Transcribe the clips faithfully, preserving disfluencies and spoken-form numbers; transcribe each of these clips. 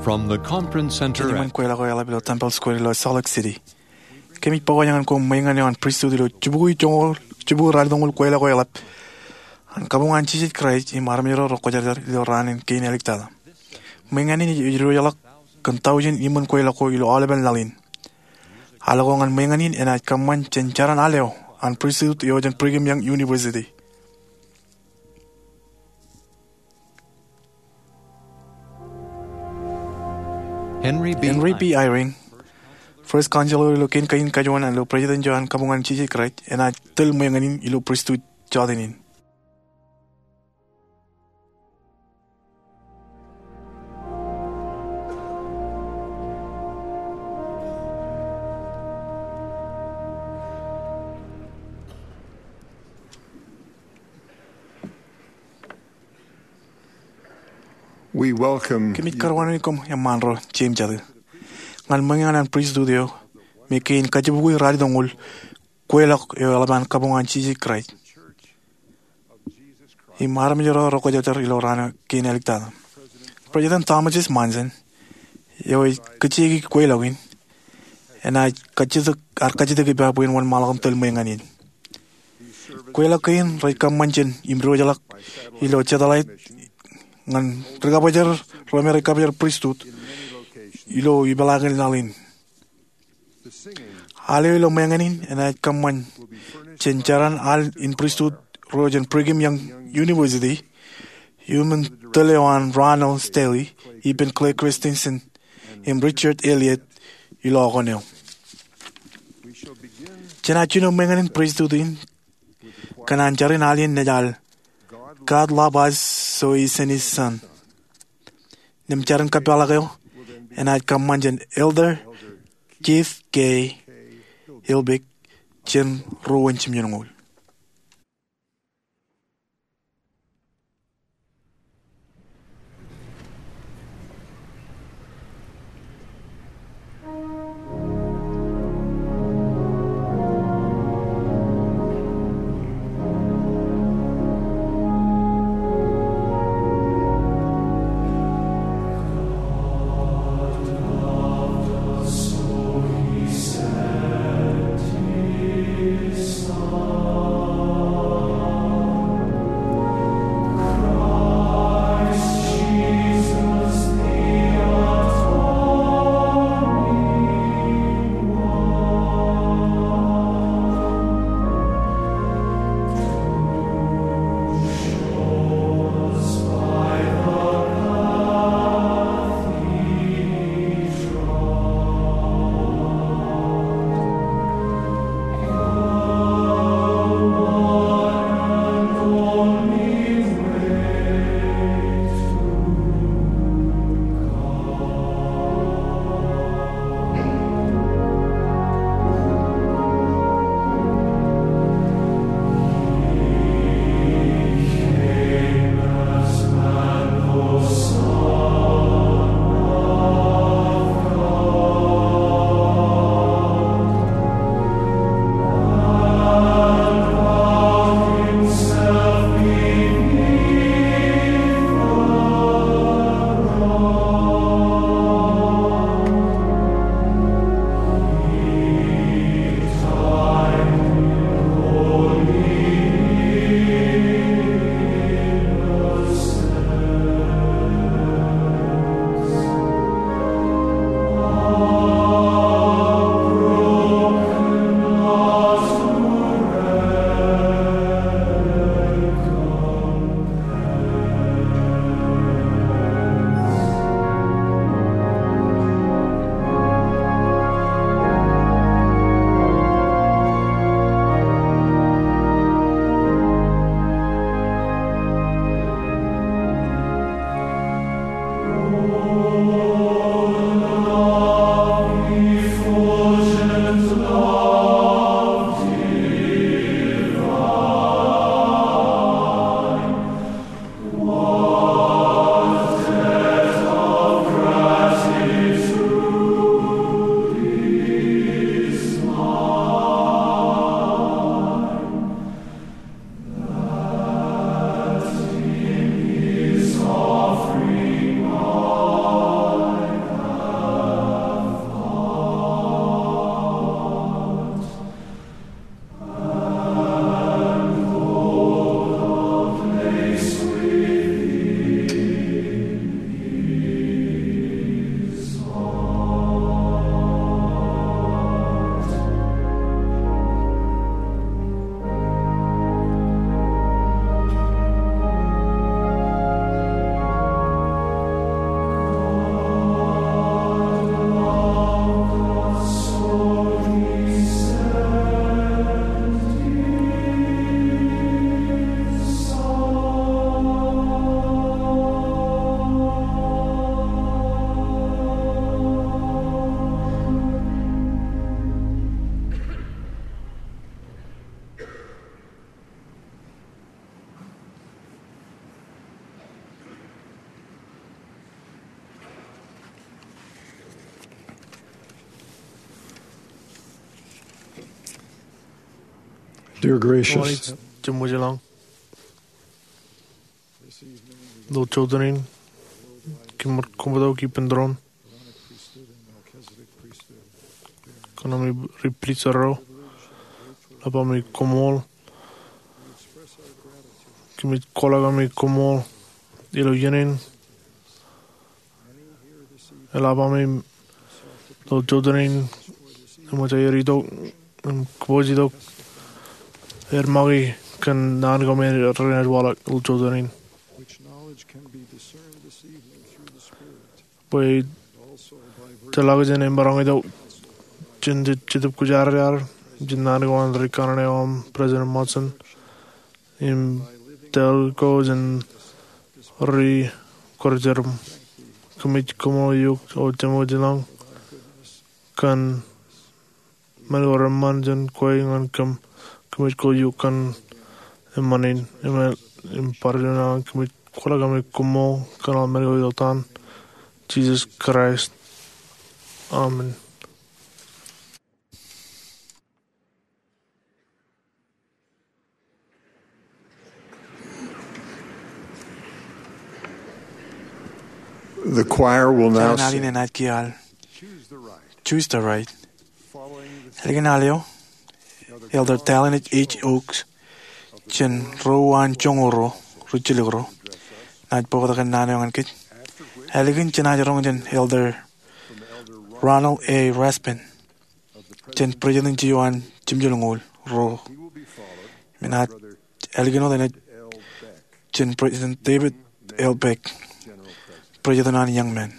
From the Conference Center. Kōn iṃōn kweilọk eo eḷap ilo Temple Square ilo Salt Lake City. Kōmij pojak ñan koṃ ṃōñā eo an pristut ilo jibukwi joñoul, jibukwi ralitōñoul kweilọk eo eḷap an kabuñ an Jisōs Kraist im armej ro rekwōjarjar ilo raan in kein āliktata. Ṃōñā in ej diwōjḷọk kōn tọujin iṃōn kweilọk ko ilo aolepen laḷ in. Al ko ñan ṃōñā in enaaj kōṃṃan jān jaran al eo an pristut eo jān Brigham Young University. Henry B. Henry B. Eyring, First Counselor ilo kein kajuon ilo President eo an kabuñ an Jisōs Kraist, enaaj tōl ṃōñā in ilo pristut jọteen in. We welcome Kōmij karuwainene koṃ eṃṃaan ro jeiū im jatū ñan ṃōñā in an pristut eo me kein kajibukwi ralitōñoul kweilọk eo eḷap an kabuñ an Jisōs Kraist im armej ro rekwōjarjar ilo raan in kein āliktata. President Thomas S. Monson, eo ej kajjitōk kweilọk in, enaaj kajjitōk, ear kajjitōk ippa bwe en wōnṃaanḷọk im tōl ṃōñā in. Kweilọk kein rej kōṃṃan jān im diwōjḷọk ilo satellite ñan ri-kabōjrak ro me rej kabōjrak pristut ilo ipeḷaakin laḷ in. Al eo ilo ṃōñā in enaaj kōṃṃan jān jaran al in pristut ro jān Brigham Young University, iuṃwin tōl eo an Ronald Stanley, ippān Clay Christensen, im Richard Elliott ilo okōn eo. Jen jino ṃōñā in pristut in kōn an jar in al in nejal, God Loved Us So He Sent His Son. Im jar in kōpeḷḷọk eo enaaj kōṃṃan jān Elder Keith K. Hilbeck jān ruo in jimjuonñoul. You're gracious. Ilo jota in, kōmij koṃṃool ippān doon kōn ami ri pristut ro. Eḷap ami koṃṃool. Kōmij kwaḷọk ami koṃṃool ilo iien in. Eḷap ami ilo jota in eṃōj aer itok im kōpooje itok aer make kōn naan ko me renaaj waḷọk ilo jota in. Bwe tōmak jān emaroñ itok jān Jetōb Kwōjarjar, jān naan ko an ri kanaan eo aṃ President Monson, im tōl ko jān ri kwōjarjar, kōmij koṃṃool eok ilo jemān in kōn men ko reṃṃan jān kwe ñan kōm. Kōmij koṃṃool eok kōn eṃṃan in im, im barāinwōt an kōmij kwaḷọk ami koṃṃool kōn aolep men ko ilo etan Jisōs Kraist. Amen. The choir will now sing. Enaaj kiiō al Choose the Right. Ālikin al eo, Elder Dallin H. Oaks jān ro uwaan joñoul ro rijjilōk ro enaaj bōktok kōn naan eo ñan kōj. Ālikin jenaaj roñ jān Elder Ronald A. Rasband jān President eo an Jemjeḷ Ñoul ro. Im enaaj ālikin wōt jān President David L. Beck, President an Young Men.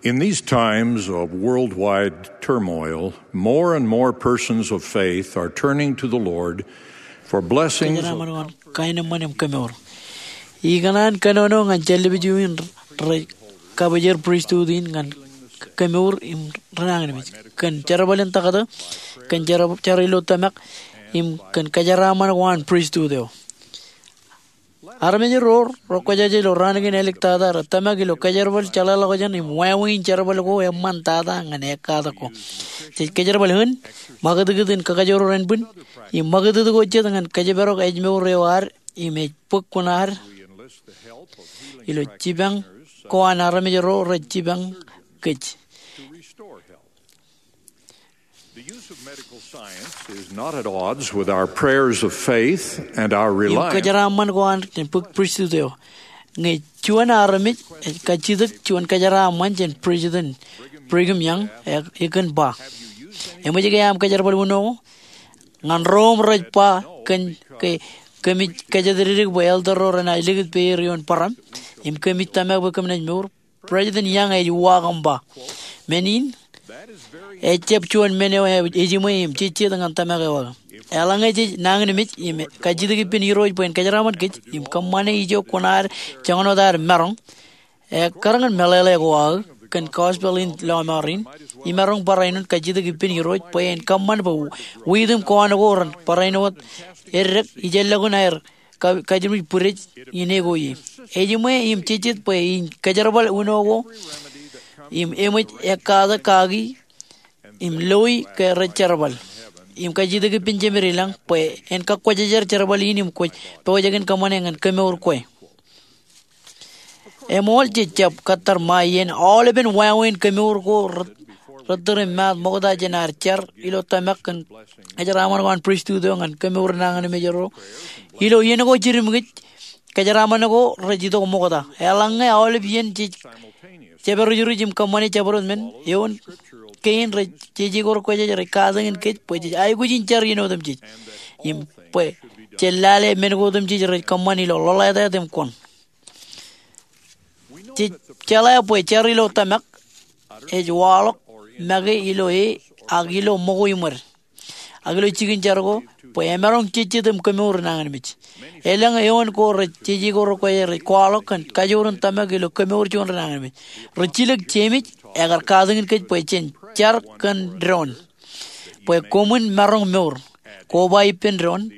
In these times of worldwide turmoil, more and more persons of faith are turning to the Lord for blessings. Kōjeraaṃṃan ko an kaenōṃṃan im kemour. Ikōṇaan kōnono ñan jān lōb eo in rej kabōjrak pristut in ñan kemour im renañinmej. Kōn jerbal in taktō, kōn jer-, jar ilo tōmak, im kōn kōjeraaṃṃan ko an pristut eo. Armej ro rekwōjarjar ilo raan kein āliktata rej tōmak ilo kōjerbal jeḷāḷọkjeṇ im wāween jerbal ko eṃṃantata ñan ekkatak ko. Jej kōjerbal eṇ, ṃakūtkūt in kakajoor ānbwin, im ṃakūtkūt ko jet ñan kōjparok ājmour eo ad im ej bōk kuṇaad ilo jipañ ko an armej ro rej jipañ kōj. The use of medical science is not at odds with our prayers of faith and our reliance. Im kōjeraaṃṃan ko an jān bōk pristut eo. Ñe juon armej ej kajjitōk juon kōjeraaṃṃan jān President Brigham Young, e, ekōn ba, eṃōj ke aṃ kōjerbal uno ko? Ñan ro im rej ba kōn ke kōmij kōjatdikdik bwe elder ro renaaj likūt peier ioon bōraṃ, im kōmij tōmak bwe kōm naaj mour, President Young ej uwaak im ba, men in ejjab juon men eo ejiṃwe im jejjet ñan tōmak eo aō. Eḷaññe jej nañinmej im kajjitōk ippān Irooj bwe en kōjeraaṃṃan kōj im kōṃṃane ijo kuṇaad joñan wōt ad maroñ, ekkar ñan meḷeḷe ko aō kōn gospel in lọmọọr in, imaroñ barāinwōt kajjitōk ippān Irooj bwe en kōṃṃan bwe wiitim kowaan ko ren barāinwōt eddek ijellọkin aer ka-, kajjitōk bwidej in eko ie. Ejiṃwe im jejjet bwe in kōjerbal uno ko im eṃōj ekkatak kaki im loi ke rej jerbal. Im kajjitōk ippān Jemed ilañ bwe en kakwōjarjar jerbal in im kwōj pojak in kōṃṃane ñan kemour kwe. Eṃool jej jab kōttar ṃae iien aolepen wāween kemour ko rej, rej tūr im maat ṃokta jān ad jar ilo tōmak kōn kōjeraaṃṃan ko an pristut eo ñan kemour nañinmej ro. Ilo iien ko jidim kōj, kōjeraaṃṃan ko rej itok ṃokta. Eḷaññe aolep iien jej jepād rujruj im kōṃṃane jabdewōt men, eoon kein rej jeje ko rekwōjarjar rej katakin kōj bwe jej aikuj in jar iien otemjej. Im bwe jen lale men ko otemjej rej kōṃṃan ilo ḷoḷātāt im koṇ. Jej jeḷā bwe jar ilo tōmak ej waḷọk make ilo e ak ilo ṃōko iṃōd ak ilo jikin jar ko bwe emaroñ jejjet im kemour nañinmej. Elōñ eoon ko rej jeje ko rekwōjarjar rej kwaḷọk kōn kajoor in tōmak ilo kemour juon renañinmej. Rej jilōk Jemes ekar katakin kōj bwe jen jar kōn doon bwe koṃwin maroñ mour. Koba ippān doon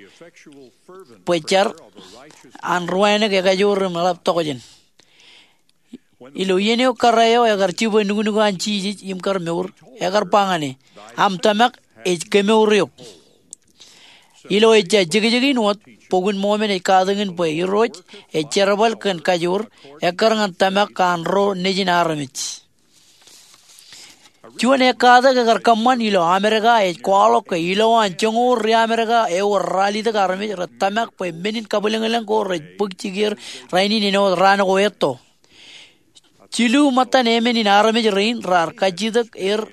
bwe jar an ri-wānōk ekajoor im eḷap tokjān. Ilo iien eo kōrā eo ekar jibwe nuknuk an Jisōs im kar mour, ekar ba ñan e, aṃ tōmak ej kemour eok. Ilo ejja jekjek in wōt, Bok in Mōmon ej katakin bwe Irooj ej jerbal kōn kajoor, ekkar ñan tōmak an ro nejin armej. Juon ekkatak ekar kōṃṃan ilo Amerika ej kwaḷọk ke ilowaan joñoul ri-Amerika ewōr ralitōk armej rej tōmak bwe men in kabwilōñlōñ ko rej bōk jikier rainin āinwōt raan ko etto. Jilu ṃōttan emān in armej rein raar kajjitōk er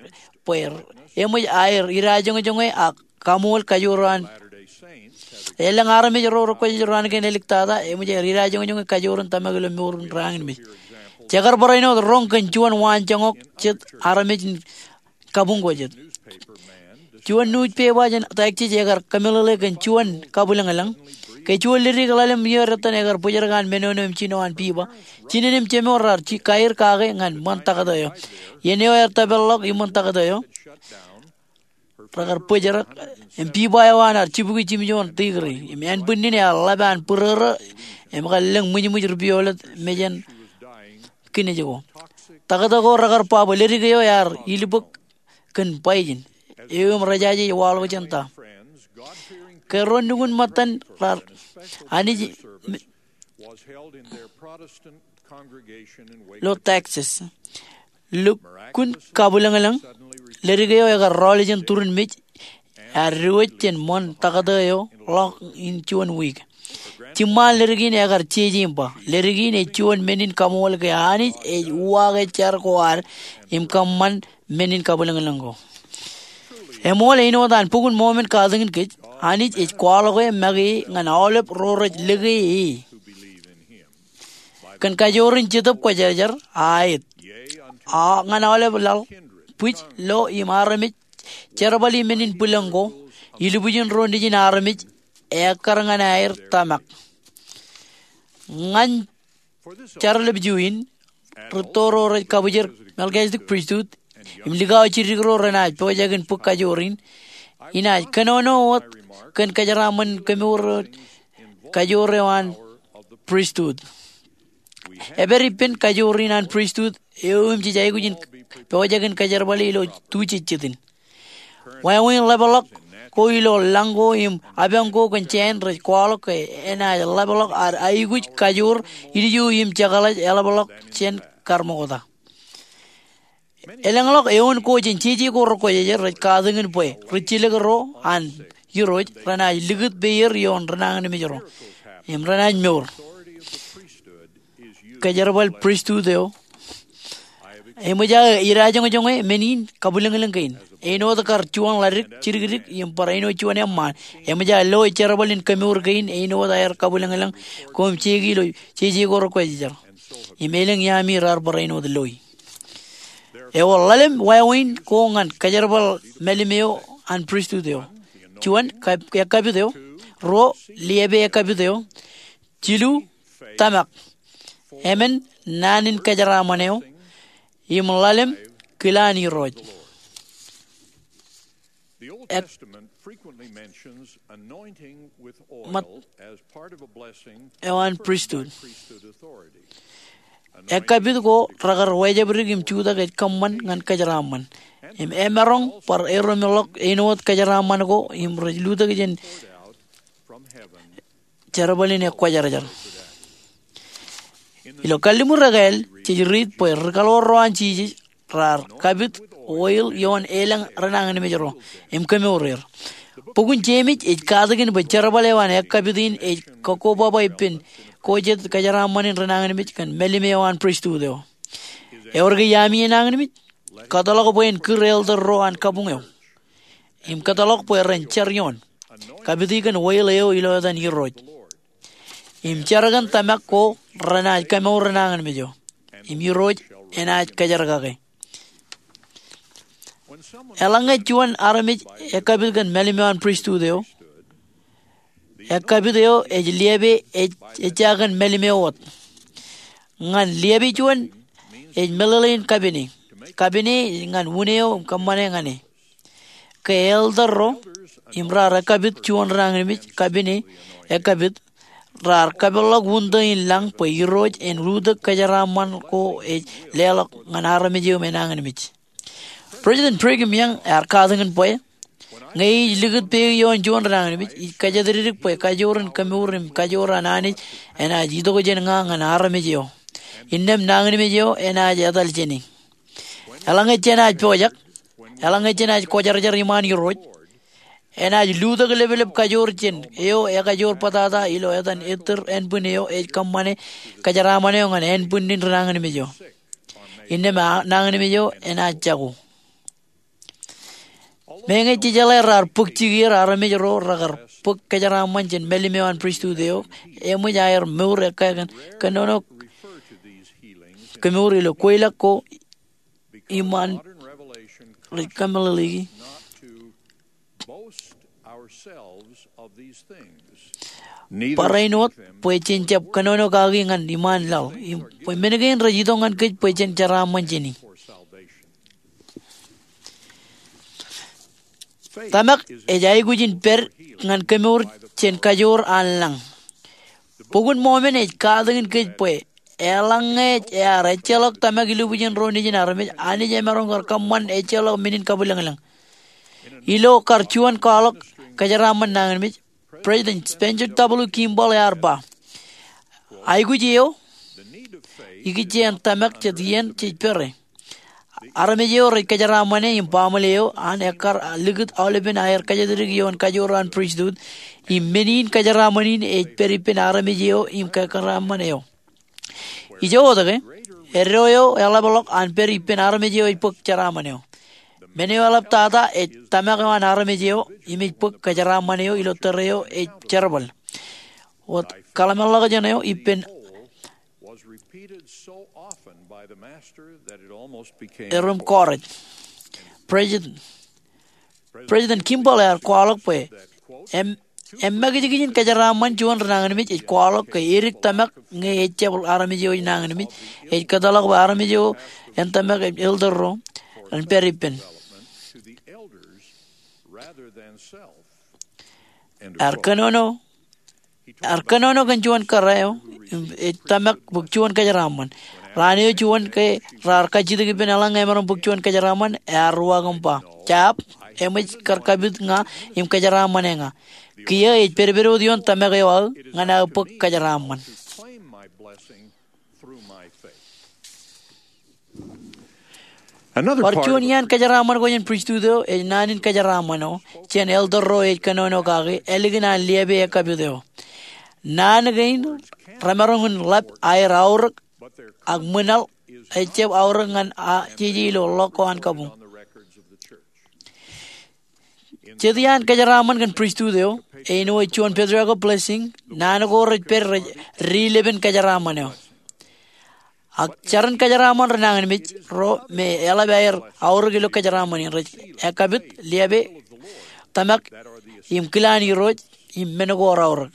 bwe eṃōj aer idajoñjoñe ak kaṃool kajoor an. Elōñ armej ro rekwōjarjar raan kein āliktata eṃōj aer idajoñjoñe kajoor in tōmak ilo mour in renañinmej. Jekar barāinwōt roñ kōn juon waanjoñak jet armej in kabuñ ko jet. Juon newspaper jān Texas ekar kōmeḷeḷe kōn juon kabwilōñlōñ. Ke juon ledik ḷalem iiō ettan ekar bōjrak an menono im jino an pipa. Jinen im jemān raar kaer kake ñan ṃōn taktō eo. Iien eo ear tōpar ḷọk iṃōn taktō eo, rekar bōjrak, im pipa eo an ear jibukwi jimjuon tikri, im ānbwinnin ear ḷap an būrōrō, im kar lōñ ṃwijṃwij ri-piolet mejān kinej ko. Taktō ko rekar ba bwe ledik eo ear ilbōk kōn poison eo im rejaje ej waḷọk jān ta. Ke ro nukun ṃōttan raar Anij ilo Texas. Lukkuun kabwilōñlōñ, ledik eo ekar rọọl jān turin mej, ear diwōj jān ṃōn taktō eo ḷọk in juon wiik. Jiṃṃa an ledik in ekar jeje im ba, ledik in ej juon men in kaṃool ke Anij ej uwaake jar ko ad im kōṃṃan men in kabwilōñlōñ ko. Eṃool āinwōt an Bok in Mōmon katakin kōj, Anij ej kwaḷọke make ñan aolep ro rej lōke e. Kōn kajoor in Jetōb Kwōjarjar, aet. ñan aolep laḷ, bwij, lo im armej, jerbal im men in bwilōñ ko, ilubwijin ro nejin armej, ekkar ñan aer tōmak. Ñan jar ḷapju in, rūtto ro rej kabwijer Melchizedek Priesthood im likao jidikro renaaj pojak in bōk kajoor in, inaaj kōnono wōt kōn kōjeraaṃṃan in kemour kajoor eo an priesthood. Ej pād ippān kajoor in an priesthood eo im jej aikuj in pojak in kōjerbale ilo tujejjet in. Wāween ḷapḷọk ko ilo lañ ko im apañ ko kōn jāān rej kwaḷọk ke enaaj ḷapḷọk ad aikuj kajoor ilju im jekḷaj eḷapḷọk jān karṃokta. Elōñḷọk eoon ko jān jeje ko rekwōjarjar rej katakin bwe ri jilkinro an Irooj renaaj likūt peier ioon rinañinmej ro im renaaj mour. Kōjerbal priesthood eo eṃōj aō idajoñjoñe men in kabwilōñlōñ kein. Āinwōt kar juon ḷadik jidikdik im barāinwōt juon eṃṃaan, eṃōj aō lo ej jerbal in kemour kein āinwōt aer kabwilōñlōñ ko im jeiki ilo jeje ko rekwōjarjar. Im elōñ iaami raar barāinwōt loi. Ewōr ḷalem wāween ko ñan kōjerbal mālim eo an priesthood eo. Juon, kab-, ekkapit eo. Ruo, liepe ekkapit eo. Jilu, tōmak. Emān, naan in kōjeraaṃṃan eo. Im ḷalem, kila an Irooj. Ek-, mat-, eo an priesthood. Ekkapit ko rekar wejabdik im jutak ej kōṃṃan ñan kōjeraaṃṃan. Im emaroñ bar erom ḷọk āinwōt kōjeraaṃṃan ko im rej lutōk jān jerbal in ekwōjarjar. Ilo Kalliṃur Ekāāl, jej riit bwe ri kaḷoor ro an Jisōs raar kapit oil ioon elōñ rinañinmej ro im kemour er. Bok in Jemes ej katakin bwe jerbal eo an ekkapit in ej kakkobaba ippān ko jet kōjeraaṃṃan in rinañinmej kōn mālim eo an priesthood eo. Ewōr ke iaami enañinmej? Kōtḷọk bwe en kūr elder ro an kabuñ eo im kōtḷọk bwe ren jar ioon, kapiti kōn oil eo ilo etan Irooj. Im jar kōn tōmak ko renaaj kemour rinañinmej eo. Im Irooj enaaj kōjerkake. Eḷaññe juon armej ekkapit kōn mālim eo an priesthood eo, ekkapit eo ej liepe ej, ejja kōn mālim eo wōt. Ñan liepe juon ej meḷeḷein kapene. Kapene ñan wūn eo im kōṃṃane ñan e. Ke elder ro im raar ekkapit juon rinañinmej, kapene, ekkapit, raar kapeḷḷọk wūntō in lañ bwe Irooj en lutōk kōjeraaṃṃan ko ej leḷọk ñan armej eo im enañinmej. President Brigham Young ear katakin bwe, ñe ij likūt peik ioon juon rinañinmej, ij kōjatdikdik bwe kajoor in kemour im kajoor an Anij enaaj itok jān ña ñan armej eo. Innām nañinmej eo enaaj etal jāne. Eḷaññe jenaaj pojak, eḷaññe jenaaj kwōjarjar iṃaan Irooj, enaaj lutōk leplep kajoor jān eo ekajoor bōtata ilo etan ettōr ānbwin eo ej kōṃṃane kōjeraaṃṃan eo ñan ānbwinnin rinañinmej eo. Innām a-, nañinmej eo enaaj jako. Meñe jejeḷā raar bōk jikier armej ro rekar bōk kōjeraaṃṃan jān mālim eo an priesthood eo, eṃōj aer mour ekkā kōn kōnono kemour ilo kweilọk ko iṃaan rej kōmeḷeḷeiki. Barāinwōt bwe jen jab kōnono kaki ñan iṃaan laḷ, im bwe men kein rej itok ñan kōj bwe jen jeraaṃṃan jāne. Tōmak ej aikuj in pād ñan kemour jān kajoor an lañ. Bok in Mōmon ej katakin kōj bwe eḷaññe ear ejjeḷọk tōmak ilubwijin ro nejin armej, Anij emaroñ kar kōṃṃan ejjeḷọk men in kabwilōñlōñ. Ilo kar juon kwaḷọk kōjeraaṃṃan nañinmej, President Spencer W. Kimball ear ba, aikuj eo ikijjeen tōmak jet iien jej pere. Armej eo rej kōjeraaṃṃane im baaṃle eo an ekkar likūt aolepen aer kōjatdikdik ioon kajoor an priesthood, im men in kōjeraaṃṃan in ej pād ippān armej eo im kōjeraaṃṃan eo. Ijo wōt ke, eddo eo eḷapḷọk an pād ippān armej eo ej bōk jeraaṃṃan eo. Men eo eḷaptata ej tōmak eo an armej eo im ej bōk kōjeraaṃṃan eo ilo tōre eo ej jerbal. Wōt kōḷmānḷọkjeṇ eo ippān Erom kọọrij. President, President Kimball ear kwaḷọk bwe em, emakijkijin kōjeraaṃṃan juon rinañinmej ej kwaḷọk ke edik tōmak ñe ejjab armej eo nañinmej. Ej kōtḷọk bwe armej eo en tōmak elder ro ren pād ippān. Ear kōnono, ear kōnono kōn juon kōrā eo im ej tōmak bōk juon kōjeraaṃṃan. Raan eo juon ke raar kajjitōk ippān eḷaññe emaroñ bōk juon kōjeraaṃṃan, ear uwaak im ba, "Jab, eṃōj kar kapit ña im kōjeraaṃṃane ña. Kiiō ej pedped wōt ioon tōmak eo aō ñan aō bōk kōjeraaṃṃan." Bar juon iaan kōjeraaṃṃan ko jān pristut eo ej naan in kōjeraaṃṃan eo jān elder ro ej kōnono kaki ālikin an liabe ekkapit eo. Naan kein remaroñ in ḷap aer aorōk, ak ṃwilaḷ ejjab aorōk ñan jeje ilo ḷọk ko an kabuñ. Jet iaan kōjeraaṃṃan kōn pristut eo, āinwōt juon patriarchal blessing, naan ko rej pād rej dilepen kōjeraaṃṃan eo. Ak jar in kōjeraaṃṃan rinañinmej ro me eḷap aer aorōk ilo kōjeraaṃṃan in rej ekkapit, liabe, tōmak, im kilaan Irooj, im men ko raorōk.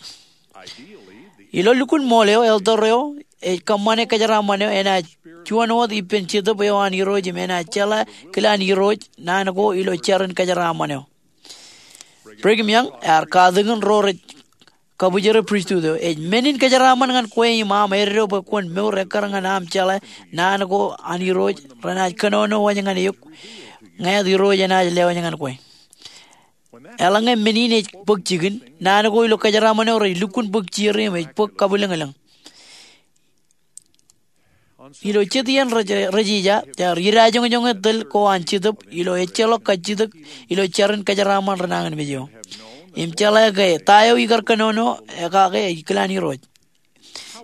Ilo lukkuun ṃool eo, elder eo ej kōṃṃane kōjeraaṃṃan eo enaaj juon wōt ippān Jetōb eo an Irooj im enaaj jeḷā kilaan Irooj naan ko ilo jar in kōjeraaṃṃan eo. Brigham Young ear katakin ro rej kabwijere pristut eo, ej men in kōjeraaṃṃan ñan kwe im aṃ eddo bwe kwōn mour ekkar ñan aṃ jeḷā naan ko an Irooj renaaj kōnono wōj ñan eok ñāāt Irooj enaaj lewōj ñan kwe. Eḷaññe men in ej bōk jikin, naan ko ilo kōjeraaṃṃan eo rej lukkuun bōk jier im ej bōk kabwilōñlōñ. Ilo jet iien rej, rej ija, ear idajoñjoñe tōl ko an Jetōb ilo ejjeḷọk kajjitōk ilo jar in kōjeraaṃṃan rinañinmej eo. Im jeḷā ke ta eo ikar kōnono e kake ej kilaan Irooj.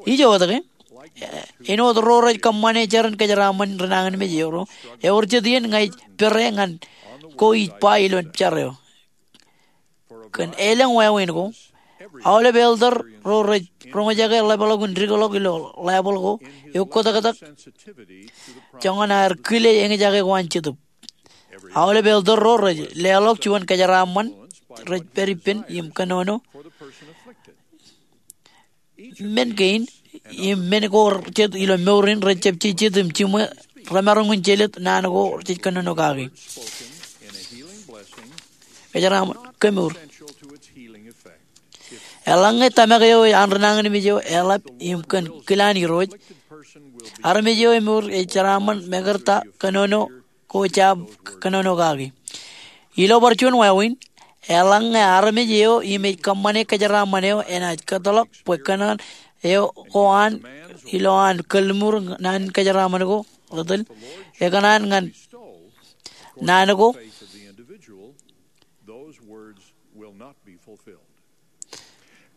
Ijo wōt ke, āinwōt ro rej kōṃṃane jar in kōjeraaṃṃan rinañinmej eo ro, ewōr jet iien ñe ej pere ñan ko ij ba ilo jar eo. Kōn elōñ wāween ko, aolep elder ro rej roñjake ḷapḷọk in dikḷọk ilo Baibōḷ ko, eoktaktak joñan aer kile eñjake ko an Jetōb. Aolep elder ro rej leḷọk juon kōjeraaṃṃan rej pād ippān im kōnono men kein, im men ko rej jet ilo mour in rejjab jejjet im jiṃwe remaroñ in jelōt naan ko jej kōnono kaki. Kōjeraaṃṃan kemour. Eḷaññe tōmak eo an rinañinmej eo eḷap im kōn kilaan Irooj, armej eo emour ej jeraaṃṃan mekarta kōnono ko jab kōnono kaki. Ilo bar juon wāween, eḷaññe armej eo im ej kōṃṃane kōjeraaṃṃan eo enaaj kōtḷọk bwe kōṇaan eo ko an ilo an kalliṃur naan in kōjeraaṃṃan ko rej tōl, ekōṇaan ñan naan ko.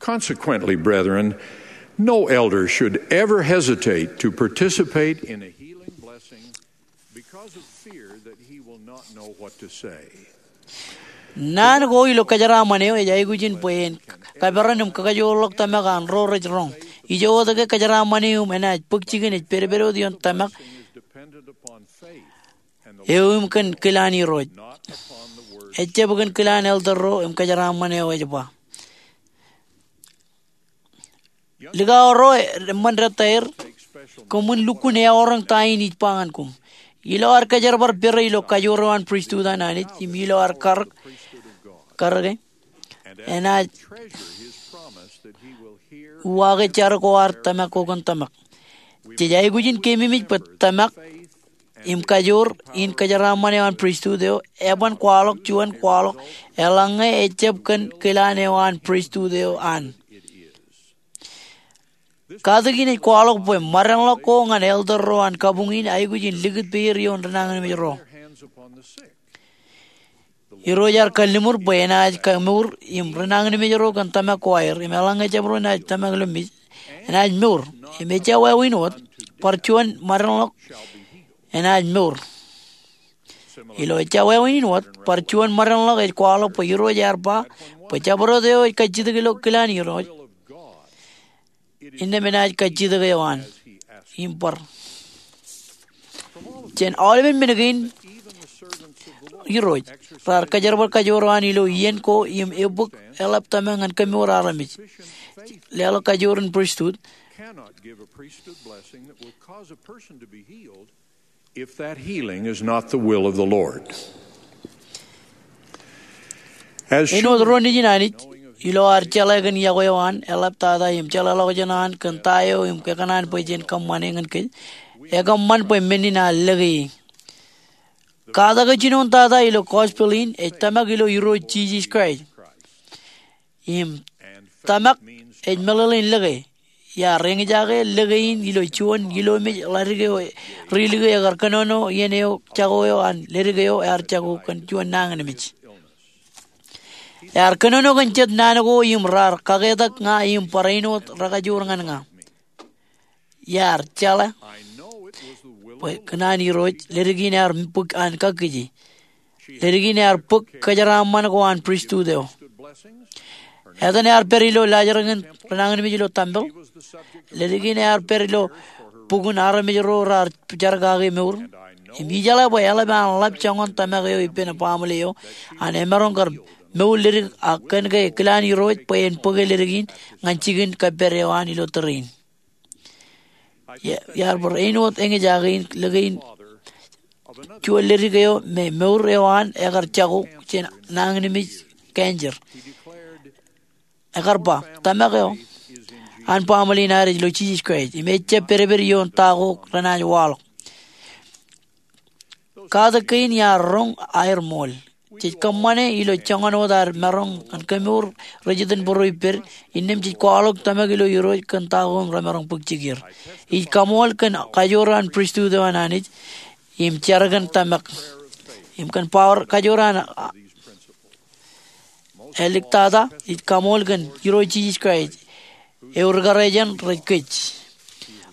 Consequently, brethren, no elder should ever hesitate to participate in a healing blessing because of fear that he will not know what to say. Naan ko ilo kōjeraaṃṃan eo ej aikuj in bwe en kaperan im kakajoorḷọk tōmak an ro rej roñ. Ijo wōt ke kōjeraaṃṃan eo im enaaj bōk jikin ej pedped wōt ioon tōmak eo im kōn kilaan Irooj. Ejjab kōn kilaan elder ro im kōjeraaṃṃan eo ej ba. Likao ro eṃṃan dettaer, koṃwin lukkuun eọroñ ta in ij ba ñan koṃ. Ilo ad kōjerbal pere ilo kajoor eo an pristut an Anij im ilo ad karōk, karōke, enaaj uwaake jar ko an tōmak ko kōn tōmak. Jej aikuj in keememej bwe tōmak im kajoor in kōjeraaṃṃan eo an pristut eo eban kwaḷọk juon kwaḷọk eḷaññe ejjab kōn kilaan eo an pristut eo an. Katakin ej kwaḷọk bwe ṃadeṇḷọk ko ñan elder ro an kabuñ in aikuj in likūt peier ioon rinañinmej ro. Irooj ear kalliṃur bwe enaaj kemour im rinañinmej ro kōn tōmak ko aer, im eḷaññe jabdewōt enaaj tōmak ilo mej, enaaj mour. Im ejja wāween wōt, bar juon ṃadeṇḷọk enaaj mour. Ilo ejja wāween in wōt, bar juon ṃadeṇḷọk ej kwaḷọk bwe Irooj ear ba bwe jabdewōt eo ej kajjitōk ilo kilaan Irooj innām enaaj kajjitōk eo an im bar. Jān aolepen men kein, irooj raar kōjerbal kajoor eo an ilo iien ko im ebōk eḷap tōmak ñan kemour armej. Leḷọk kajoor in pristut. Cannot give a priesthood blessing that will cause a person to be healed if that healing is not the will of the Lord. As āinwōt ro nejin Anij, ilo ad jeḷā kōn iọkwe eo an eḷaptata im jeḷāḷọkjeṇ eo an kōn ta eo im kōṇaan bwe jen kōṃṃane ñan kōj, ekōṃṃan bwe men in ear lōke e. Katak eo jinoin tata ilo gospel in ej tōmak ilo Irooj Jisōs Kraist. Im tōmak ej meḷeḷein lōke. Iar eñjake lōke in ilo juon ilomej ḷadik eo ri-lōke ekar kōnono iien eo jako eo an ledik eo ear jako kōn juon nañinmej. Ear kōnono kōn jet naan ko im raar kaketak ña im barāinwōt rekajoor ñan ña. Iar jeḷā bwe kōn an Irooj ledik in ear bōk an kakkije. Ledik in ear bōk kōjeraaṃṃan ko an pristut eo. Etan ear pād ilo laajrak in renañinmej ilo tempel. Ledik in ear pād ilo bukun armej ro raar jar kake mour. Im ijeḷā bwe eḷap an ḷap joñan tōmak eo ippān baaṃle eo an emaroñ kar mour ledik, ak kōn ke kilaan Irooj bwe en bōke ledik in ñan jikin kōppād eo an ilo tōre in. Iar bar āinwōt eñjake in lōke in juon ledik eo me mour eo an ekar jako jān nañinmej cancer. Ekar ba, tōmak eo an baaṃle in ad ej ilo Jisōs Kraist im ejjab pedped ioon ta ko renaaj waḷọk. Katak kein iar roñ aer ṃool. Jej kōṃṃane ilo joñan wōt ad maroñ ñan kemour rej iten būruiped, innām jej kwaḷọk tōmak ilo Irooj kōn ta ko im remaroñ bōk jikier. Ij kaṃool kōn kajoor an pristut eo an Anij im jar kōn tōmak im kōn power kajoor an āliktata. Ij kaṃool kōn Irooj Jisōs Kraist eo ri-kōrā jān rej kōj.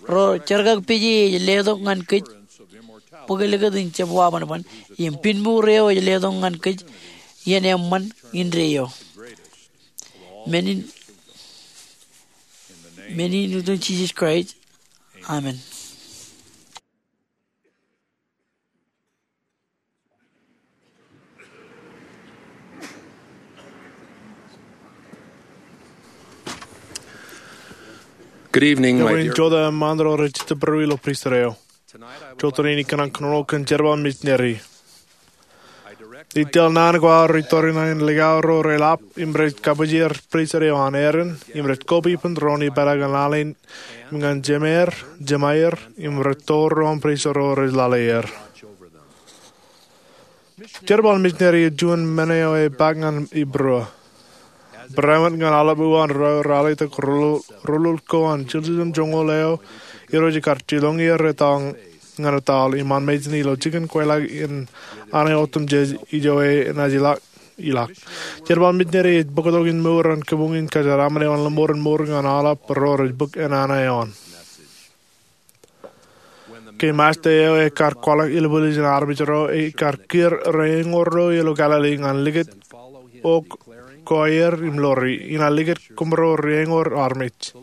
Ro jerkakpeje ej letok ñan kōj bōk likūt in jab wabanban im pinmour eo ej letok ñan kōj iien eṃṃan indeeo. Men in, men in iten Jisōs Kraist. Amen. Good evening, my dear. Jota eṃṃan ro rej jitōb bōro ilo pristut eo. Jota in ikōṇaan kōnono kōn jerbal misineri. Ij tōl naan ko aorōk iturin aer likao ro rej lap im rej kabwijer pristut eo an Aaron im rej koba ippān doon ipeḷaakin lale in im ñan jemed, jemāer im rej tour ro aṃ pristut ro rej lale er. Jerbal misineri ej juon men eo epaak ñan ibūruō. Barāinwōt ñan aolep uwaan ro ralitōk roḷoḷ ko an jiljilimjuonñoul eo, Irooj ekar jiroñ er etto ñan etto im an mejān ilo jikin kweilọk in Anij otemjej ijo enaaj ilọk. Jerbal misineri ej bōktok in mour an kabuñ in kōjeraaṃṃan eo an lọmọọren mour ñan aolep ro rej bōk enana eo an. Ke Masta eo ekar kwaḷọk ilbwiljin armej ro ekar kiiō reeñoor ro ilo Galili ñan likūt ok ko aer im lori, inaaj likūt koṃro reeñoor armej.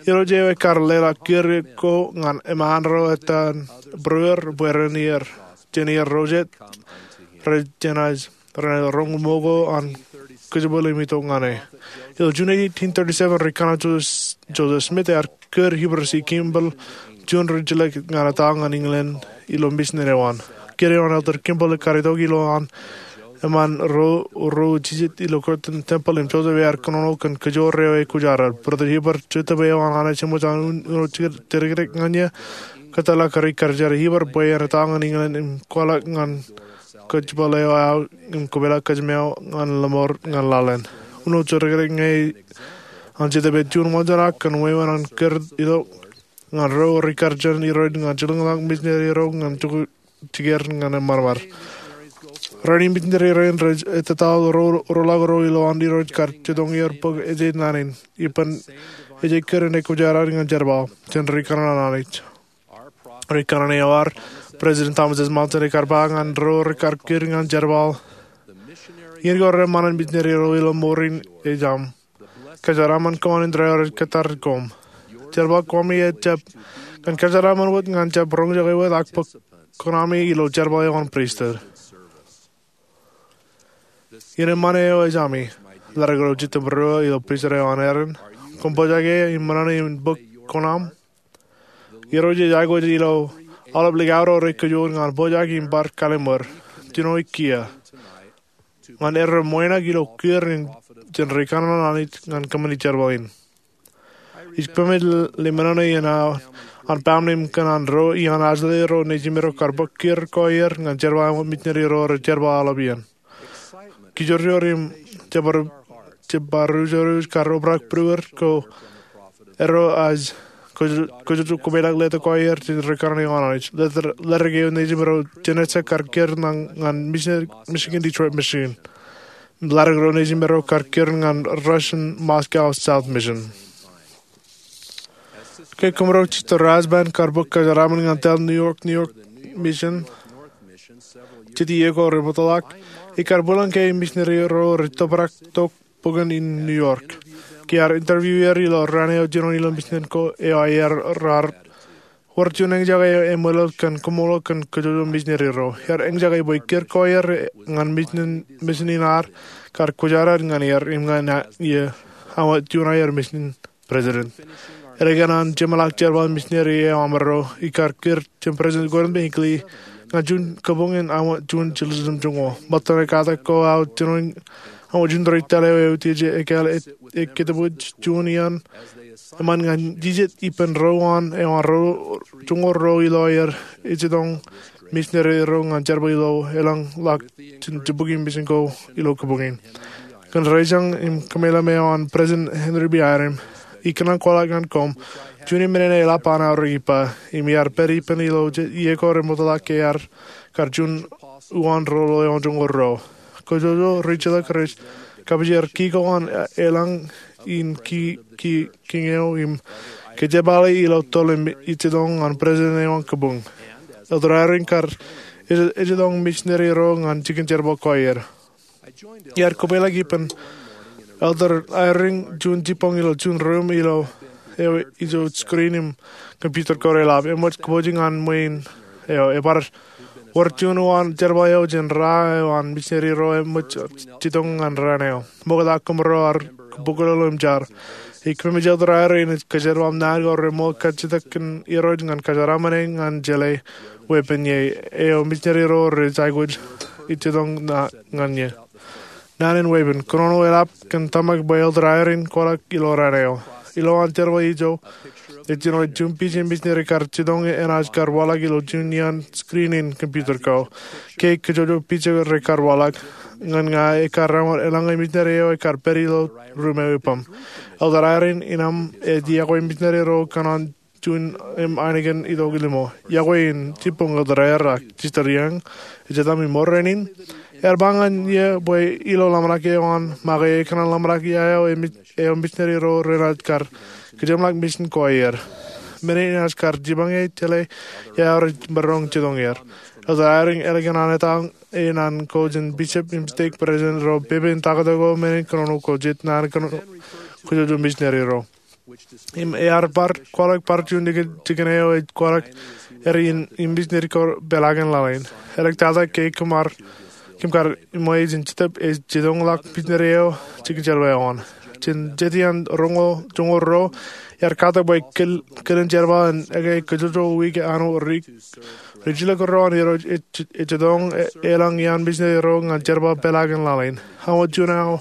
Irooj eo ekar leḷọk kiiō ko ñan eṃṃaan ro etan būrueir bwe ren ier, jān ier ro jet, rej jenaaj renaaj roñ ṃōko an kōjepel im itok ñan e. Ilo June eighteen thirty-seven, ri-kōṇaan Joseph, Joseph Smith ear kūr Heber C. Kimball juon ri-jilōk ñan etto ñan England ilo misin eo an. Kiiō eo an Elder Kimball ekar itok ilo an eṃṃaan ro, ro jijet ilo Kirtland Temple im Joseph ear kōnono kōn kajoor eo ekwōjarjar. Brother Heber, Joseph eo an Anij eṃōj an uno jijet dedekrek ñan eō, kōtḷọk ri-karijer Heber bwe en etto ñan England im kwaḷọk ñan kōjepel eo aō im kōpeḷḷọk kōjām eo ñan lọmọọr ñan laḷ in. Uno jijet dedekrek ñe an Joseph ej juon wōnṃaanḷọk kōn wāween an kūr itok ñan ro ri-karijer Irooj ñan jilkinḷọk misineri ro ñan jikier ñan eṃṃanṃan. Rainin misineri rein rej ettataḷọk ro, roḷọk ro ilo an Irooj kar jitōñ er bōk ejej naan in. Ippān ejej kūr in ekwōjarjar ñan jerbal jān ri-kōṇaan Anij. Ri-kōṇaan eo ad, President Thomas S. Monson, ekar ba ñan ro rekar kūr ñan jerbal, iien ko reṃṃan an misineri ro ilo mour in ej aṃ. Kōjeraaṃṃan ko an indeeo rej kōttar koṃ. jerbal ko ami ejjab ñan kōjeraaṃṃan wōt ñan jab roñjake wōt ak bōk kuṇaami ilo jerbal eo an pristut. Iien eṃṃan eo ej ami, ḷaddik ro jitōm būruō ilo pristut eo an Aaron, koṃ pojak ie im ṃōṇōṇō in bōk kuṇaṃ. Irooj ej aikuj ilo aolep likao ro rej kōjro ñan pojak im bar kallim̧ur, jino kiiō, ñan erro ṃoeṇak ilo kiiō jān ri kōnono Anij ñan kōṃṃani jerbal in. Ij kōmij lemñoul iien aō an baaṃle im kōṇaan ro iaan Ashley ro nejime ro kar bōk kiiō ko aer ñan jerbal eo an misineri ro rej jerbal aolep iien. Kijoor im jab baruj kar obrak būruō ko erro ej kōjjojo komeḷeḷe letok ko aer jān ri kōnono eo an Anij. Letok eo nejime ro jān ejja kar kiiō ñan Michigan Detroit Mission. Ḷaddik ro nejime ro kar kiiō ñan Russian Moscow South Mission. Ke kōmro jitōñ Rasband kar bōk kōjeraaṃṃan ñan tōl New York, New York Mission, jet iiō ko remootḷọk, ekar bwilōñ ke misineri ro rej tōprak tok bōkōn in New York. Ke ear interview er ilo raan eo jinoin ilo mission ko eo aer raar wōr juon eñjake eo eṃōḷōḷ kōn koṃṃool kōn kōjjojo misineri ro. Ear eñjake bwe kiiō ko aer ñan mission in ad kar kwōjarjar ñan er im ñan iiō aṃ wōt juon aer mission president. Ālikin an jeṃḷọk jerbal misineri eo aṃro, ekar kiiō jān President Gordon B. Hinckley ñan juon kōbuñ in aṃ wōt juon jiljilimjuonñoul. Ṃōttan ekkatak ko aō jinoin aṃ wōt juon ri tōl eo eutiej ekāāl ekketōbwij juon iaan eṃṃan ñan jijet ippān ro an eo an ro joñoul ruo ilo aer ejjeḷọk misineri ro ñan jerbal ilo elōñḷọk jān jibukwi mission ko ilo kōbuñ in. Kōn ri jeṇ im kōmeḷeḷe eo an President Henry B. Eyring, ikōṇaan kwaḷọk ñan koṃ, juon in men in eḷap an aorōk ippa, im iar pād ippān ilo jet iiō ko remootḷọk ke ear kar juon uwaan roñoul joñoul ruo. Kōjjojo ri jilōk rej kapijer ki ko an elōñ in ki, ki, kiiō im kōjepale ilo toḷ im ejjeḷọk an president eo an kōbuñ. Elder Eyring kar ejjeḷọk misineri ro ñan jikin jerbal ko aer. Iar kōpeḷḷọk ippān Elder Eyring juon jibboñ ilo juon ruum ilo eo ijo screen im computer ko reḷap. Eṃōj kōpooje ñan ṃwiin eo, ebar wōr juon uwaan jerbal eo jān ra eo an misineri ro eṃōj jetōñ ñan raan eo. Ṃokta kōmro ar bōkḷọk im jar. Ij kōmij Elder Eyring in kōjerbal naan ko reṃool kajjitōk kōn Irooj ñan kōjeraaṃṃan e ñan jeḷā weeppān ie eo misineri ro rej aikuj ejjeḷọk ñan ie. Naan in weeppān, kōnono eḷap kōn tōmak bwe Elder Eyring kwaḷọk ilo raan eo. Ilowaan jerbal ijo, ej jino juon pija misineri kar jetōñ enaaj kar waḷọk ilo juon iaan screen in computer ko. Ke kōjjojo pija rej kar waḷọk ñan ña, ekar ewōr elōñ misineri eo ekar pād ilo ruum eo ippaṃ. Elder Eyring in aṃ ej iọkwe misineri ro kōn an juon im ainikien itok limo. Iọkwe in jibboñ Elder Eyring ak Sister Young, ejetaṃ im mour rainin. Ear ba ñan iiō bwe ilo ḷōmṇak eo an make ekōṇaan ḷōmṇak ia eo eo misineri ro renaaj kar kōjeṃḷọk mission ko aer. Men in enaaj kar jipañ e jeḷā ia eo rej maroñ jetōñ er. Elder Eyring ālikin an etaṃ e naan ko jān bishop im stake president ro, pepe in taktō ko, men in kōnono ko jet naan kōnono kōjjojo misineri ro. Im ear bar kwaḷọk bar juon jikin eo ej kwaḷọk er in misineri ko peḷaakin laḷ in. Eḷak tata ke kōm ar, kōm kar ṃweo jān Jetōb ej jetōñḷọk misineri eo jikin jerbal eo an. Jān jet iaan roñoul joñoul ruo, iar katak bwe kilen jerbal in ekkā kōjjojo wiik āinwōt ri jilkinro an Irooj ej jetōñ elōñ iaan misineri ro ñan jerbal peḷaakin laḷ in. Aṃ wōt juon eo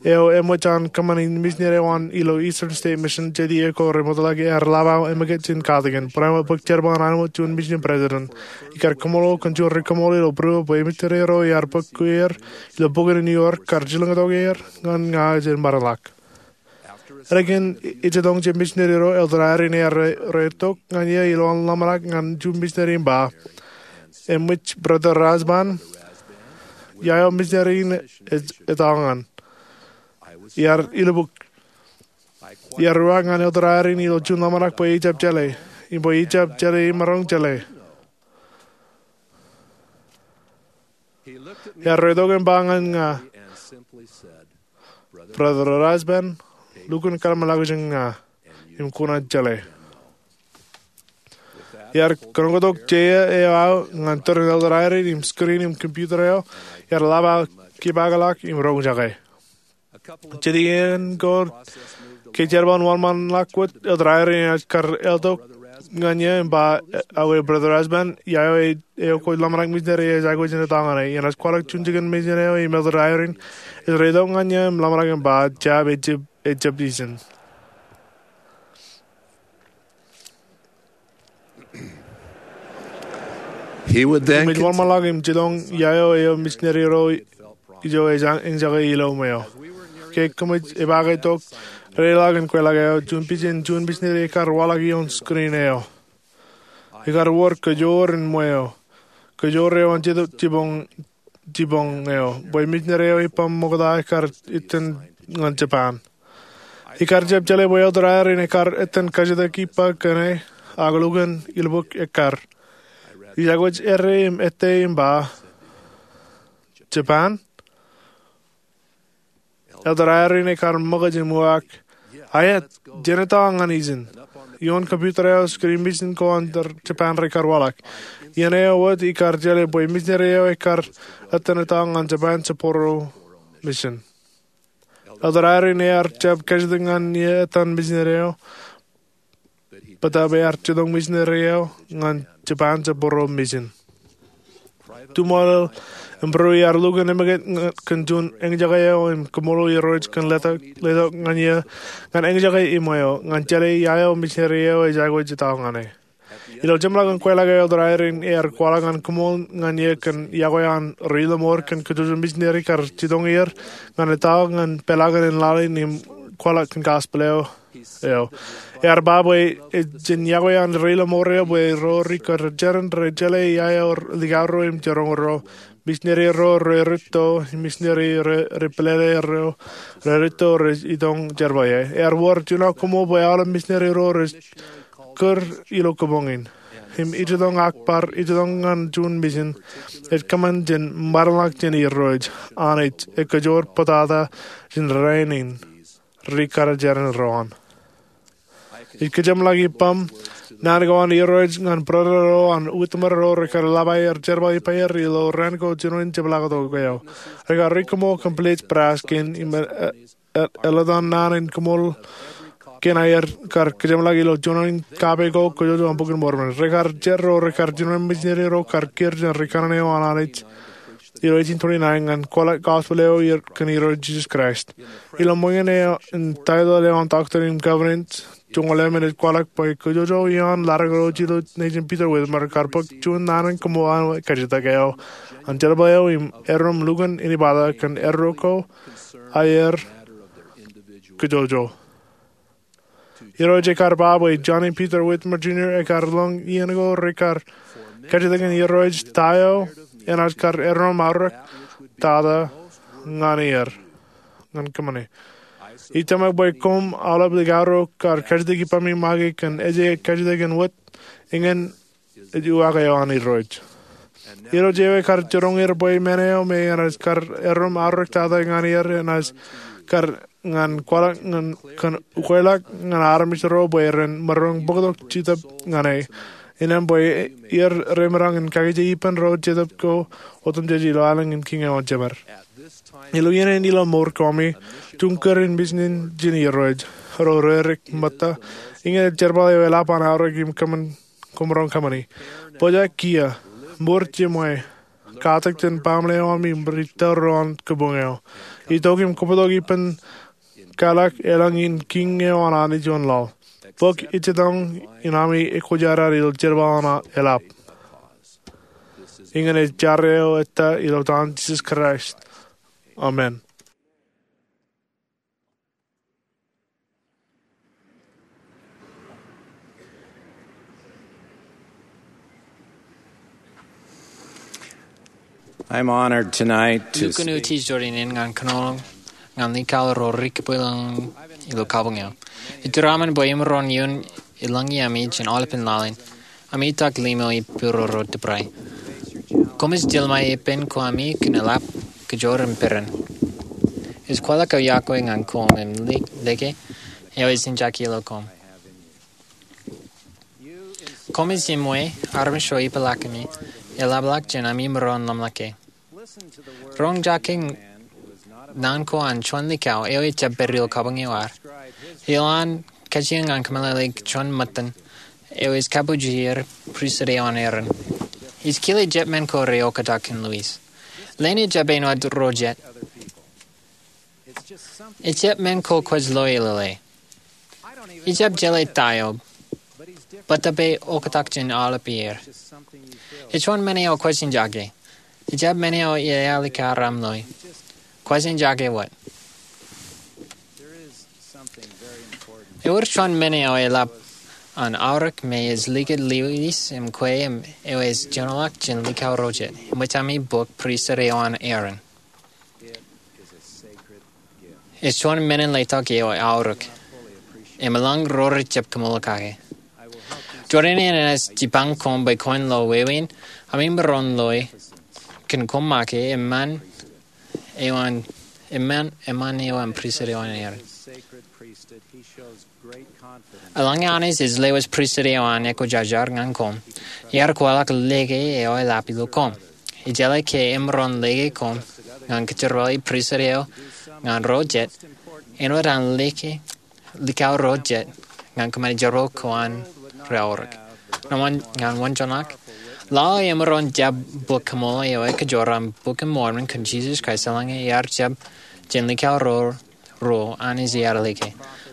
eo eṃōj an kōṃṃani misineri eo an ilo Eastern State Mission jet iiō ko remootḷọk ear ḷap aō emmekūt jān katakin. Barāinwōt bōk jerbal in āinwōt juon mission president, ikar koṃṃool kōn juon ri koṃṃool ilo būruō bwe misineri ro iar bōk kwe er ilo bukwi in New York kar jilkintok er ñan ña jān ṃaanḷọk. Ālikin ejjetōñ jān misineri ro, Elder Eyring ear reitōk ñan iiō ilowaan ḷōmṇak ñan juon misineri im ba, eṃōj Brother Rasband, ia eo misineri in ej etaō ñan. Iar ilubuk. Iar ruo ñan Elder Eyring ilo juon ḷōmṇak bwe ejab jeḷā, im bwe ejab jeḷā im maroñ jeḷā. Ear reitōk im ba ñan ña, Brother Rasband, lukkuun kōḷmānḷọkjeṇ ña. im kuṇaan jeḷā. Iar kōnono tok jeiū eo aō ñan tōre in elder Eyring im screen im computer eo, iar lap aō kepaakḷọk im roñjake. Jet iien ko ke jerbal in wōnṃaanḷọk wōt, elder Eyring enaaj kar eltok ñan eō im ba, aō, Brother Osborn, ia eo eo kwōj ḷōmṇak misineri ej aikuj in etto ñan e? Enaaj kwaḷọk juon jikin misin eo im elder Eyring ej reitok ñan eō im ḷōmṇak im ba, jab, ejjab, ejjab ijin. He would then Im ej wōnṃaanḷọk im jitōñ ia eo eo misineri ro ijo ej eñjake ilo ṃweo. Ke kōmij epaake tok, reiḷọk im kweilọk eo, juon pija in juon misineri ekar waḷọk ioon screen eo. Ekar wōr kōjoor in ṃweo, kōjoor eo an Jetōb Jiboñ, Jiboñ eo, bwe misineri eo ippaṃ ṃokta ekar itōn ñan Japan. Ikar jab jeḷā bwe elder Eyring ekar itōn kajjitōk ippa kōn e, ak lukkuun ilbōk ekkar. Ij aikuj errā im ettā im ba, Japan? Elder Eyring ekar ṃōkaj im uwaak, aet, jen etto ñan ijin. Ioon computer eo screen misin ko an Japan rekar waḷọk. Iien eo wōt ikar jeḷā bwe misineri eo ekar itōn etto ñan Japan Sapporo Mission. Elder Eyring ear jab kajjitōk ñan eō etto ñan misineri eo, bōtab ear jitōñ misineri eo ñan Japan Sapporo Mission. Tuṃool im būruō ear lukkuun emōkaj kōn juon eñjake eo im koṃṃool Irooj kōn letok, letok ñan eō ñan eñjake im ṃweo ñan jeḷā ia eo misineri eo ej aikuj etto ñan e. Ilo jeṃḷọkin kweilọk eo, elder Eyring ear kwaḷọk ñan koṃṃool ñan eō kōn iọkwe an ri-lọmọọr kōn kōjwōj misineri ekar jitōñ er ñan etto ñan peḷaakin in laḷ in im kwaḷọk kōn gospel eo. Ear ba bwe ej jen iọkwe an ri-lọmọọr eo bwe ro ri kar jeran rej jeḷā ia eo likao ro im jiroñ ro, misineri ro rej rūtto, misineri rej, rej pālele ro rej rūtto rej itok jerbal ie. Ear wōr juon koṃṃool bwe aolep misineri ro rej kūr ilo kōboñ in im ijitoñ ak bar ijitoñ ñan juon misin ej kōṃṃan jān ṃadḷọk jān Irooj, Anij ej kōjoor bōtata jān rainin ri kar jeran ro an. Ij kōjeṃḷọk ippaṃ naan ko an Irooj ñan brother ro an Whitmer ro rekar lap aer jerbal ippaer ilo raan ko jinoin jepḷaaktok eo. Rekar ri koṃṃool kōn blade brass kein im, e, e, eḷḷā naan in koṃṃool kein aer kar kōjeṃḷọk ilo jinoin kape ko kōjwōj an Bok in Mormon. Rekar jar ro rekar jinoin misineri ro kar kiiō jān ri kanaan eo an Anij ilo eighteen twenty-nine ñan kwaḷọk gospel eo kōn Irooj Jisōs Kraist. Ilo ṃōñā eo an title eo an Doctrine and Covenants, joñoul emān ej kwaḷọk bwe kōjwōj ioon ḷadik ro ilo nejin Peter Whitmer kar bōk juon naan in koṃṃool an kajjitōk eo an jerbal eo im erom lukkuun āinwōt kōn erro ko aer kōjwōj. Irooj ekar ba bwe Johnny Peter Whitmer Junior ekar lōñ iien ko rekar kajjitōk in Irooj ta eo enaaj kar erom aorōk tata ñan er, ñan kōṃṃane. Ij tōmak bwe koṃ aolep likao ro kar kajjitōk ippaṃ im make kōn ej kajjitōk in wōt, eñin ej uwaak eo an Irooj. Irooj eo ekar jiroñ er bwe men eo me enaaj kar erom aorōk tata ñan er enaaj kar ñan kwaḷọk ñan kōn ukweḷọk ñan armej ro bwe ren maroñ bōktok Jetōb ñan e. Innām bwe er remaroñ in kakije ippān ro Jetōb ko otemjej ilo aelōñ in kiiñ eo an Jemed. Ilo iien in ilo mour kōmi, juon kūr in misin jān Irooj ro rerik ṃōtta, eñin ej jerbal eo eḷap an aorōk im kōṃṃan koṃ roñ kōṃṃani. Bōjrak kiiō, mour jiṃwe, katak jān baaṃle eo aṃ im ri tōl ro an kōboñ eo. Itok im kōpeḷḷọk ippān kaḷọk elōñ in kiiñ eo an Anij ioon laḷ. Bōk ijjitōñ in ami ekwōjarjar ilo jerbal an eḷap. Eñin ej jar eo ettā ilo etan Jisōs Kraist. Amen. I'm honored tonight to Lukkuun speak. Utiej ro in ñan kōnono ñan likao ro ri kōpeḷḷọk ilo kabuñ eo. Iturūṃ bwe imaroñ in ilōñi ami jān aolepān laḷ in. Ami itak limo ippāro ro tōprak. Koṃij tilṃai ippān ko ami kōn eḷap, kōjwōj im peran. Ij kwaḷọk aō iọkwe ñan koṃ im lōke eo ej jinjaki ilo koṃ. Koṃij iṃwe armej ro ipḷaak kōm, eḷapḷọk jān ami maroñ ḷōmṇak ke. Roñjake naan ko an juon likao eo ejjab pād ilo kabuñ eo ad. Ilo an kajjioñ an kōmeḷeḷeik juon ṃōttan eo ej kabujier pristut eo an Aaron. Ij kile jet men ko reoktak kōn Louise. Lane ejjab āinwōt ro jet. Ejjab men ko kwōj lo e lōḷe. Ijjab jeḷā ta eo, bōtab eoktak jān aolep iiō. Ej juon men eo kwōj enjake. Ejjab men eo ealikar aṃ loe. Kwōj enjake wōt. Ewōr juon men eo eḷap an aorōk me ej likūt Louise im kwe im eo ej jinoḷọk jān likao ro jet. Eṃōj ami bōk pristut eo an Aaron. Ej juon men in letok eo aorōk im eḷaññe ro rejjab kōṃṃool kake. Jorrāān in enaaj jipañ koṃ bwe kwōn lo wāween ami maroñ loe kōn koṃ make eṃṃan eo an, eṃṃan, eṃṃan eo an pristut eo an Aaron. Eḷaññe Anij ej lewōj pristut eo an ekwōjarjar ñan koṃ, iar kwaḷọk lōke eo eḷap ilo koṃ. Ijeḷā ke emaroñ lōke koṃ ñan kōjerbale pristut eo ñan ro jet, āinwōt an lōke likao ro jet ñan kōṃṃane jerbal ko an ro aorōk. Ñan wōn, ñan wōnjoñak, lale emaroñ jab bōk koṃṃool eo ekajoor an Bok in Mormon kōn Jisōs Kraist eḷaññe iar jab jān likao ro ruo Anij ear lōke.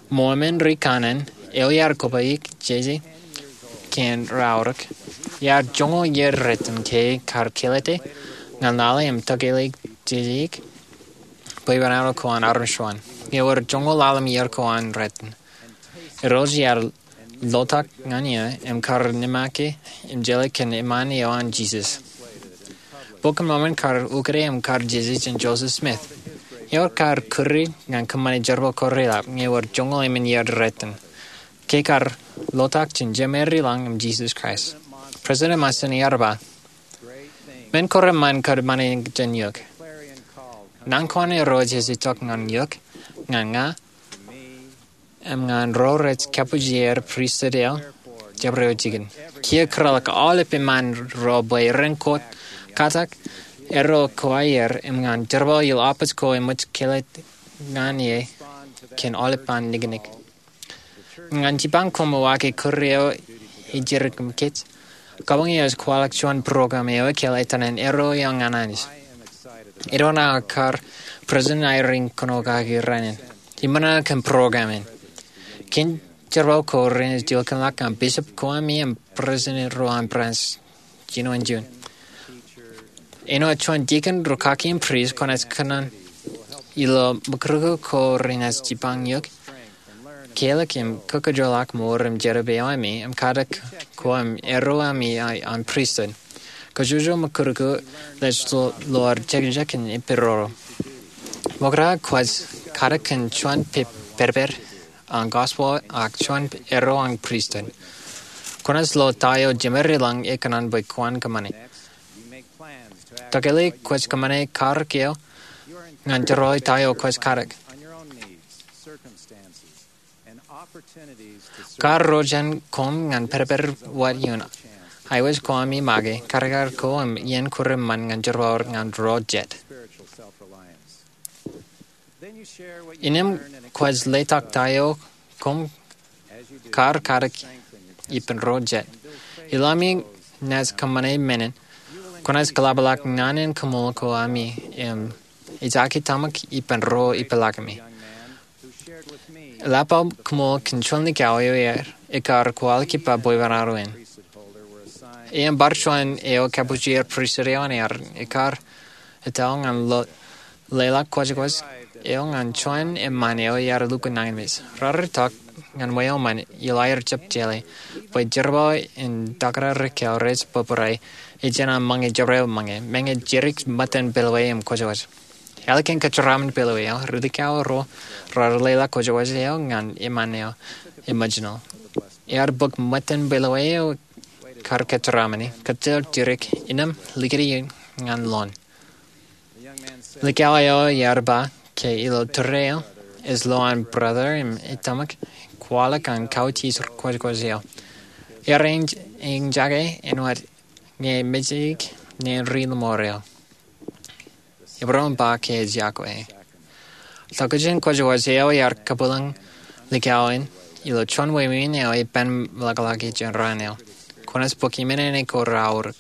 Mormon ri kanaan eo iar kobaik jeje kōn ro aorōk, iar joñoul iiō rot in ke kar kelete ñan lale im tokālik jejeik bwebwenato ko an armej ro an. Ewōr joñoul ḷalem iiō ko an rot in. Irooj iar lotak ñan eō im kar nōṃaake im jeḷā kōn eṃṃan eo an Jisōs. Bok in Mormon kar ukōte im kar jeje jān Joseph Smith. Ewōr kar kūri ñan kōṃṃane jerbal ko reḷap ñe ewōr joñoul emān iiō rot in ke kar lotak jān Jemān Lañ im Jisōs Kraist. President Monson ear ba, men ko reṃṃan kōṃṃane jān eok. Naan ko an Irooj ej itok ñan eok, ñan ña, im ñan ro rej kabujier pristut eo jabdewōt jikin. Kiiō kōrọọl aolep eṃṃan ro bwe ren kōtkatak erro ko aer im ñan jerbal ilo apañ ko eṃōj kelọk ñan e kōn aolep an niknik. Ñan jipañ koṃ uwaak kūr eo ej jidik im kōj, kabuñ eo ej kwaḷọk juon program eo ekāāl etan an Erro Eo ñan Anij. Edwin aō kar president aer in kōnono kaki rainin. Iṃōṇōṇō kōn program in. Kein jerbal ko renaaj ilọk ñan bishop ko ami im president ro an branch jinoin juon. Āinwōt juon deacon, rūkaki im priest, kwōnaaj kōṇaan ilo mukūtkūt ko renaaj jipañ eok, kālik im kōkajjoḷọk mour im jerbal eo ami im katak ko im erro ami an pristut. Kōjwōj mukūtkūt rej lo jekjek im ippān roro. Ṃokta kwōj katak kōn juon pād, pād, pād an gospel ak juon erro an pristut. Kwōnaaj lo ta eo Jemān Lañ ekōṇaan bwe kwōn kōṃṃane. Tokālik kwōj kōṃṃane karōk eo ñan jerbal ta eo kwōj katak. Kar ro jān koṃ ñan pād, pād wōt ioon aewōj ko ami make, kadkad ko im iien ko reṃṃan ñan jerbal ñan ro jet. Innām kwōj letok ta eo koṃ kar katak ippān ro jet. Ilo ami naaj kōṃṃane men in, kwōnaaj kōḷapḷọk ñan an koṃṃool ko ami im ejake tōmak ippān ro ipḷaak ami. Eḷap aō koṃṃool kōn juon likao eo ekar kwaḷọk ippa bwebwenato in. Im bar juon eo kabujier pristut eo an Aaron, ekar etal ñan lo leḷọk kwōjkwōj eo ñan juon eṃṃan eo iar lukkuun nañinmej. Raar itok ñan wāween ilo aer jab jeḷā bwe jerbal in takdar ekkā rej bōbrae ej jān an ṃōñā jabdewōt ṃōñā, ṃōñā jidik ṃōttan pālwōj im kwōjkwōj. Ālikin kōjeraaṃṃan pālwōj eo, ri likao ro raar leḷọk kwōjkwōj eo ñan eṃṃan eo emotional. Ear bōk ṃōttan pālwōj eo kar kōjeraaṃṃani, kōjjel jidik, innām likūt in ñan loon. Likao eo ear ba ke ilo tōre eo ej lo an brother im ej tōmak kwaḷọk an kautiej kwōjkwōj eo. Ear enj eñjake āinwōt ñe mejeik neen ri-lọmọọr eo. Ebron ba ke ej yokwe. Tokjān kwōjwōj eo iar kabwilōñ likao in ilo juon wāween eo ippān meḷọkḷọk jān raan eo. Kwōnaaj bōk iṃōṇōṇō ko reaorōk.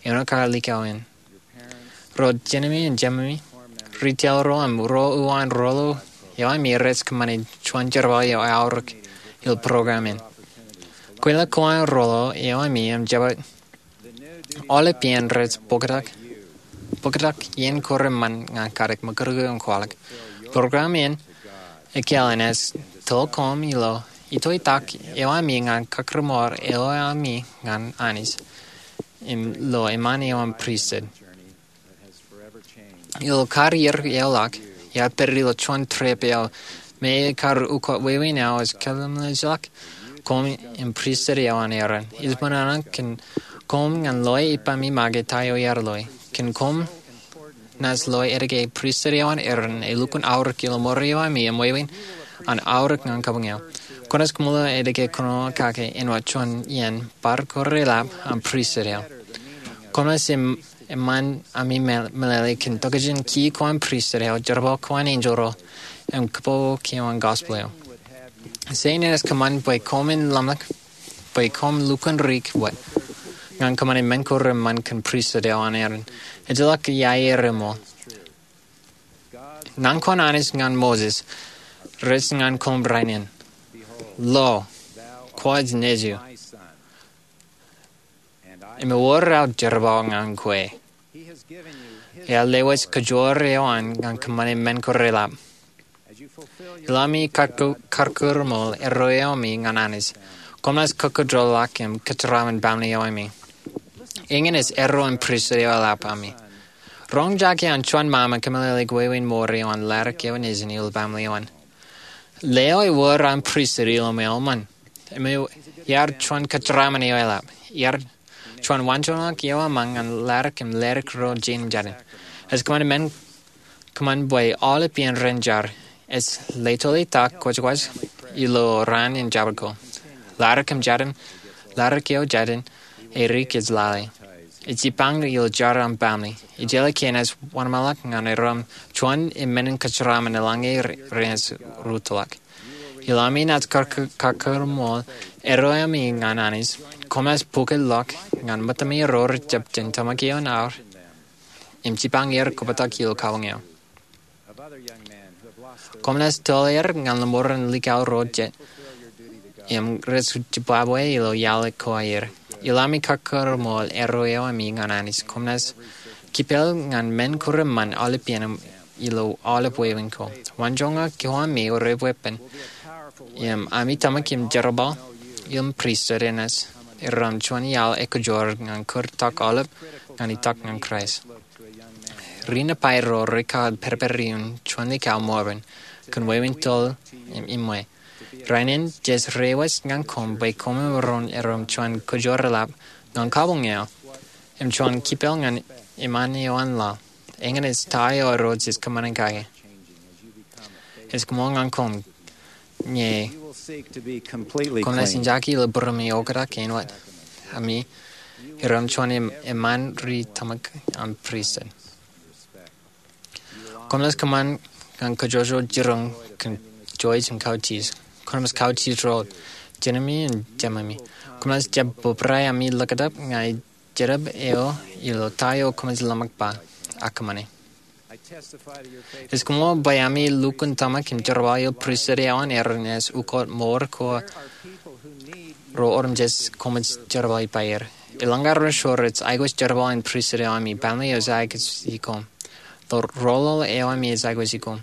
Āinwōt kar likao in, ro jenemi im jememi, ri-taḷ ro im ro uwaan roḷoḷ eo ami rej kōṃṃane juon jerbal eo eaorōk ilo program in. Kweilọk ko an roḷoḷ eo ami im jab aolep iien rej bōktok iien ko reṃṃan ñan kadik ṃakūtkūt im kwaḷọk. Program in ekāāl in ej tōl koṃ ilo itoitak eo ami ñan kakūrmool erro eo ami ñan Anij im ilo eṃṃan eo an pristut. Ilo kar ier eoḷọk, iar pād ilo juon trip eo me ekar ukot wāween eo ej kōḷmānḷọkjeṇ koṃ im pristut eo an Aaron. Ij ṃōṇōṇō kōn koṃ ñan loe ippaṃ iṃake ta eo iar loe. Kōn koṃ naaj loe etke pristut eo an Aaron elukkuun aorōk ilo ṃool eo ami im wāween an aorōk ñan kabuñ eo. Kwōnaaj kōṃṃan etke kōn kake āinwōt juon iien bar ko reḷap an pristut eo. Koṃ naaj eṃṃan ami meḷeḷe kōn tokjān ki ko an pristut eo, jerbal ko an enjeḷ ro, im kōpooj ko an gospel eo. Setan enaaj kōṃṃan bwe koṃwin ḷōmṇak bwe koṃ lukkuun rik wōt ñan kōṃṃane men ko reṃṃan kōn pristut eo an Aaron. Ejjeḷọk iiaer eṃool. Naan ko an Anij ñan Moses rej ñan koṃ rainin, Lo, kwōj nejier, im ewōr aō jerbal ñan kwe. Ear lewōj kōjoor eo an ñan kōṃṃane men ko reḷap. Ilo ami kakūrṃool erro eo ami ñan Anij, koṃ naaj kōkōjjeḷọk im kōjeraaṃṃan baaṃle eo ami. Eñin ej erro in pristut eo eḷap ami. Roñjake an juon ṃaṃa kōmeḷeḷeik wāween ṃool eo an ladik eo nejin ilo baaṃle eo an. Leo ewōr an pristut ilo ṃweo ṃōn. Im iar juon kōjeraaṃṃan eo eḷap. Iar juon waanjoñak eo eṃṃan ñan ladik im ladik ro jein im jatin. Ej kōṃṃan men, kōṃṃan bwe aolep iien ren jar. Ej leto itak kwōjkwōj ilo raan in jabdewōt ko. Ladik im jatin, ladik eo jatin, erik ej lale. Ej jipañ ilo jar an baaṃle. Ejjeḷọk ke enaaj wōnṃaanḷọk ñan erro im juon emān in kōjeraaṃṃan eḷaññe renaaj rūttoḷọk. Ilo ami naaj kakūrṃool erro eo ami ñan Anij, koṃ naaj pukotḷọk ñan ṃōttami ro rej jab jen tōmak ioon aer im jipañ er kobatok ilo kabuñ eo. Koṃ naaj tōl er ñan lọmọọren likao ro jet im rej jibwabwe ilo iaḷ ko aer. Ilo ami kakūrṃool erro eo ami ñan Anij, koṃ naaj kipel ñan men ko reṃṃan aolep iien im ilo aolep wāween ko. Waanjoñak ko ami rej weeppān im ami tōmak im jerbal im pristut enaaj erro im juon iaḷ ekōjro ñan kūr tok aolep ñan itok ñan Kraist. Ri-Nifai ro rekar pād ippān juon likao Mormon kōn wāween tōl im iṃwe. Rainin jej reiwōj ñan koṃ bwe koṃ emaroñ erro im juon kōjro eḷap ñan kabuñ eo im juon kipel ñan eṃṃan eo an laḷ. Eñin ej ta eo Irooj ej kōṃṃane kake. Ej koṃṃool ñan koṃ ñe koṃ naaj enjake ilo būruōmi oktak āinwōt ami erro im juon eṃṃan ri-tōmak an pristut. Koṃ naaj kōṃṃan ñan kōjwōj jiroñ kōn jouj im kautiej. Koṃ naaj kautiej ro jenemi im jememi. Koṃ naaj jab bōbrae ami likjab ñan ij jedab eo ilo ta eo koṃij ḷōmṇak ba ak kōṃṃane. Ij koṃṃool bwe ami lukkuun tōmak im jerbal ilo pristut eo an Aaron enaaj ukot ṃool ko ro otemjej koṃij jerbal ippaer. Eḷaññe ro rej aikuj jerbal in pristut eo ami, baaṃle eo ej aikuji koṃ. Roḷoḷ eo ami ej aikuji koṃ.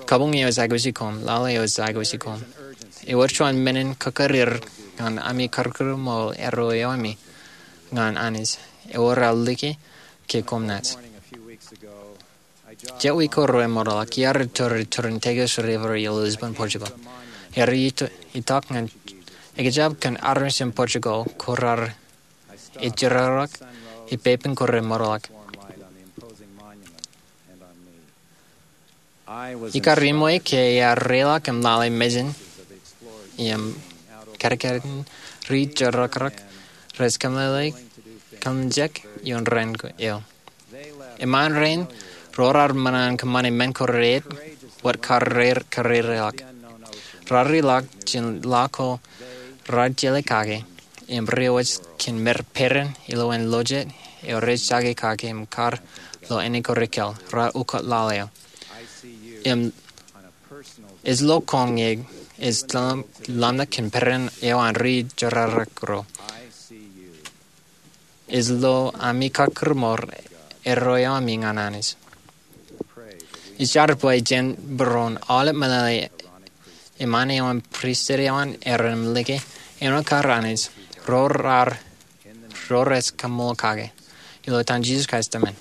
Kabuñ eo ej aikuji koṃ, laḷ eo ej aikuji koṃ. Ewōr juon menin kōkōrir ñan ami kakūrṃool erro eo ami ñan Anij. Ewōr aō liki ke koṃ naaj. Jet wiik ko remootḷọk iar iturūtūr turin Tagus River ilo Lisbon, Portugal. Iar itok ñan ekjab kōn armej in Portugal ko raar ejjeḷọk ippepen ko remootḷọk. Ikar iṃwe ke iar reiḷọk im lale mejān im Kadkadin ri-jerakrok rej kōmeḷeḷe kōmmejān ioon rainin eo. Eṃṃaan rein ro raar ṃōṇōṇō in kōṃṃane men ko rein wōt kar reir kōrereḷọk. Raar ri ḷọk jān laḷ ko raar jeḷā kake im ri wōj kōn men peran ilowaan lojet eo rej jake kake im kar lo āne ko rikōḷ. Raar ukōt laḷ eo im ej lo koṃ ñe ej ḷōmṇak kōn peran eo an ri-jerakrok ro. Ej lo ami kakūrmour erro eo ami ñan Anij. Ij jar bwe jen būruon aolep meḷeḷe eṃṃaan eo an pristut eo an Aaron im like āinwōt kar Anij ro raar ro rej kaṃṃoolol kake. Ilo etan Jisōs Kraist, amen.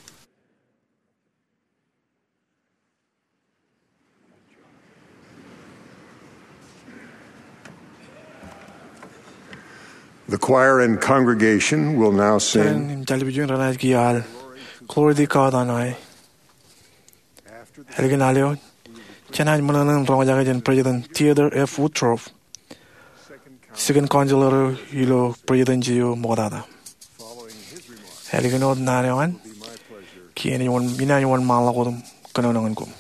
The choir and congregation will now sing. Jen im jar eo jen renaaj kiiō al Glory to God on high. Ālikin al eo, jenaaj ṃōṇōṇō in roñjake jān President Theodore F. Woodruff, second counselor eo ilo Presidency eo ṃoktata. Ālikin wōt naan eo an, kiiō inaaj wōnṃaanḷọk wōt im kōnono ñan koṃ.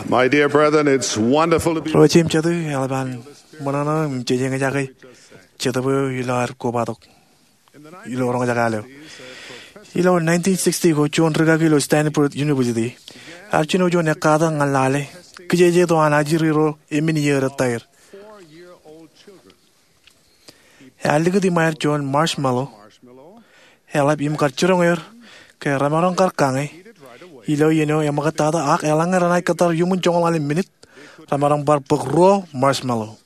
My dear brethren, it's wonderful to be Ro jeiū im jatū, eḷap an ṃōṇōṇō im jejeñjake Jetōb eo ilo ad kobatok ilo roñjake al eo. Ilo nineteen sixty ko juon rūkaki ilo Stanford University ear jino juon ekkatak ñan lale kijeje tok an ajri ro emān iiō retaer. Ear likūt iṃaer juon marshmallow, eḷap im kar jiroñ er ke remaroñ kar kañe ilo iien eo eṃōkajtata, ak eḷaññe renaaj kōttar iuṃwin joñoul ḷalem minit remaroñ bar bōk ruo marshmallow.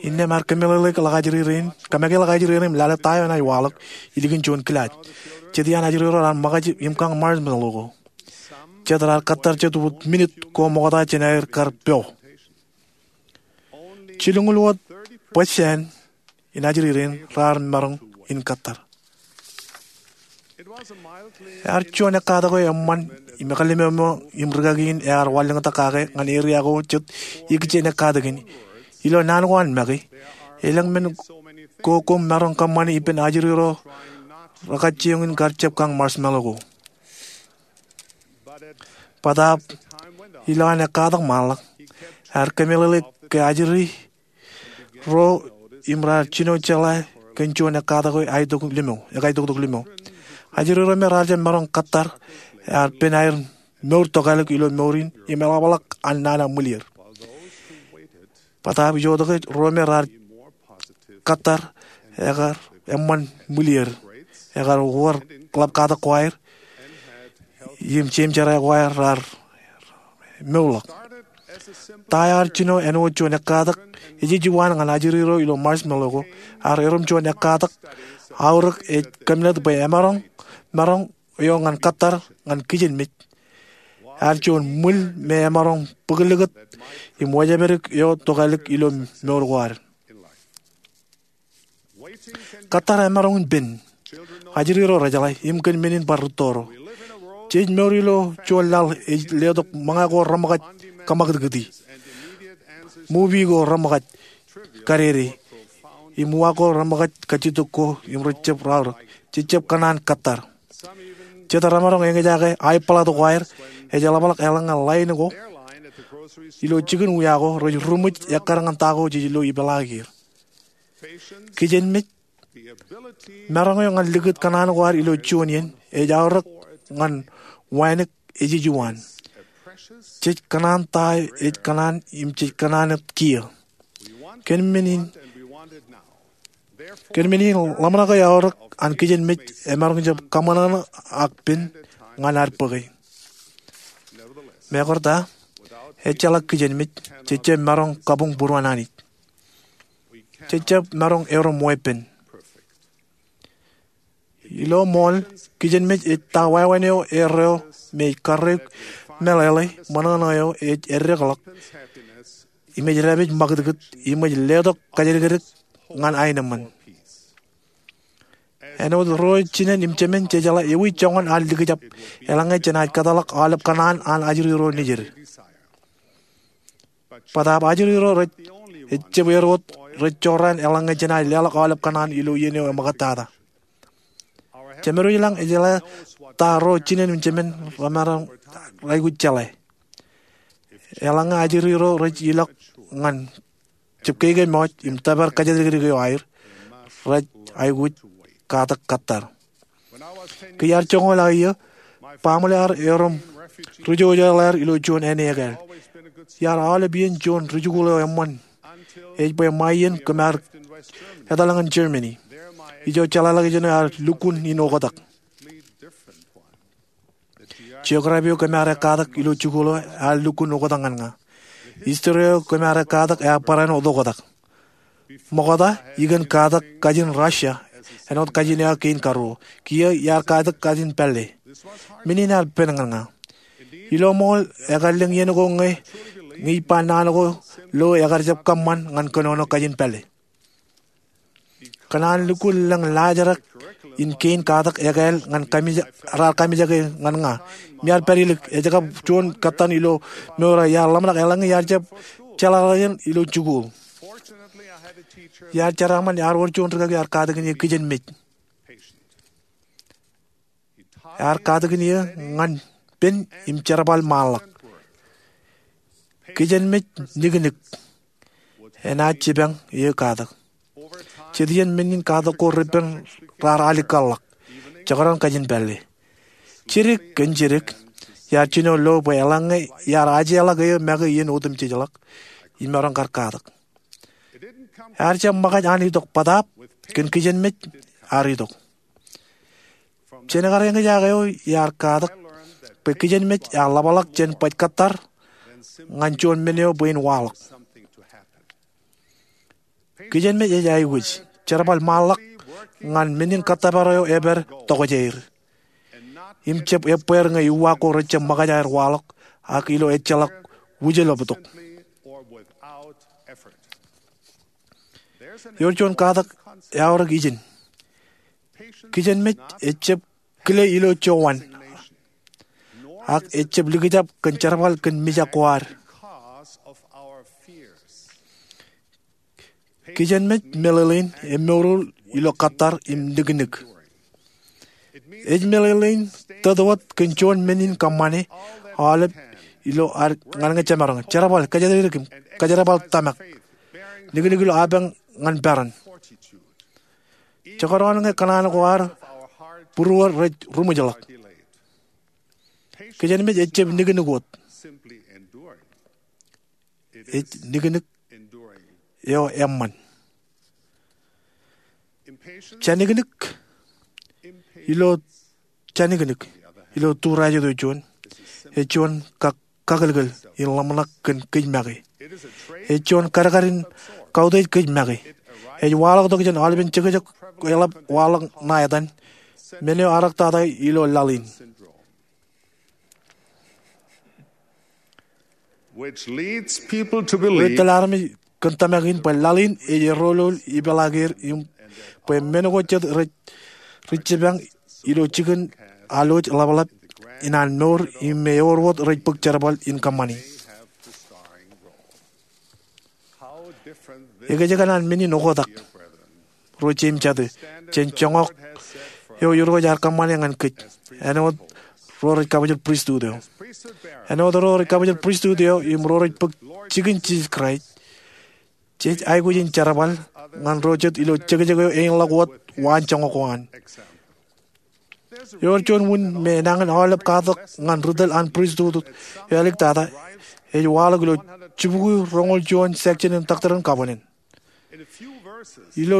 Innām ear kōmeḷeḷe ḷọk ajri rein, kōmake ḷọk ajri rein im lale ta eo enaaj waḷọk ilikin juon kilaaj. Jet iaan ajri ro raar ṃōkaj im kañ marshmallow ko. Jet raar kōttar jet wōt minit ko ṃokta jān aer kar po. Jilñuul wōt bōjjāān in ajri rein raar maroñ in kōttar. Ear juon ekkatak eo eṃṃan im ekālōmōmō im rūkaki in ear wanlōñtak kake ñan eria ko jet ikijjien ekkatak in. Ilo naan ko an make, elōñ men ko koṃ maroñ kōṃṃani ippān ajri ro rekajjioñ in kar jab kañ marshmallow ko. Bōtaab ilo an ekkatak ṃaanḷọk, ear kōmeḷeḷe ke ajri ro im raar jino jeḷā kōn juon ekkatak eo ekaitok limo. Ajri ro me raar jab maroñ kōttar ear pen aer mour tokālik ilo mour in im eḷapḷọk an nana ṃwilier. Bōtaab ijotok ro me raar kōttar ekar eṃṃan ṃwilier, ekar wōr ḷap katak ko aer im jeimjerā ko aer raar mourḷọk. Ta ear jino āinwōt juon ekkatak ejejuwaan ñan ajri ro ilo marshmallow ko, ear erom juon ekkatak aorōk ej kōmnat bwe emaroñ maroñ eo ñan kōttar ñan kijenmej. Ear juon ṃwil me emaroñ bōklōkōt im wōjepdik eo tokālik ilo mour ko ad. Kōttar emaroñ in pen. Ajri ro rejeḷā im kōn men in bar rūtto ro. Jej mour ilo juon laḷ ej letok ṃōñā ko reṃōkaj kōṃakūtkūti, movie ko reṃōkaj kadede, im uwaak ko reṃōkaj kajjitōk ko im rejjab raorōk. Jejjab kōṇaan kōttar. Jet remaroñ eñjake aebōḷato ko aer, ej eḷapḷọk eḷaññe line ko ilo jikin uwaak ko rej ruṃwij ekkar ñan ta ko jej lo ipeḷaakier. Kijenmej, maroñ eo ñan likūt kōṇaan ko ad ilo juon iien ej aorōk ñan wānōk ejejuwaan. Jej kōṇaan ta ej kōṇaan im jej kōṇaan wōt kiiō. Kōn men in, kōn men in ḷōmṇak eo eaorōk an kijenmej emaroñ jab kaṃōṇōṇō ak pen ñan ad bōke. Meḷeḷe ta, ejjeḷọk kijenmej, jejjab maroñ kabuñ būruon Anij. Jejjab maroñ erom weeppān. Ilo ṃool, kijenmej ej ta wāween eo erreo me ej karreoik meḷeḷe ṃōṇōṇō eo ej eddekḷọk im ej dāpij ṃakūtkūt im ej letok kōjatdikdik ñan aenōṃṃan. Āinwōt ro jinen im jemān, jejeḷā ewi joñan an likjab eḷaññe jenaaj kōtḷọk aolep kōṇaan an ajri ro nejid. Bōtaab ajri ro rej, ejjab er wōt rej jorrāān eḷaññe jenaaj leḷọk aolep kōṇaan ilo iien eo eṃōkajtata. Jemed eo ilañ ejeḷā ta ro jinen im jemān remaroñ aikuj jeḷā. Eḷaññe ajri ro rej ilọk ñan jab keikemọj im tōpar kōjatdikdik eo aer, rej aikuj katak kōttar. Ke iar joñoul aō iiō, baaṃle eo erom rijojol er ilo juon āne ekāāl. Iar aolep iien juon rijikuuḷ eo eṃṃan. Ej bwe ṃae iien kōm ar etal ñan Germany. Ijo jeḷāḷọkjeṇ eo ear lukkuun in oktak. Geography eo kōm ar ekkatak ilo jikuuḷ eo ear lukkuun oktak ñan ña. History eo kōm ar ekkatak ear barāinwōt oktak. Ṃokta, ikōn katak kajin Russia āinwōt kajin eo aō kein karuo. Kiiō iar katak kajin pālle. Men in ear pen ñan ña. Ilo ṃool, ekar lōñ iien ko ñe, ñe ij ba naan ko lo ekar jab kōṃṃan ñan kōnono kajin pālle. Kōn an lukkuun lōñ laajrak in kein katak ekāāl ñan kamij, raar kamijake ñan ña. Im iar pād ilik, ej kab juon kōttan ilo mour eo iar ḷōmṇak eḷaññe iar jab jeḷāḷọkjeṇ ilo jikuuḷ. Iar jeraaṃṃan ear wōr juon rikaki ear katakin eō kijenmej. Ear katakin eō ñan pen im jerbal ṃaanḷọk. Kijenmej niknik enaaj jipañ eō katak. Jet iien men in katak ko repen raar alikkar ḷọk, jekdọọn kajin pālle. Jidik kōn jidik, iar jino lo bwe eḷaññe iar ajeḷọk eō make iien otemjejḷọk, imaroñ kar katak. Ear jab ṃōkaj an itok bōtaab, kōn kijenmej ear itok. Jān kar eñjake eo iar katak bwe kijenmej ear ḷapḷọk jān baj kōttar ñan juon men eo bwe in waḷọk. Kijenmej ej aikuj jerbal ṃaanḷọk ñan men in kōttōpar eo epād tokjāer im jab ebbeer ñe uwaak ko rejjab ṃōkaj aer waḷọk ak ilo ejjeḷọk wūjleptok. Ewōr juon katak eaorōk ijin. Kijenmej ejjab kile ilo jowan, ak ejjab likjab kōn jerbal kōn mijak ko ad. Kijenmej meḷeḷein emour ilo kattar im niknik. Ej meḷeḷein tōt wōt kōn juon men in kōṃṃane aolep ilo ad ñan ñe jemaroñ, jerbal, kōjatdikdik im kōjerbal tōmak, niknik ilo apañ ñan peran. Jekdọọn ñe kōṇaan ko ad būruōd rej ruṃwijḷọk, kijenmej ejjab niknik wōt. Ej niknik eo eṃṃan. Janiknik ilo, janiknik ilo turajet eo juon, ej juon kak- kakōlkōl in ḷōmṇak kōn kōj make. Ej juon kadkad in kautiej kōj make. Ej waḷọktok jān aolepen jekjek eḷap waḷọk ṇa etan, men eo ear ektata ilo laḷ in. Rej tōl armej kōn tōmak in bwe laḷ in ej errolol ipeḷaakier im bwe men ko jet rej jipañ ilo jikin alwōj ḷapḷap in an mour im me ewōr wōt rej bōk jerbal in kōṃṃani. Ekōjkan an men in oktak, ro jeiū im jatū, jān joñak eo Irooj ear kōṃṃane ñan kōj āinwōt ro rej kabuñbūr pristut eo. Āinwōt ro rej kabuñbūr pristut eo im ro rej bōk jikin Jisōs Kraist, jej aikuj in jerbal ñan ro jet ilo jekjek eo eñḷọk wōt waan joñak ko an. Ewōr juon wūn me enañin aolep katak ñan ri tōl an pristut eo āliktata ej waḷọk ilo jibukwi roñoul juon section in Doctrine and Covenants. Ilo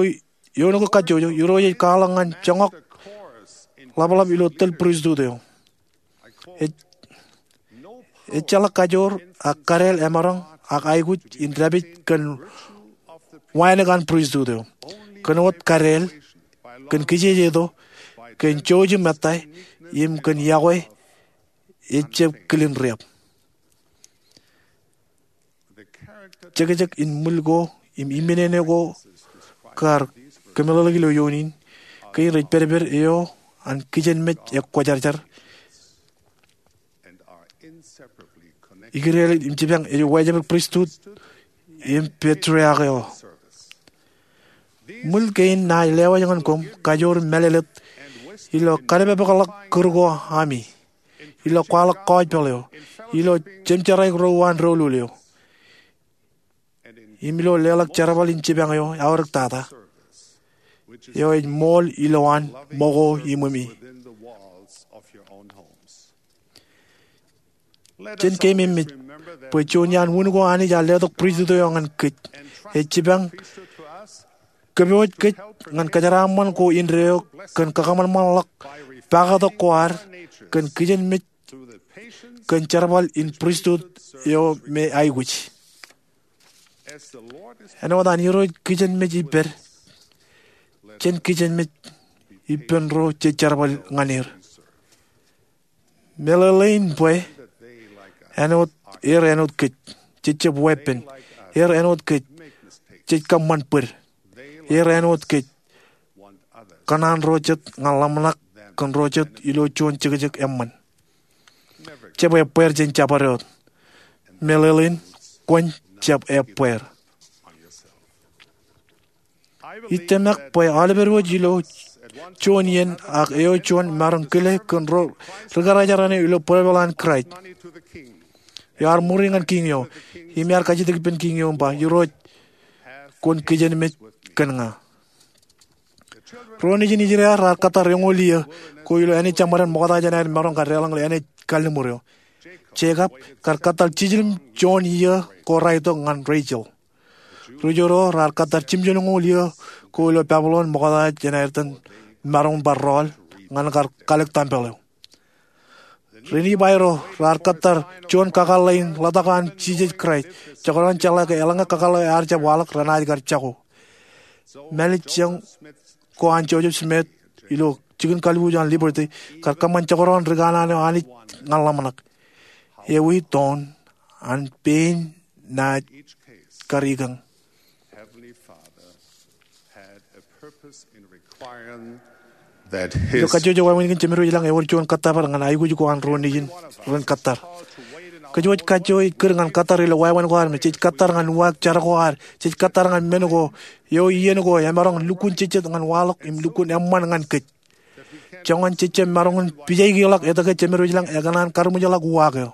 eoon ko kajjojo, Irooj ej kwaḷọk ñan joñak ḷapḷap ilo tōl pristut eo. Ejjeḷọk kajoor ak kadeel emaroñ ak aikuj in dāpij kōn wānōk an pristut eo. Kōn wōt kadeel, kōn kijejeto, kōn jouj im ettā, im kōn iọkwe, ejjab kilin riab. Jekjek in ṃwil ko im iminene ko kar kōmeḷeḷeik ilo eoon in kein rej pedped eo an kijenmej ekwōjarjar, ikōrā im jipañ ej wājepel pristut im petriak eo. Ṃwil kein naaj lewōj ñan koṃ kajoor mālōtlōt ilo kadeepepekḷọk kūr ko ami, ilo kwaḷọk gospel eo, ilo jemjerāik ro uwaan doulul eo, im ilo leḷọk jerbal in jipañ eo eaorōktata, eo ej ṃool ilowaan ṃōko iṃōmi. Jen keememej bwe juon iaan wūn ko Anij ear letok pristut eo ñan kōj, ej jipañ kōpooj kōj ñan kōjeraaṃṃan ko indeeo kōn kakōṃanṃanḷọk pakatok ko ad kōn kijenmej kōn jerbal in pristut eo me aikuj. Āinwōt an Irooj kijenmej ippād, jen kijenmej ippān ro jej jerbal ñan er. Meḷeḷein bwe āinwōt, er āinwōt kōj, jejjab weeppān. Er āinwōt kōj, jej kōṃṃan bōd. Er āinwōt kōj, kōṇaan ro jet ñan ḷōmṇak kōn ro jet ilo juon jekjek eṃṃan. Jab ebbeer jān jabdewōt. Meḷeḷein kwōn jab ebbeer. Ij tōmak bwe aolepād wōj ilo juon iien ak eo juon maroñ kile kōn ro ri kōrā jeraaṇe ilo bwebweḷ an Kraist. Ear ṃuri ñan kiiñ eo, im ear kajjitōk ippān kiiñ eo im ba, Irooj, kwōn kijenmej kōn ña. Ro nejin Israel raar kōttar eñoul iiō ko ilo āne jeṃṃaden ṃokta jān aer maroñ kar deḷọñ ilo āne kalliṃur eo. Jekab kar kōttar jiljilimjuon iiō ko raar itok ñan Rachel. Ri-Jewōt ro raar kōttar jimjuon eñoul iiō ko ilo Babilon ṃokta jān aer itōn maroñ bar rọọl ñan kar kalōk tempel eo. Ri-Nifai ro raar kōttar juon kakōḷḷe in ḷotak an Jisōs Kraist, jekdọọn jeḷā ke eḷaññe kakōḷḷe eo ear jab waḷọk renaaj kar jako. Mālejjoñ ko an Joseph Smith ilo jikin kalbuuj an Liberty kar kōṃṃan jekdọọn ri kanaan eo Anij ñan ḷōmṇak. Ewi toon an pein naaj kar ikañ? Ilo kajjojo wāween kein, Jemedwōj ilañ ewōr juon kōttōpar ñan aikuj ko an ro nejin ren kōttar. Kōj wōj kajjojo ej kūr ñan kōttar ilo wāween ko ad me jej kōttar ñan uwaak jar ko ad, jej kōttar ñan men ko eo iien ko emaroñ lukkuun jejjet ñan waḷọk im lukkuun eṃṃan ñan kōj. Joñan jej jab maroñ in pijaikeḷọk etke Jemedwōj ilañ ekōṇaan karuṃwijḷọk uwaak eo.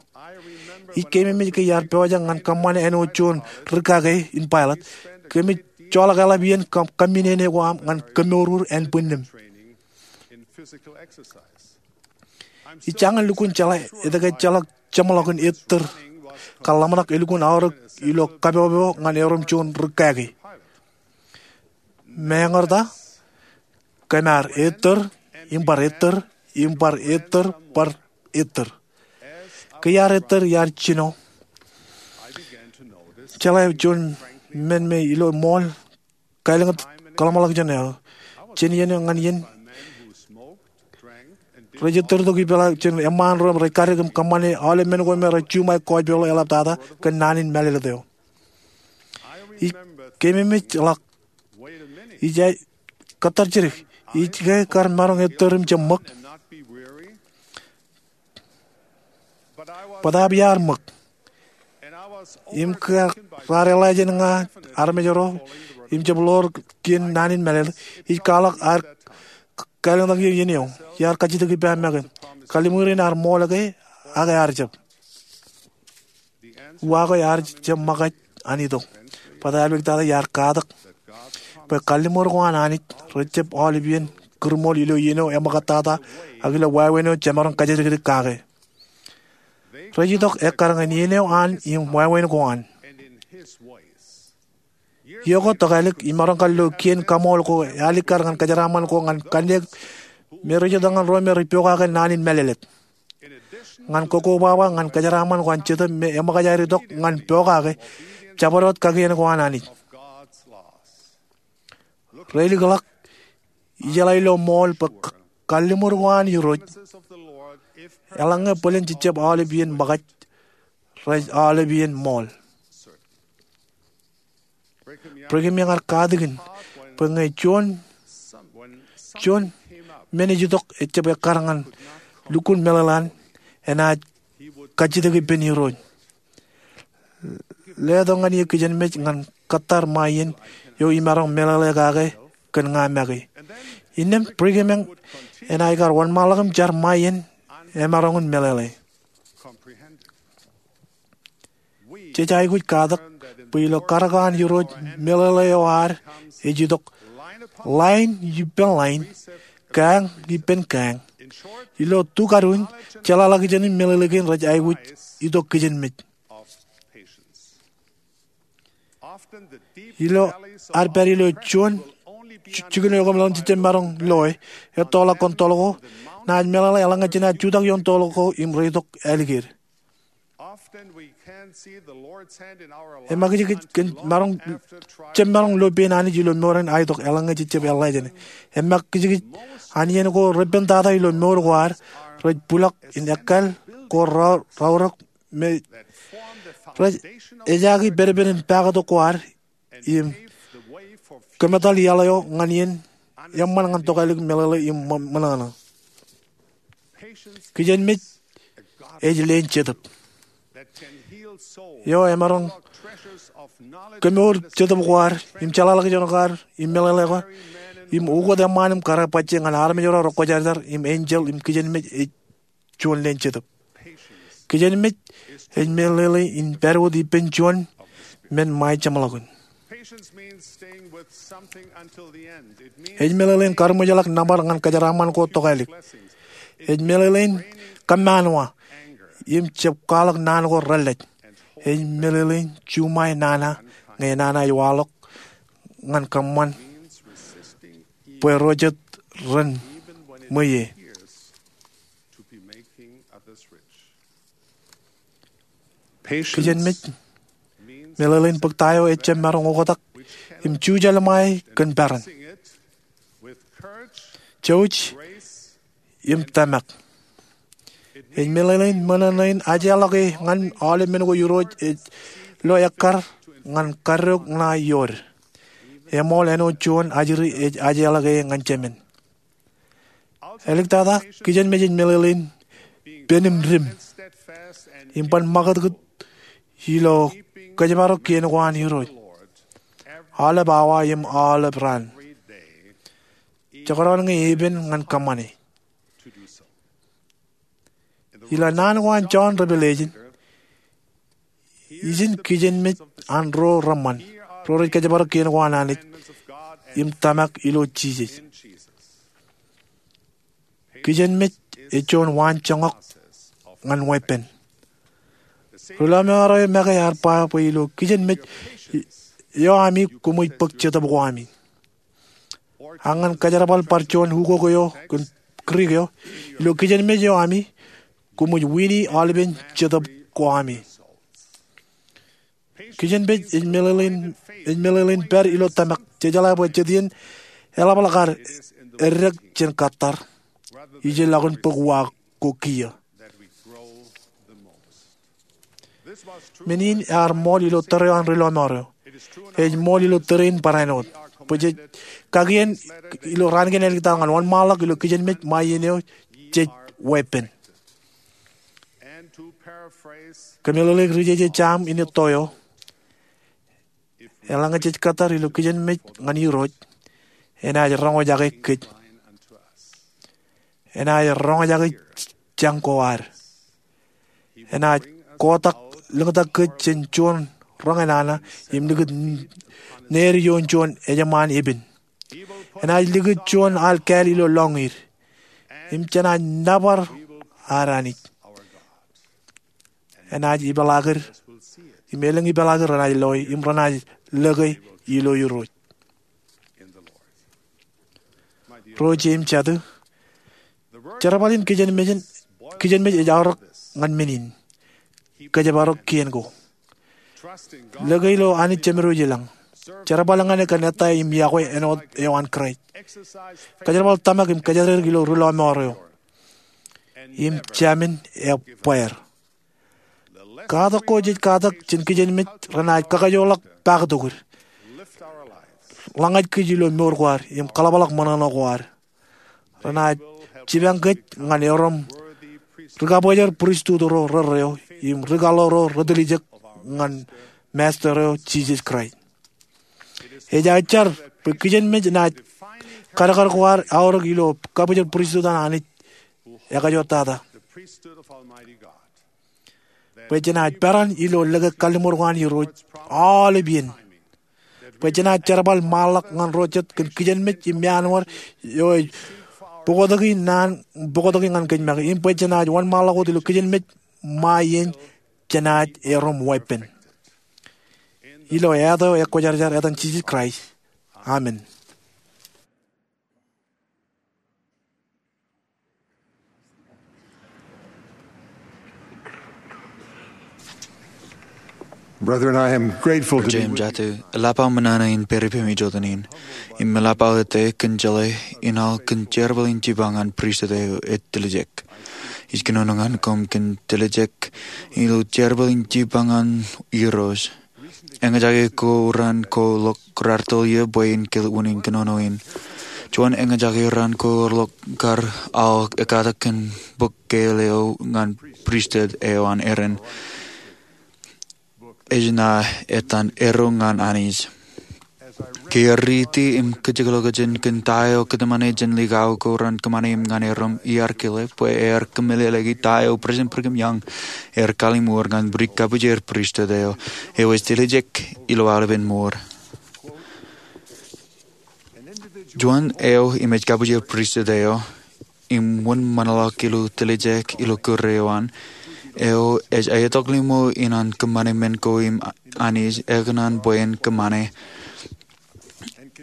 Ij keememej ke iar pojak ñan kōṃṃane āinwōt juon rūkaki in pilot, kōmij joḷọk eḷap iien kōmminene ko aṃ ñan kōmour ānbwinnūṃ. Ij jañin lukkuun jeḷā etke ejjeḷọk jeṃḷọkin ettōr kar ḷōmṇak elukkuun aorōk ilo kapopo ñan erom juon rūkaki. Meñe eo ta, kōm ar ettōr im bar ettōr im bar ettōr bar ettōr. Ke iar ettōr iar jino, jeḷā juon men me ilo ṃool kālōñḷọk kōḷmānḷọkjeṇ eo. Jān iien eo ñan iien, rej ettōr tok ipeḷaakin eṃṃaan ro im rej kaddek im kōṃṃane aolep men ko me rej juṃae kōjpeḷḷọk eḷaptata kōn naan in mālōtlōt eo. Ij keememej ḷọk, ij kōttar jidik, ij ke kar maroñ ettōr im jab ṃōk? Bōtaab iar ṃōk. Im ke raar eḷḷā jān ña armej ro im jab ḷoor kien naan in mālōtlōt, ij kwaḷọk ad kālōñḷọk eō iien eo. Iar kajjitōk ippa make, kalliṃur in ear ṃool ke, ak ear jab? Uwaak eo ear jab ṃōkaj an itok. Bōtaab eḷaptata iar katak bwe kalliṃur ko an Anij rejjab aolep iien kūrṃool ilo iien eo eṃōkattata ak ilo wāween eo jemaroñ kajjitōk kake. Rej itok ekkar ñan iien eo an im wāween ko an. Iọkwe tokālik imaroñ kar lo kien kaṃool ko alikkar ñan kōjeraaṃṃan ko ñan kanniōk me rej itok ñan ro me rej pokake naan in mālōtlōt. Ñan kokkobaba ñan kōjeraaṃṃan ko an Jetōb me eṃōkaj aer itok ñan pokake jabdewōt kakien ko an Anij. Reilikḷọk, ijeḷā ilo ṃool bwe kalliṃur ko an Irooj, eḷaññe bōlen jejjab aolep iien ṃōkaj, rej aolep iien ṃool. Brigham Young ear katakin bwe ñe juon, juon men ej itok ejjab ekkar ñan lukkuun meḷeḷe an, enaaj kajjitōk ippān Irooj. Letok ñan eō kijenmej ñan kōttar ṃae iien eo imaroñ meḷeḷe kake kōn ña make. Innām Brigham Young enaaj kar wōnṃaanḷọk im jar ṃae iien emaroñ in meḷeḷe. Jej aikuj katak bwe ilo karōk an Irooj, meḷeḷe eo ad ej itok line ippān line, kañ ippān kañ. Ilo tukadu in, jeḷāḷọkjeṇ im meḷeḷe kein rej aikuj itok kijenmej. Ilo ad pād ilo juon jikin eo kōm lōñ jejjab maroñ loe, ettoḷọk kōn toḷ ko, naaj meḷeḷe eḷaññe jenaaj jutak ioon toḷ ko im reitok ālikied. Emakijkij kōn maroñ, jab maroñ lo pein Anij ilo mour in aetok eḷaññe jejjab eḷḷā jāne. Emakijkij an iien ko repen tata ilo mour ko ad, rej bulọk in ekkal ko raorōk me rej ejaaki pedped in pakatok ko ad im kōmetal iaḷ eo ñan iien eṃṃan ñan tokālik meḷeḷe im ṃōṇōṇō. Kijenmej ej leen jetōb eo emaroñ kōmour jetōb ko ad im jeḷāḷọkjeṇ ko ad im meḷeḷe ko ad im ukōt eṃṃaan im karreoḷọk bajjek ñan armej ro rekwōjarjar im enjeḷ im kijenmej ej juon leen jetōb. Kijenmej ej meḷeḷe in pād wōt ippān juon men ṃae jeṃḷọkin. Ej meḷeḷe in karuṃwijḷọk nōbar ñan kōjeraaṃṃan ko tokālik. Ej meḷeḷe in kōmmaanwa im jab kwaḷọk naan ko relej. Ej meḷeḷe in juṃae nana ñe nana ej waḷọk ñan kōṃṃan bwe ro jet ren ṃweiie. Kijenmej meḷeḷe in bōk ta eo ejjab maroñ oktak im jujālṃae kōn peran, jouj im tōmak. Ej meḷeḷe in ṃōṇōṇō in ajeḷọke ñan aolep men ko Irooj ej lo ekkar ñan kaddeok ṇae iood. eṃool āinwōt juon ajri ej ajeḷọk e ñan Jemān. Āliktata, kijenmej ej meḷeḷein pen im dim im ban ṃakūtkūt ilo kōjparok kien ko an Irooj aolep awa im aolep raan, jekdọọn ñe epen ñan kōṃṃane. Ilo naan ko an Jon Revelation, ijin kijenmej an ro reṃṃan ro rej kōjparok kien ko an Anij im tōmak ilo Jisōs. Kijenmej ej juon waanjoñak ñan weeppān. Ri-lọmọọr eo make ear ba bwe ilo kijenmej eo ami koṃij bōk jetōb ko ami. Ak ñan kōjerbal bar juon ukok eo kōn Greek eo, ilo kijenmej eo ami koṃij wini aolepen jetōb ko ami. Kijenmej ej meḷeḷein, ej meḷeḷein pād ilo tōmak, jejeḷā bwe jet iien eḷapḷọk ad eddek jān kōttar ijellọkin bōk uwaak ko kiiō. Men in ear ṃool ilo tōre eo an ri-lọmọọr eo. Ej ṃool ilo tōre in barāinwōt. Bwe jej kakien ilo raan kein āliktata ñan wōnṃaanḷọk ilo kijenmej ṃae iien eo jej weeppān. Kōmeḷeḷeik ri-jeje Sam in etto eo, eḷaññe jej kōttar ilo kijenmej ñan Irooj, enaaj roñjake kōj. Enaaj roñjake jañ ko ad. Enaaj kotak, liñtak kōj jān juon roñnana im likūt needik ioon juon ejṃaan epen. Enaaj likūt juon al kāāl ilo lọñiid im jenaaj nōbar ad Anij. Enaaj ipeḷaakid im elōñ ipeḷaakid renaaj loe im renaaj lōke ilo Irooj. Ro jeiū im jatū, jerbal in kijenmej, kijenmej ej aorōk ñan men in, kōjparok kien ko. Lōke ilo Anij Jemedwōj i lañ. Jerbal ñan e kōn ettā im yokwe āinwōt eo an Kraist. Kōjerbal tōmak im kōjatdikdik ilo ri-lọmọọr eo. Im jāmin ebbeer. Katak ko jej katak jān kijenmej renaaj kakajoorḷọk paaktok id, ḷōñaj kōj ilo mour ko ad im kaḷapḷọk ṃōṇōṇō ko ad. Renaaj jipañ kōj ñan erom ri-kabōjor pristut ro rerreo im ri-kaḷoor ro retiljek ñan Masta eo Jisōs Kraist. Ej aō jar bwe kijenmej enaaj kadkad ko ad aorōk ilo kabōjor pristut an Anij ekajottata. Bwe jenaaj peran ilo lōke kalliṃur ko an Irooj aolep iien. Bwe jenaaj jerbal ṃaanḷọk ñan ro jet kōn kijenmej im meanwōd eo ej bōktoki naan, bōktoki ñan kōj make. Im bwe jenaaj wōnṃaanḷọk wōt ilo kijenmej ṃae iien jenaaj erom weeppān. Ilo āt eo ekwōjarjar, etan Jisōs Kraist. Amen. Brethren, I am grateful to be with you. Ri-jeim jatū, eḷap aō ṃōṇōṇō in pād ippemi jota in. Im eḷap aō ettā kōn jeḷā in aō kōn jerbal in jipañ an pristut eo ej tiljek. Ij kōnono ñan koṃ kōn tiljek ilo jerbal in jipañ an Irooj. Eñjake ko raan ko ḷọk raar tōl ie bwe in kilen unin kōnono in. Juon eñjake raan ko ḷọk kar aō ekkatak kōn bok kein eo ñan pristut eo an Aaron. Ej ṇa etan Erro ñan Anij. Ke riiti im kajjioñ ḷọk jān kōn ta eo kōtmāne jān likao ko raan kōṃṃane im ñan erom, iar kile bwe ear kōmeḷeḷeiki ta eo President Brigham Young ear kalliṃur ñan ri kabwijin pristut eo, eo ej tiljek ilo aolepen mour. Juon eo im ej kabwijin pristut eo im wōnṃaanḷọk ilo tiljek ilo kūr eo an, eo ej aetok limo in an kōṃṃane men ko im Anij ekōṇaan bwe en kōṃṃane.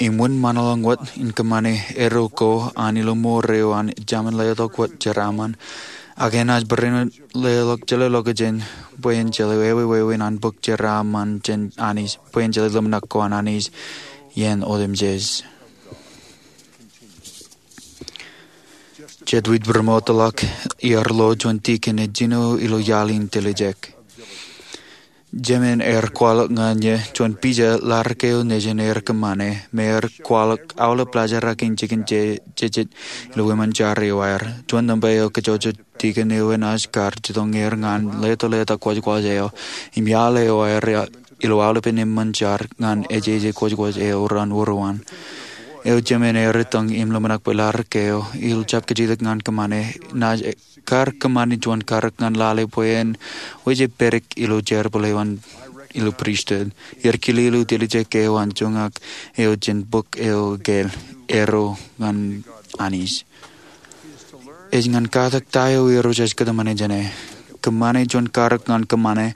Im wōnṃaanḷọk wōt in kōṃṃane erro ko an ilo mour eo an, ej jāmin letok wōt jeraaṃṃan. Ak enaaj barāinwōt leḷọk, jeḷā ḷọk jān bwe en jeḷā ewi wāween an bok jeraaṃṃan jān Anij, bwe en jeḷā ḷōmṇak ko an Anij iien otemjej. Jet wōt būroṃōtḷọk iar lo juon tikin ej jino ilo iaḷ in tiljek. Jemān er kwaḷọk ñan e juon pija ḷadik eo nejin er kōṃṃane me er kwaḷọk aolep laajrak in jikin jejjet ilo wiṃōn jar eo aer. Juon nōṃba eo kajjojo tikōn eo enaaj kar jitōñ er ñan leḷọk kwōjkwōj eo im iaḷ eo aer ilo aolepen eṃṃan jar ñan ejeje kwōjkwōj eo raan-uruwan. Eo jemān er itok im ḷōmṇak bwe ḷadik eo ilo jab kajjitōk ñan kōṃṃane naaj kar kōṃṃani juon karōk ñan lale bwe en wōj e pedik ilo jerbal eo an ilo pristut. Iar kile ilo tiljek eo an joñak eo jān bok eo ekāāl, Ero ñan Anij. Ej ñan katak ta eo Irooj ej kōtmāne jāne. Kōṃṃane juon karōk ñan kōṃṃane.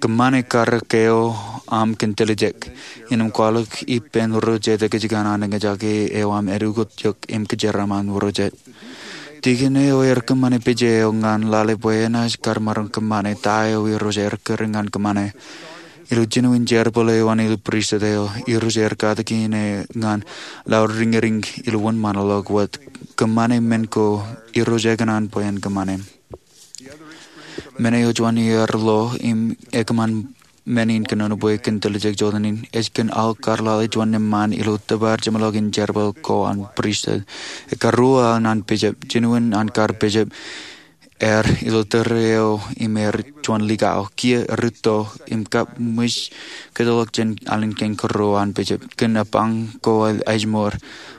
Kōṃṃane karōk eo aṃ kōn tiljek. Innām kwaḷọk ippān ro jet ekijjien an eñjake eo aṃ edukot eok im kōjeraaṃṃan ro jet. Tikōn eo er kōṃṃane pija eo ñan lale bwe enaaj kar maroñ kōṃṃane ta eo Irooj er kūr ñan kōṃṃane. Ilo jinoin jerbal eo an ilo pristut eo, Irooj er katakin e ñan laḷ riñriñ ilo wōnṃaanḷọk wōt. Kōṃṃane men ko Irooj ekōṇaan bwe en kōṃṃane. Men eo juon iar lo im ekōṃṃan men in kōnono bwe kōn tiljek jotenin ej kōn aō kar lale juon eṃṃaan ilo tōpar jeṃḷọk in jerbal ko an pristut. Ekkar ruo aō naan bijap. Jinoin an kar bijap er ilo tōre eo im er juon likao. Kiiō rūtto im kab ṃij kōtḷọk jān alen kein kōrā an bijap kōn epañ ko ejmour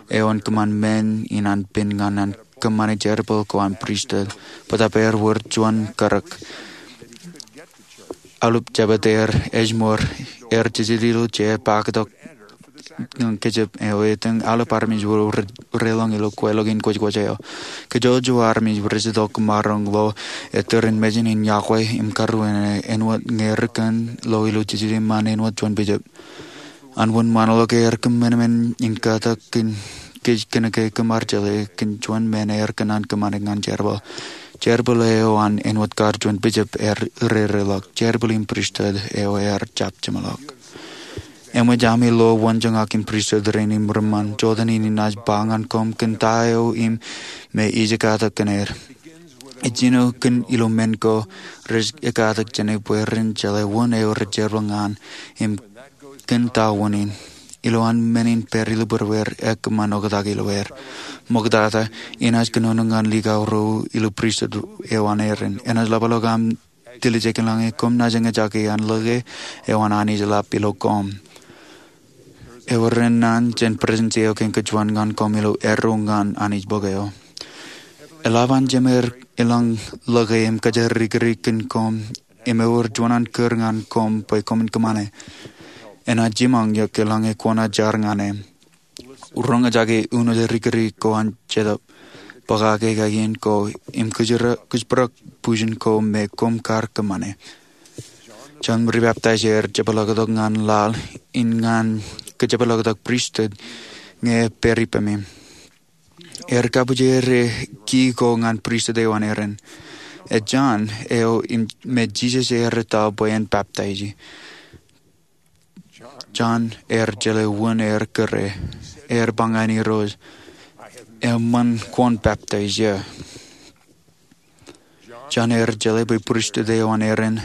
eo en kōṃṃan men in an pen ñan an kōṃṃane jerbal ko an pristut. Bōtaab er wōr juon karōk. Aolep jabōt er ejmour er jejjet ilo jeer paktok ñan kōjep eo etōñ aolep armej ro relōñ ilo kweilọk in kwōjkwōj eo. Kōjwōj armej rej itok maroñ lo ettōr in mejān in yokwe im karuwene āinwōt ñe ri kōn lo ilo jejjet eṃṃan āinwōt juon bijap. An wōnṃaanḷọk er kōṃanṃan in katak kōn kōj kōnke kōm ar jeḷā kōn juon men er kōṇaan kōṃṃane ñan jerbal. Jerbal eo an āinwōt kar juon bijap er rereḷọk. Jerbal in pristut eo er jab jeṃḷọk. Eṃōj ami lo wōn joñak in pristut rein im ri ṃaan jotenin inaaj ba ñan koṃ kōn ta eo im me ij katak kōn er. Ej jino kōn ilo men ko rej katak jāne bwe ren jeḷā wōn eo rej jerbal ñan im kōn ta wōn in. Ilo an men in pād ilo būrueir ekōṃṃan oktak ilo er. Ṃoktata, inaaj kōnono ñan likao ro ilo pristut eo an Aaron. Enaaj ḷapḷọk aṃ tiljek eḷaññe koṃ naaj eñjake an lōke eo an Anij eḷap ilo koṃ. Ewōr naan jān presetensi eo kein kōjuon ñan koṃ ilo erro ñan Anij bok eo. Eḷap an Jemān er ilañ lōke im kōjerrikdik kōn koṃ im ewōr juon an kūr ñan koṃ bwe koṃwin kōṃṃane. Enaaj jiṃañ eok eḷaññe kwōnaaj jar ñan e. Roñjake uno rikdik ko an Jetōb, bōkake kakien ko im kōjparok bujen ko me koṃ kar kōṃṃane. Jon Ribaptaijer jepḷaaktok ñan laḷ in ñan kōjepḷaaktok pristut ñe epād ippemi. Er kabujeje kii ko ñan pristut eo an Aaron. Ej Jon eo me Jisōs ear etto bwe en baptaisi. Jon er jeḷā wōn er kūr e. Er ba ñan Irooj, eṃṃan kwōn baptaisi eō. Jon er jeḷā bwe pristut eo an Aaron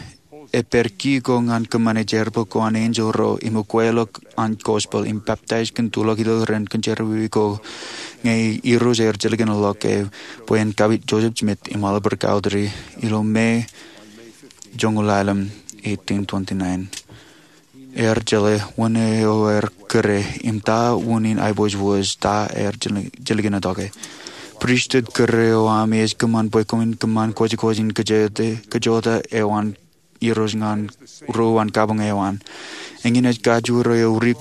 epād kii ko ñan kōṃṃane jerbal ko an enjeḷ ro im ukweḷọk an gospel im baptais kōn tulọk ilo ren kōn jerọwiwi ko ñe Irooj er jilkinḷọk e bwe en kapit Joseph Smith im Oliver Cowdery ilo May joñoul ḷalem, eighteen twenty-nine. Er jeḷā wōn eo er kūr e im ta wōn in aiboojoj ta er jilkinḷọk e. Pristut kūr eo ami ej kōṃṃan bwe koṃwin kōṃṃan kwōjkwōj in kōjota eo an Irooj ñan ro an kabuñ eo an. Eñin ej kajjirōk eo ri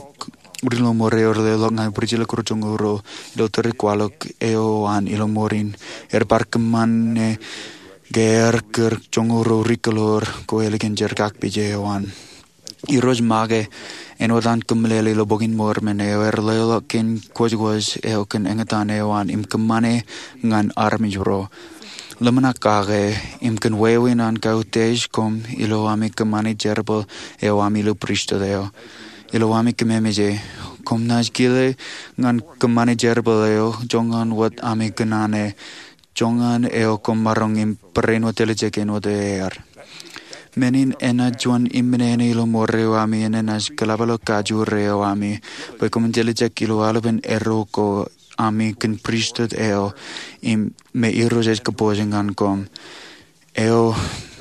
lọmọọr eo leḷọk ñan Priscilla kōrā joñoul ruo ilo tōre kwaḷọk eo an ilo mour in. Er bar kōṃṃane ke er kūr joñoul ruo ri kōḷoor ko ālikin jerkak pija eo an. Irooj make āinwōt an kōmeḷeḷe ilo Bok in Mormon eo er leḷọk kōn kwōjkwōj eo kōn eñtaan eo an im kōṃṃane ñan armej ro. Ḷōmṇak kake im kōn wāween an kautiej koṃ ilo ami kōṃṃane jerbal eo ami ilo pristut eo. Ilo ami kōmmemeje, koṃ naaj kile ñan kōṃṃane jerbal eo joñan wōt ami kōṇaan e, joñan eo koṃ maroñ im barāinwōt tiljek āinwōt er. Men in enaaj juon im men eo ilo mour eo ami, enaaj kōḷapḷọk kajoor eo ami bwe koṃwin tiljek ilo aolepen erro ko ami kōn pristut eo im me Irooj ej kōpooj ñan koṃ, eo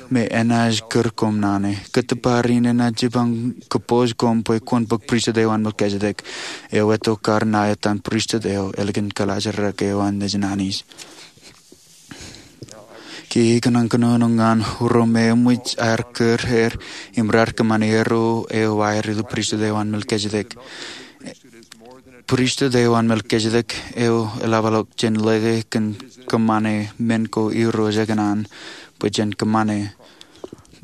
me enaaj kūr koṃ naan e. Kōttōpar in enaaj jipañ kōpooj koṃ bwe kwōn bōk pristut eo an Melkisedek, eo etto kar ṇa etan pristut eo ālikin kōḷaajrak eo an nejin Anij. Kiiō ikōṇaan kōnono ñan ro me eṃōj aer kūr er im raar kōṃṃane erro eo aer ilo pristut eo an Melkisedek. Pristut eo an Melkisedek eo eḷapḷọk jān lōke kōn kōṃṃane men ko Irooj ekōṇaan bwe jen kōṃṃane.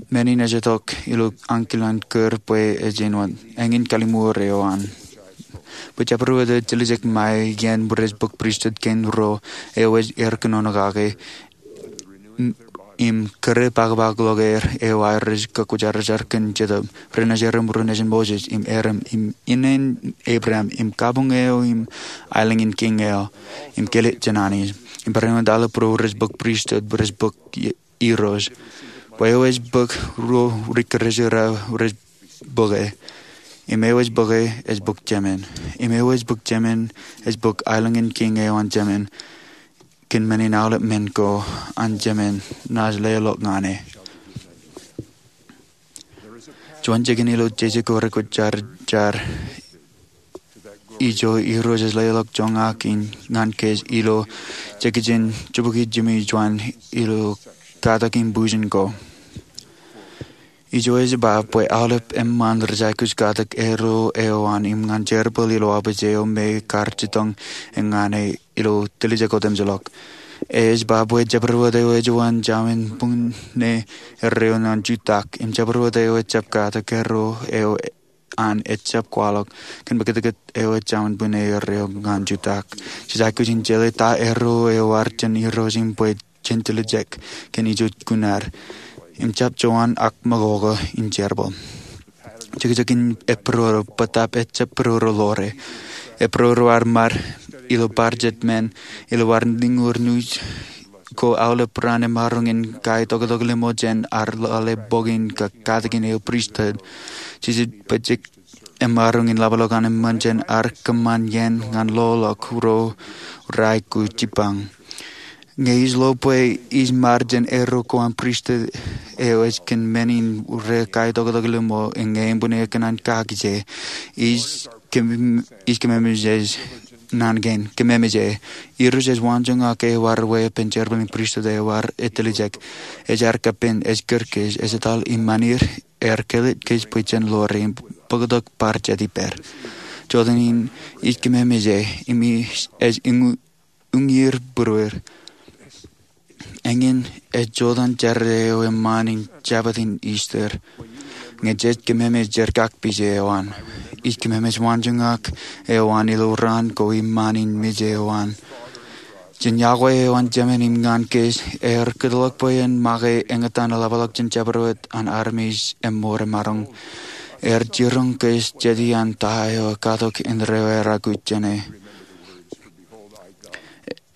Men in ej itok ilo ankilaan kūr bwe ej āinwōt eñin kalliṃur eo an. Bwe jabdewōt eo ej tiljek ṃae iien rej bōk pristut kein ro eo ej aer kōnono kake im kōrā pakpak ḷọk er eo aer rej kakwōjarjar kōn Jetōb, renaaj erom ro nejin Moses im Aaron im ineen Abraham im kabuñ eo im aelōñ in kiiñ eo im kileḷ jān Anij im bareinwōt aolep ro rej bōk pristut rej bōk Irooj. Bwe eo ej bōk ruo ri-Kūrjin rej bōke, im eo ej bōke ej bōk Jemān, im eo ej bōk Jemān ej bōk aelōñ in kiiñ eo an Jemān, kōn men in aolep men ko an Jemān naaj leḷọk ñan e. Juon jikin ilo jeje ko rekwōjarjar ijo Irooj ej leḷọk joñak in ñan kōj ilo jekijin jibukwi jimjuon ilo katak im bujen ko. Ijo ej ba bwe aolep eṃṃan rej aikuj katak erro eo an im ñan jerbal ilo abuj eo me kar jitōñ ñan e ilo tiljek otemjej ḷọk. Ej ba bwe jabdewōt eo ej juon jawin buñne erreo ñan jutak im jabdewōt eo ejjab katak erro eo an ejjab kwaḷọk kōn bōktok eo ej jawin buñne erreo ñan jutak. Jej aikuj in jeḷā ta erro eo ear jān Irooj im bwe jen tiljek kōn ijo kuṇaer im jab juon ak ṃakoko in jerbal. Jekjekin ej būroro bōtaab ejjab būroro ḷoore. Ej būroro ad ṃad ilo bar jet men ilo ad liñur nuuj ko aolep raan emaroñ in kaitoktok limo jān ad lale bok in kōn katakin eo pristut. Jisōs bwe ej emaroñ in ḷapḷọk an eṃṃan jān ad kōṃṃan iien ñan loḷọk ro rej aikuj jipañ. Ñe ij lo bwe ij ṃad jān erro ko an pristut eo ej kōn men in rekaitoktok limo, ñe eṃ buñne ekōṇaan kaki je, ij kōm-, ij kōmmemeje naan kein. Kōmmemeje. Irooj ej waanjoñak eo ear weeppān jerbal in pristut eo ear etiljek. Ej ad kapen, ej kūr kōj, ej etal im ṃanir, ear kileḷ kōj bwe jen ḷoore im bōktok bar jet ippād. Jota in ij kōmmemeje, im ij, ej uññūr būruer. Eñin ej jota in jar eo eṃṃan in Jabōt in Ister. Ñe jej kōmmemej jerkakpeje eo an, ij kōmmemej waanjoñak eo an ilo raan ko im ṃaan in meje eo an. Jen iọkwe eo an Jemān im ñan kōj, ear kōtḷọk bwe en make eñtaan eḷapḷọk jān jabdewōt an armej emmor emaroñ. Ear jiroñ kōj jeti an ta eo ekatok indeeo ear aikuj jāne.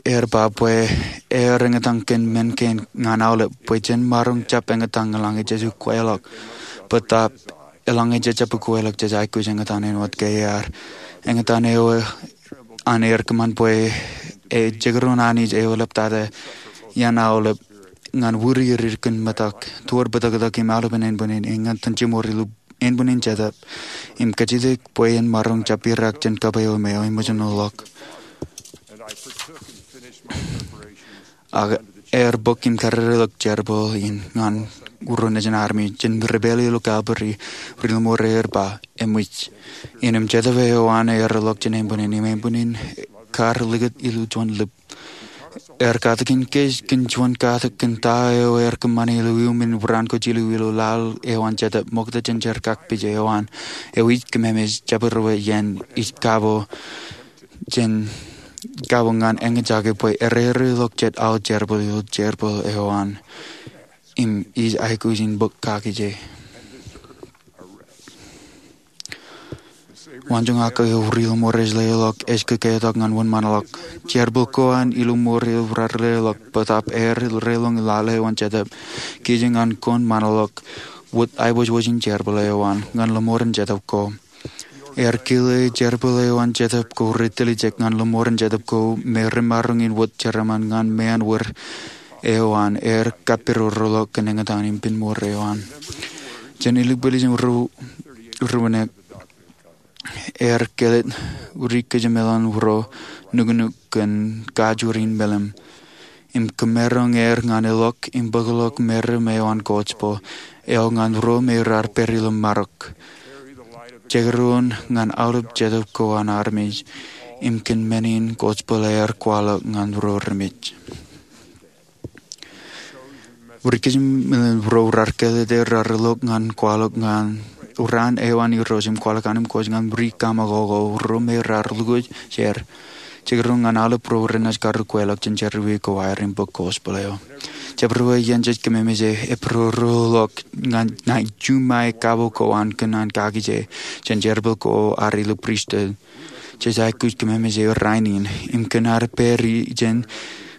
Ear ba bwe ear eñtaan kōn men kein ñan aolep bwe jen maroñ jab eñtaan eḷaññe jej ukweḷọk. Bōtaab eḷaññe jejjab ukweḷọk jej aikuj eñtaan āinwōt ke ear. Eñtaan eo an ear kōṃṃan bwe ejekdọọn Anij eo eḷaptata iaan aolep ñan wūri er kōn metak toward bōtōktōk im aolepen ānbwinnin, eñtaan jiṃor ilo ānbwinnin Jetōb, im kajjitōk bwe en maroñ jab irak jān kab eo me eo eṃōj in ḷọk. Ak ear bōk im karereḷọk jerbal in ñan ro nejin armej jān ri pālle ilo Kalvari. Ri ḷōṃaro ear ba, eṃōj. Innām Jetōb eo an ear ḷọk jān ānbwinnin, im ānbwinnin kar likūt ilo juon lip. Ear katakin kōj kōn juon katak kōn ta eo ear kōṃṃane ilo iuṃwin raan ko jilu ilo laḷ eo an Jetōb, ṃokta jān jerkakpeje eo an. Eo ij kōmmemej jabdewōt iien ij kabo jān, kabo ñan eñjake bwe erereḷọk jet aō jerbal ilo jerbal eo an. Im ij aikuj in bōk kaki je. Waanjoñak eo ri ḷōṃaro ej leḷọk ej kōkeotak ñan wōnṃaanḷọk. Jerbal ko an ilo ṃool eo raar leḷọk, bōtaab ear reḷoñ lale eo an Jetōb. Kiiō ñan kōn ṃaanḷọk, wōt aiboojoj in jerbal eo an ñan lōṃoor in jetōb ko. Ear kile jerbal eo an jetōb ko rej tiljek ñan lōṃoor in jetōb ko me remaroñ in wōt jeraaṃṃan ñan meanwōr eo an ear kappirōrḷọk kōn eñtaan im pinnṃoor eo an. Jān eilōñ bōlen ruo, ruo, ear kelōt ri kōjemeḷan ro nuknuk kōn kajjoor in meḷeḷe im kōmeroñ er ñan elọk im bōkḷọk meram eo an gospel eo ñan ro me raar pād ilo marok. Jekdọọn ñan aolep jetōb ko an armej im kōn men in gospel ear kwaḷọk ñan ro remej. Ri kōjemeḷan ro raar kelōt er raar elọk ñan kwaḷọk ñan raan eo an Irooj im kwaḷọk anemkwōj ñan ri kaṃakoko ro me raar lukwōj er. Jekdọọn ñan aolep ro renaaj kar ukweḷọk jān jerọwiwi ko aer im bōk gospel eo. Jabdewōt iien jej kōmemej e, epidodoḷọk ñan naaj juṃae kabo ko an kōn an kaki je jān jerbal ko ad ilo pristut. Jej aikuj kōmemej e rainin im kōn ad pād ijin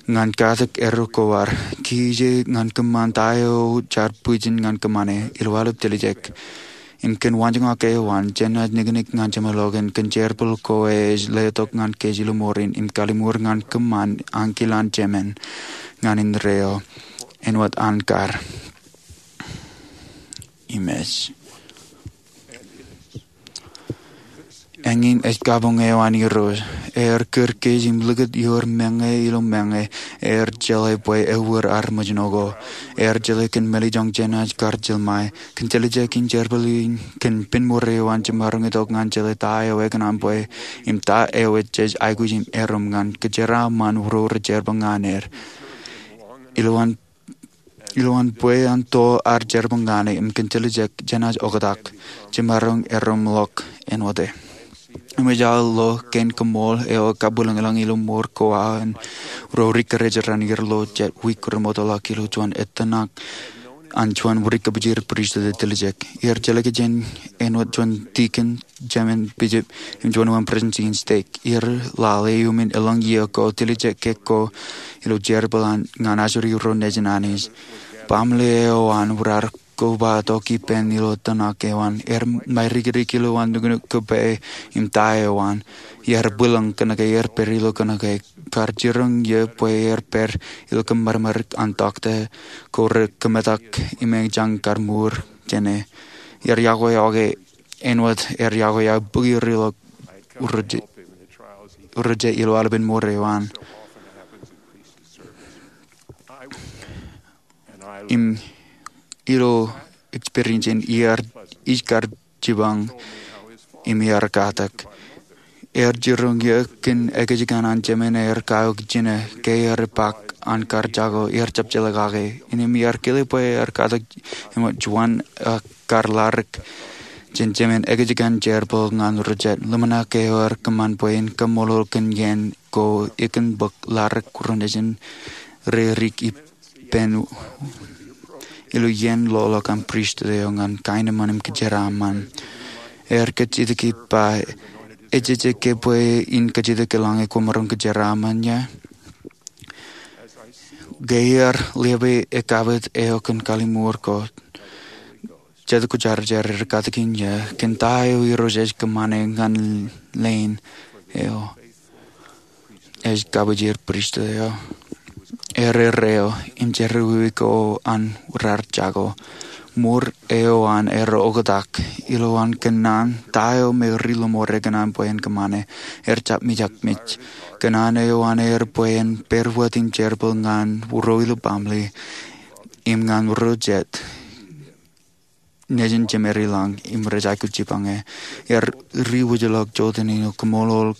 ñan katak erro ko ad. Kiiō ñan kōṃṃan ta eo jaar bwijin ñan kōṃṃane ilo aolep tiljek. Im kōn waanjoñak eo an, jenaaj niknik ñan Jemem Logan kōn jerbal ko ej letok ñan kōj ilo ṃorin im kalliṃur ñan kōṃṃan ankilaan Jemem ñan indeeo āinwōt an kar im ej. Eñin ej kabuñ eo an Irooj. Ear kūr kōj im likūt ioer meñe ilo meñe. Ear jeḷā bwe ewōr armej ṇo ko. Ear jeḷā kōn mālejjoñ jenaaj kar jeḷā ṃae. Kōn tiljek in jerbal in kōn pinnṃoor eo an jemaroñ itok ñan jeḷā ta eo ekōṇaan bwe im ta eo ej jej aikuj im erom ñan kōjeraaṃṃan ro rej jerbal ñan er. Ilo an Ilowaan bwe an to ad jerbal ñan e im kōn tiljek jenaaj oktak, jemaroñ erom ḷọk āinwōt e. Im ej aō lo kein kaṃool eo kabwilōñlōñ ilo ṃoor ko aō an ro ri kōrā jān ier ilo jet wiik remootḷọk ilo juon ettōṇak an juon ri kōpoojer pristut ej tiljek. Iar jeḷā kōj jān āinwōt juon tikōn, jemān bijop, im juon wōn presidents in stek. Iar lale iuṃwin elōñ iiō ko tiljek ke ko ilo jerbal an ñan ajri ro nejin Anij. Baaṃle eo an raar kobatok ippān ilo tōmak eo an. Ear mairikirik ilowaan nuknuk kōpeḷḷọk im ta eo an. Iar bwilōñ kōnke ear pād ilo kōnke. Kar jiroñ iiō bwe ear pād ilo kōṃadṃōdik an tọkta ko rekōmetak im ejjañin kar mour jāne. Iar yokwe āinwōt ear yokwe aō bōki ri ḷọk rej ilo aolepen ṃoor eo an. Im ilo experience in iar ij kar jipañ im iar katak. Ear jiroñ iiō kōn ekōjkan an jemān ear kaok jino ke ear ipaak an kar jako, ear jab jeḷā kake. Innām iar kile bwe ear katak im juon kar ladik jān jemān ekōjkan jerbal ñan ro jet. Ḷōmṇak eo ear kōṃṃan bwe en kaṃṃoolol kōn iien ko ikōn bōk ladik ro nejin redik ippān ilo iien ḷoḷọk an pristut eo ñan kaenōṃṃan im kōjeraaṃṃan. Ear kajjitōk ippa, ejejjet ke bwe in kajjitōk eḷaññe kwōmaroñ kōjeraaṃṃan ia? Ke iar lepe ekkapit eo kōn kalliṃur ko, Jet kwōjarjar er katakin iiō kōn ta eo Irooj ej kōṃṃane ñan leen eo ej kōpoojer pristut eo. Erreo im jerọwiwi ko an raar jako. Ṃoor eo an er oktak ilowaan kōnnaan ta eo me ri lọmọọr ekōṇaan bwe en kōṃṃane. Er jab mijak mej. Kōnnaan eo an er bwe en pād wōt im jerbal ñan ro ilo baaṃle im ñan ro jet nejin jemād ilañ im rej aikuj jipañ e. Iar riwōjḷọk jota ilo kaṃṃoolol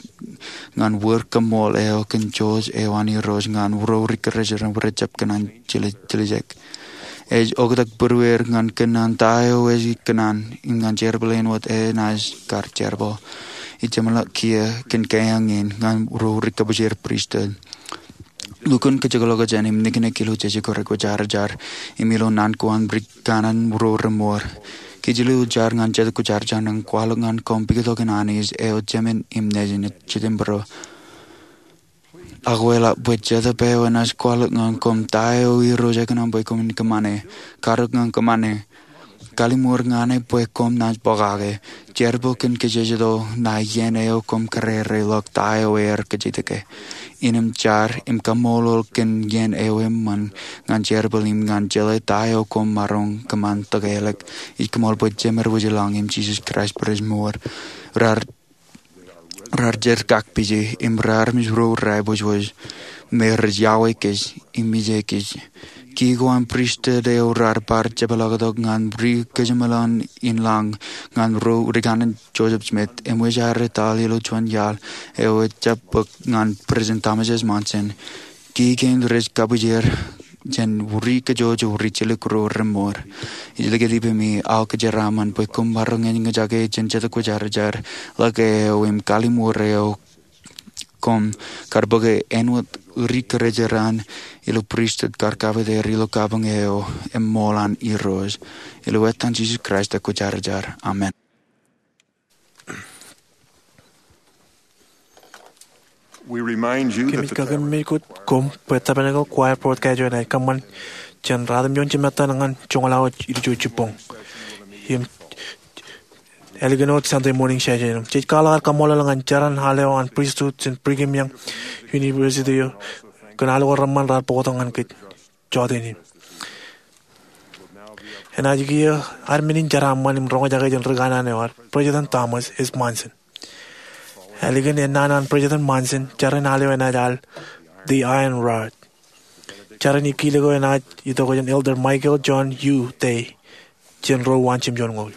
ñan wōr kaṃṃool eo kōn jouj eo an Irooj ñan ro ri kōrā jān rej jab kōṇaan tiljek. Ej oktak būrueir ñan kōnnaan ta eo ej kōṇaan im ñan jerbal āinwōt enaaj kar jerbal. Ij jeṃḷọk kiiō kōn keeañ in ñan ro ri kōpoojer pristut. Lukkuun kōjekḷọk jān im niknik ilo jeje ko re kwōjarjar im ilo naan ko an ri kanaan ro reṃool. Kōjro ilo jar ñan Jet Kwōjarjar ñan kwaḷọk ñan koṃ pukot in Anij eo jemān im nejin ej jitōnbōro. Ak kweḷap bwe Jetōb eo enaaj kwaḷọk ñan koṃ ta eo Irooj ekōṇaan bwe koṃwin kōṃṃane. Karōk ñan kōṃṃane. Kalliṃur ñan e bwe koṃ naaj bōkake. Jerbal kōn kōjejjet eo ṇa iien eo koṃ kōrā rej loḷọk ta eo ear kōjatdikdik. Innem jar im kaṃṃoolol kōn iien eo eṃṃan ñan jerbal im ñan jeḷā ta eo koṃ maroñ kōṃṃan tokālik. Ij koṃṃool bwe Jemān Wōjlaḷ im Jisōs Kraist bwe rej mour. Raar raar jerkakpije im raar armej ro raibōjbōj me rej iọkwe kōj im ije kōj. Ki ko an pristut eo raar bar jepḷaaktok ñan ri kōjeṃḷọkin lañ ñan ro ri kanaan Joseph Smith im wōj aer etal ilo juon iaḷ eo ejjab bōk ñan President Thomas S. Monson. Ki kein rej kabwijer jān ri kōjojak ri jilkinḷọk ro remour. Ij likūt ippemi aō kōjeraaṃṃan bwe koṃ maroñ eñjake jān Jetōb Kwōjarjar ḷọk eo im kalliṃur eo koṃ kar bōke āinwōt ri kōjeraṇ ilo pristut kar kappede er ilo kabuñ eo eṃṃool an Irooj. Ilo etan Jisōs Kraist eo kwōjarjar, amen. Kōmij kakememej koṃ bwe Tabernacle Choir broadcast eo enaaj kōṃṃan jān ratimjuon jimettan ñan joñoul an ilju jibboñ im ālikin wōt Sunday morning session. Jej kwaḷọk aer kaṃṃoolol ñan jeran al eo an pristut jān Brigham Young University eo kōn aolep reṃṃan raar bōktok ñan kōj jota in. Enaaj kiiō ad men in jeraaṃṃan im roñjake jān ri kanaan eo ad, President Thomas S. Monson. Ālikin ennaan an President Monson, jeran al eo enaaj al The Iron Rod. Jeran ikijjien eo enaaj itok jān Elder Michael John Yu Tei jān ro waan jimjuon ñoul.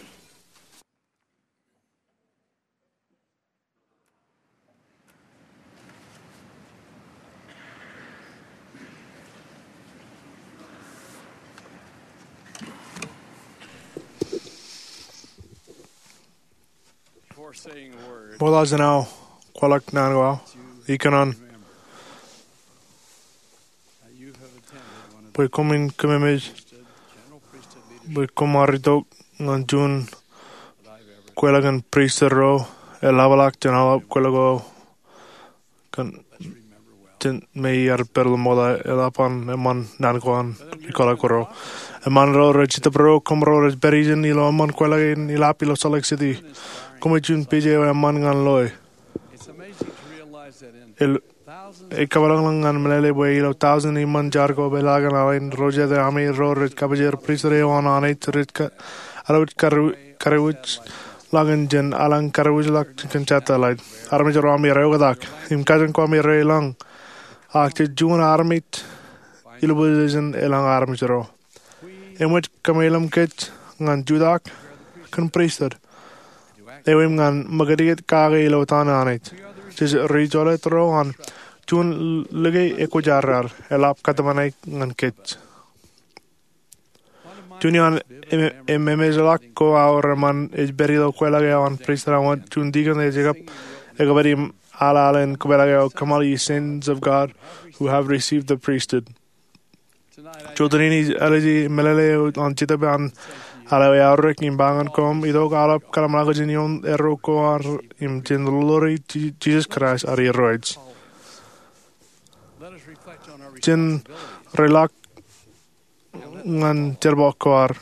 Ṃokta jān aō kwaḷọk naan ko aō, ikōṇaan bwe koṃwin kememej bwe koṃ ar itok ñan juon kweilọk in pristut ro eḷapḷọk jān aolep kweilọk eo kōn jān me iar pād ilo ṃokta. Eḷap an eṃṃan naan ko an ri kwaḷọk ro. Eṃṃan ro rej Jetōb ro, koṃ ro rej pād ijin ilo eṃṃan kweilọk in eḷap ilo Salt Lake City. Koṃ ej juon page eo eṃṃan ñan loe. Ej kapeḷḷọk ñan meḷeḷe bwe ilo taujin eṃṃan jar ko peḷaakin aolep ro jet armej ro rej kabwijer pristut eo an Anij rej alwōj kariwōjḷọk in jān aḷañ kariwōjḷọk kōn satellite. Armej ro ami rej oktak im kajin ko ami rej lañ. Ak jej juon armej ilo position eḷaññe armej ro. Eṃōj kōmeḷeḷe kōj ñan jutak kōn pristut eo im ñan ṃōkajdik kake ilo etan Anij. Jej ri jolōt ro an juon lōke ekwōjarjar eḷap kōtmāne ñan kōj. Juon iaan ememejḷọk ko aō reṃṃan ej pād ilo kweilọk eo an pristut eo an juon dikon eo ej kab ekpād im al al in kōpeḷḷọk eo kōṃṃan Saints of God who have received the priesthood. Jota in ij āliji meḷeḷe eo an Jetōb an al eo eaorōk im ba ñan koṃ itok aolep kōḷmānḷọkjeṇ ioon arro ko ad im jen ḷoḷoḷe Jisōs Kraist ad Irooj. Jen reḷọk ñan jerbal ko ad.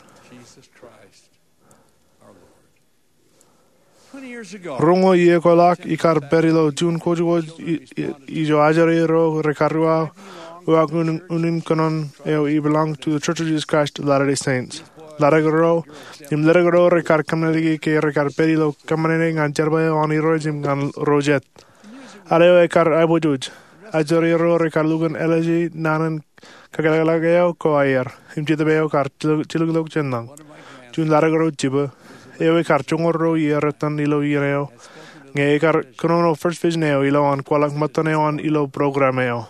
Roñoul iiō ko ḷọk ikar pād ilo juon kwōjkwōj ijo ajri ro rekar uwaak unin kōnono eo i belong to the Church of Jesus Christ of Latter-day Saints. Ḷadik ro im ledik ro rekar kōmmeḷeḷe ke rekar pād ilo kōṃṃane ñan jerbal eo an Irooj im ñan ro jet. Al eo ekar aiboojoj. Ajri ro rekar lukkuun ālije naan in kakeḷapḷọk eo ko aer im Jetōb eo kar jilkinḷọk jān lañ. Juon ḷadik ro jibū eo ekar joñoul ruo iiō rot ilo iien eo ñe ekar kōnono First Vision eo ilowaan kwaḷọk ṃōttan eo an ilo program eo.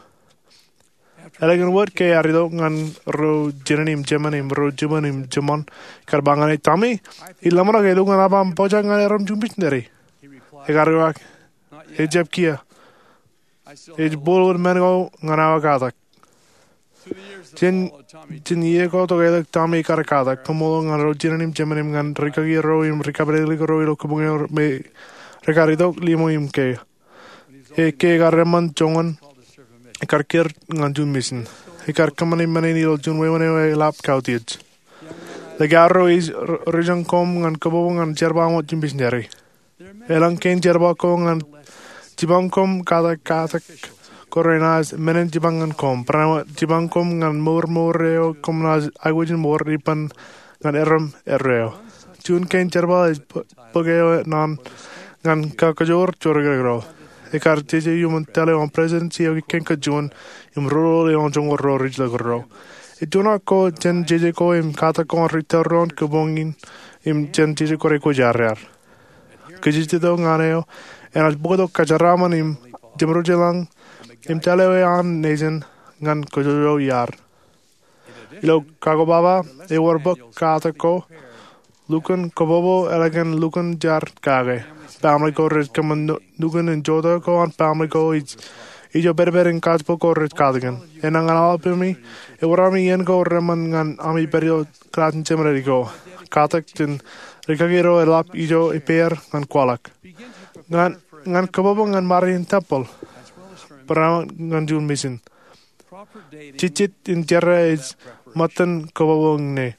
Ālikin wōt ke ear itok ñan ro jinen im jemān im ro jibūn im jiṃṃaṃ, ekar ba ñan e, Tommy, ij ḷōmṇak ke lukkuun aṃ ba aṃ pojak ñan erom juon misineri. Ekar uwaak, Ejjab kiiō. Ej bōl wōt men ko ñan aō katak. Jān iiō ko tokālik Tommy ekar katak, koṃṃool ñan ro jinen im jemān im ñan rikaki ro im ri kapidikdik ro ilo kōbuñ eo me rekar itok limo im ke. Ke ekar eṃṃan joñan, ekar kūr ñan juon misin. Ekar kōṃṃane men in ilo juon wāween eo eḷap kautiej. Likao ro ij ri-, rijeṇ koṃ ñan kōbōbō ñan jerbal ṃōk im misineri. Elōñ kein jerbal ko ñan jipañ koṃ katak katak ko renaaj men in jipañ ñan koṃ. Barāinwōt jipañ koṃ ñan mour mour eo koṃ naaj aikuj in mour ippān ñan erom erreo. Juon kein jerbal ej bō-, bōk eo naan ñan kakajoor jorikin ro. Ekar jeje iuṃwin tōl eo an President Siawi Kenka Juon im roñoul eo an joñoul ruo ri jilkinro. Etunak ko jān jeje ko im katak ko an ri tōl ro an kōpoñ in im jān jeje ko rekwōjarjar. Kajjitōk ñan eo enaaj bōktok kōjeraaṃṃan im jeṃrojeḷañ im tōl eo an nejin ñan kōjojoi iar. Ilo kakobaba ewōr bōk katak ko, lukkuun kōbōbō ālikin lukkuun jar kake. Baaṃle ko rej kōṃṃan nu-, nukun in joto ko an baaṃle ko ij, ijo pedped in gospel ko rej katakin. Enaaj ñan aolep ami, ewōr ami iien ko reṃṃan ñan ami pād ilo kilaaj in seminary ko. Katak jān rikaki ro eḷap ijo ippāer ñan kwaḷọk. Ñan, ñan kōbōbō ñan ṃare in tempeḷ. Barāinwōt ñan juon misin. Jejjet in jerā ej ṃōttan kōbōbō ñe.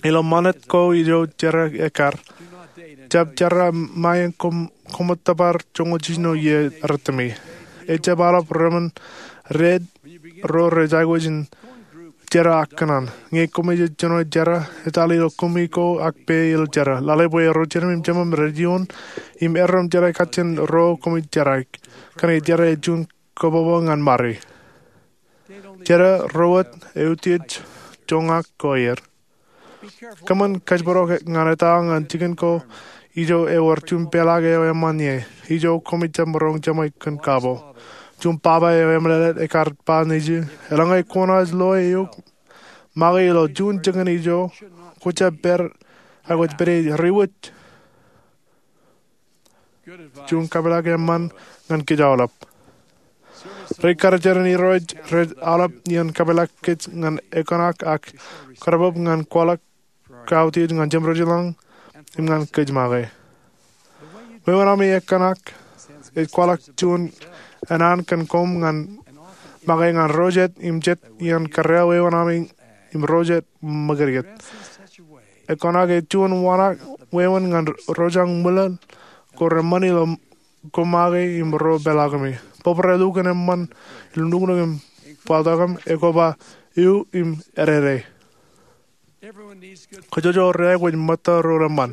Ilo ṃanit ko ijo jerā ekkar, jab jerā ṃae in koṃ-, koṃ tōpar joñoul jiljino iiō rūttoṃi. Ejab aolep reṃōn rej, ro rej aikuj in jerā ak kōṇaan. Ñe koṃij jino jerā, etal ilo kumi ko ak pā ilo jerā. Lale bwe ro jinem im jemem rej ioon im erom jerā kajjien ro koṃij jerā. Kōnke jerā ej juon kōbōbō ñan ṃare. Jerā ro wōt eutiej joñak ko aer. Kōṃṃan kōjparok ñan eta ñan jikin ko ijo ewōr juon peḷaak eo eṃṃan ie, ijo koṃij jab maroñ jeṃḷọk kōn kabo. Juon baba eo eṃōḷeḷe ekkar ba nejū, eḷaññe kwōnaaj loe eok make ilo juon jikin ijo, kwō jab pād, ak kwōj pād ie ri wōj. Juon kapeḷḷọk eṃṃan ñan kōj aolep. Ri karijeran Irooj rej aolep iien kapeḷḷọk kōj ñan ekōṇak ak kōrabōb ñan kwaḷọk kautiej ñan jeṃrojeḷañ im ñan kōj make. Wāween ami ekōṇak ej kwaḷọk juon enaan kōn koṃ ñan make ñan ro jet im jet iien kōrā wāween ami im ro jet ṃōkadkāt. Ekōṇak ej juon wāween ñan ro jañ ṃwilaḷ ko reṃṃan ilo koṃ make im ro peḷaakumi. Bōbrae lukkuun eṃṃan ilo nuknuk im bōltok im ekoba ewi im edede. Kōjojor ro aikuj ṃōtta ro reṃṃan.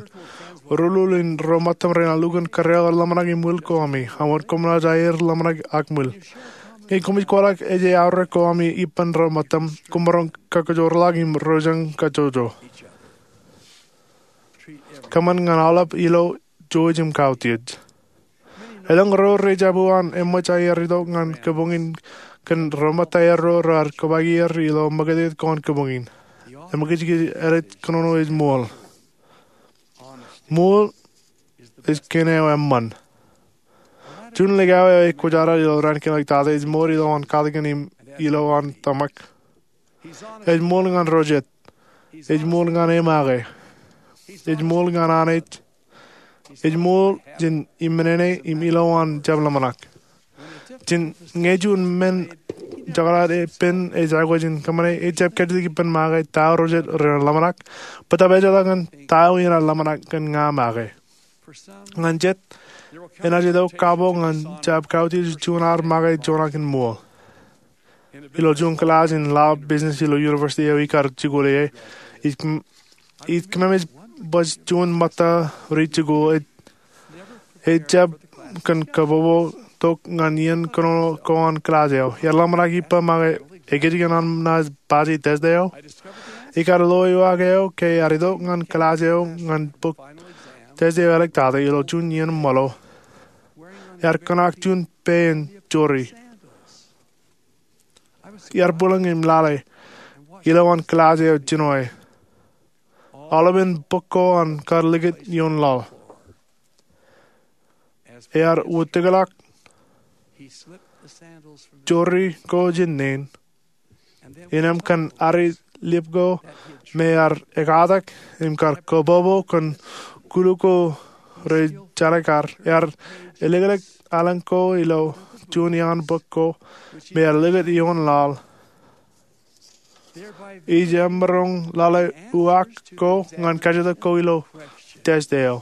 Rūlul in ro ṃōttam renaaj lukkuun kōrā ḷōmṇak im ṃwil ko ami, ak wōn koṃ naaj aer ḷōmṇak ak ṃwil. Ñe koṃij kwaḷọk ej eaorōk ko ami ippān ro ṃōttam, koṃ maroñ kakōjorḷọk im ro jañ kajojo. Kōṃṃan ñan aolep ilo jouj im kautiej. Elōñ ro rej jab uwaan eṃōj aer itok ñan kōpoñ in kōn ro ṃōtta aerro raar kōpaak er ilo ṃōkadkāt ko an kōpoñ in. Eṃōkajkij edik kōnono ej ṃool. Ṃool ej kein eo eṃṃan. Juon likao eo ekwōjarjar ilo raan kein ḷọk tata ej ṃool ilowaan katakin im ilowaan tōmak. Ej ṃool ñan ro jet. Ej ṃool ñan e make. Ej ṃool ñan Anij. Ej ṃool jān imenene im ilowaan jab ḷōmṇak. Jān ñe juon men jekḷaad ippān ej aikuj in kōṃṃane, ejjab kajjitōk ippān make ta ro jet renaaj ḷōmṇak, bōtab ejjeḷọk ñan ta eo enaaj ḷōmṇak kōn ña make. Ñan jet, enaaj itok kabo ñan jab kautiej juon ar make juon aō kōn ṃool. Ilo juon kilaaj in law business ilo university eo ikar jikuuḷ ie, ij kōm-, ij kōmemej baj juon ṃōtta ri jikuuḷ ej, ejjab kōn kōbobotok ñan iien kōnono ko an kilaaj eo. Iar ḷōmṇak ippa make, ekōjkan an naaj paje test eo. Ikar lo ewaak eo ke iar itok ñan kilaaj eo ñan bōk test eo āliktata ilo juon iien ṃōḷo. Iar kōṇak juon pān jori. Iar bwilōñ im lale ilowaan kilaaj eo jinoe. Aolepen bōk ko an kar likūt ioon laḷ. Ear wūtikḷọk jori ko jān neen. Innām kōn ari lip ko me ear ekatak im kar kōbobo kōn kulu ko rej jalikkar, ear elōklōk aelōñ ko ilo juon iaan bōk ko me ear likūt ioon laḷ. Ij emaroñ lale uwaak ko ñan kajjitōk ko ilo test eo.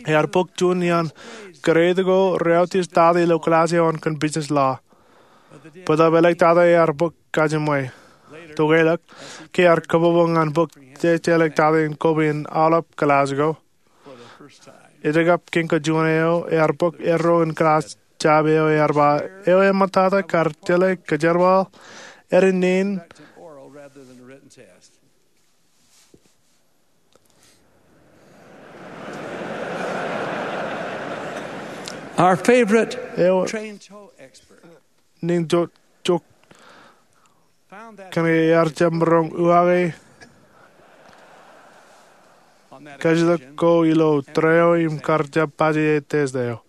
Ear bōk juon iaan grade ko reautieej tata ilo kilaaj eo an kōn business law. Bōtab āliktata ear bōk kajiṃwe. Tokālik, ke ear kōbōbō ñan bōk test āliktata in koba in aolep kilaaj ko, ejjab kōn juon eo, ear bōk erro in kilaaj jab eo ear ba, eo eṃṃantata kar tōl kōjerbal āinwōt neen. Our favorite eo train tow expert neen jok, jok kōn ke ear jab maroñ uwaake kajjitōk ko ilo tōre eo im kar jab paje test eo.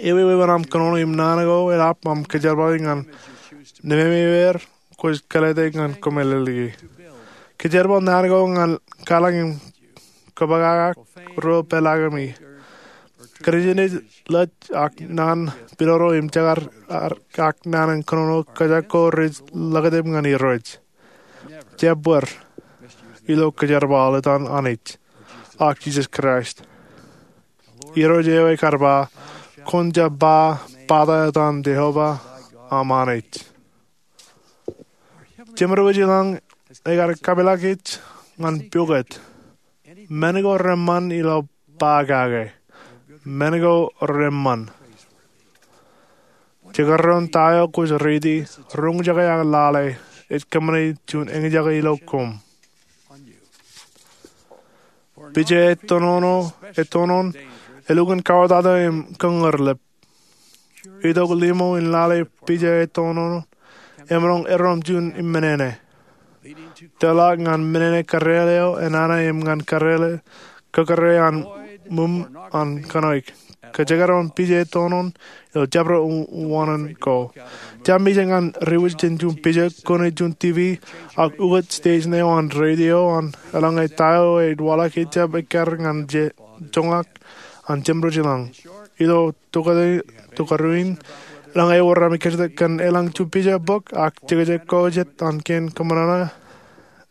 Ewi wāween aṃ kōnono im naan ko eḷap aṃ kōjerbali ñan nemāmeer kwōj kōlete ñan kōmeḷeḷeiki. Kōjerbal naan ko ñan kaḷañ im kōpakakak ruo peḷaakimi. Kōnjenej lej ak naan pidodo im jekar ak naan in kōnono kōjak ko rej ḷakatōp ñan Irooj. Jab bōd ilo kōjerbal etan Anij ak Jisōs Kraist. Irooj eo ekar ba, kwōn jab ba bata etan Jeova aṃ Anij. Jemedwōj ilañ ekar kapeḷḷọk kōj ñan pukot. Men ko reṃṃan ilo ba kake. Men ko reṃṃan. Jekdọọn ta eo kwōj riiti, roñjake ak lale, ej kōṃṃane juon eñjake ilo koṃ. Pija ettoon, ettoon, elukkuun kauwōtata im kōñūr lep. Itok limo in lale pija ettoon emaroñ erro im juon imminene. Tōl ñan minene kōrreāl eo enana im ñan kōrreāl kōkōrre an mum an kōnoik. Kōjekdọọn pija ettoon ilo jabdewōt wāween ko. Jab mejān ñan riwōj jān juon pija, kōn juon TV, ak ukōt station eo an radio an eḷaññe ta eo ej waḷọk ejjab ekkar ñan joñak an jemdwōj ilañ. Ilo tokāruin, eḷaññe ewōr ami kajjitōk kōn eḷañ juon pija, bok, ak jekjek ko jet an kein kōṃanṃan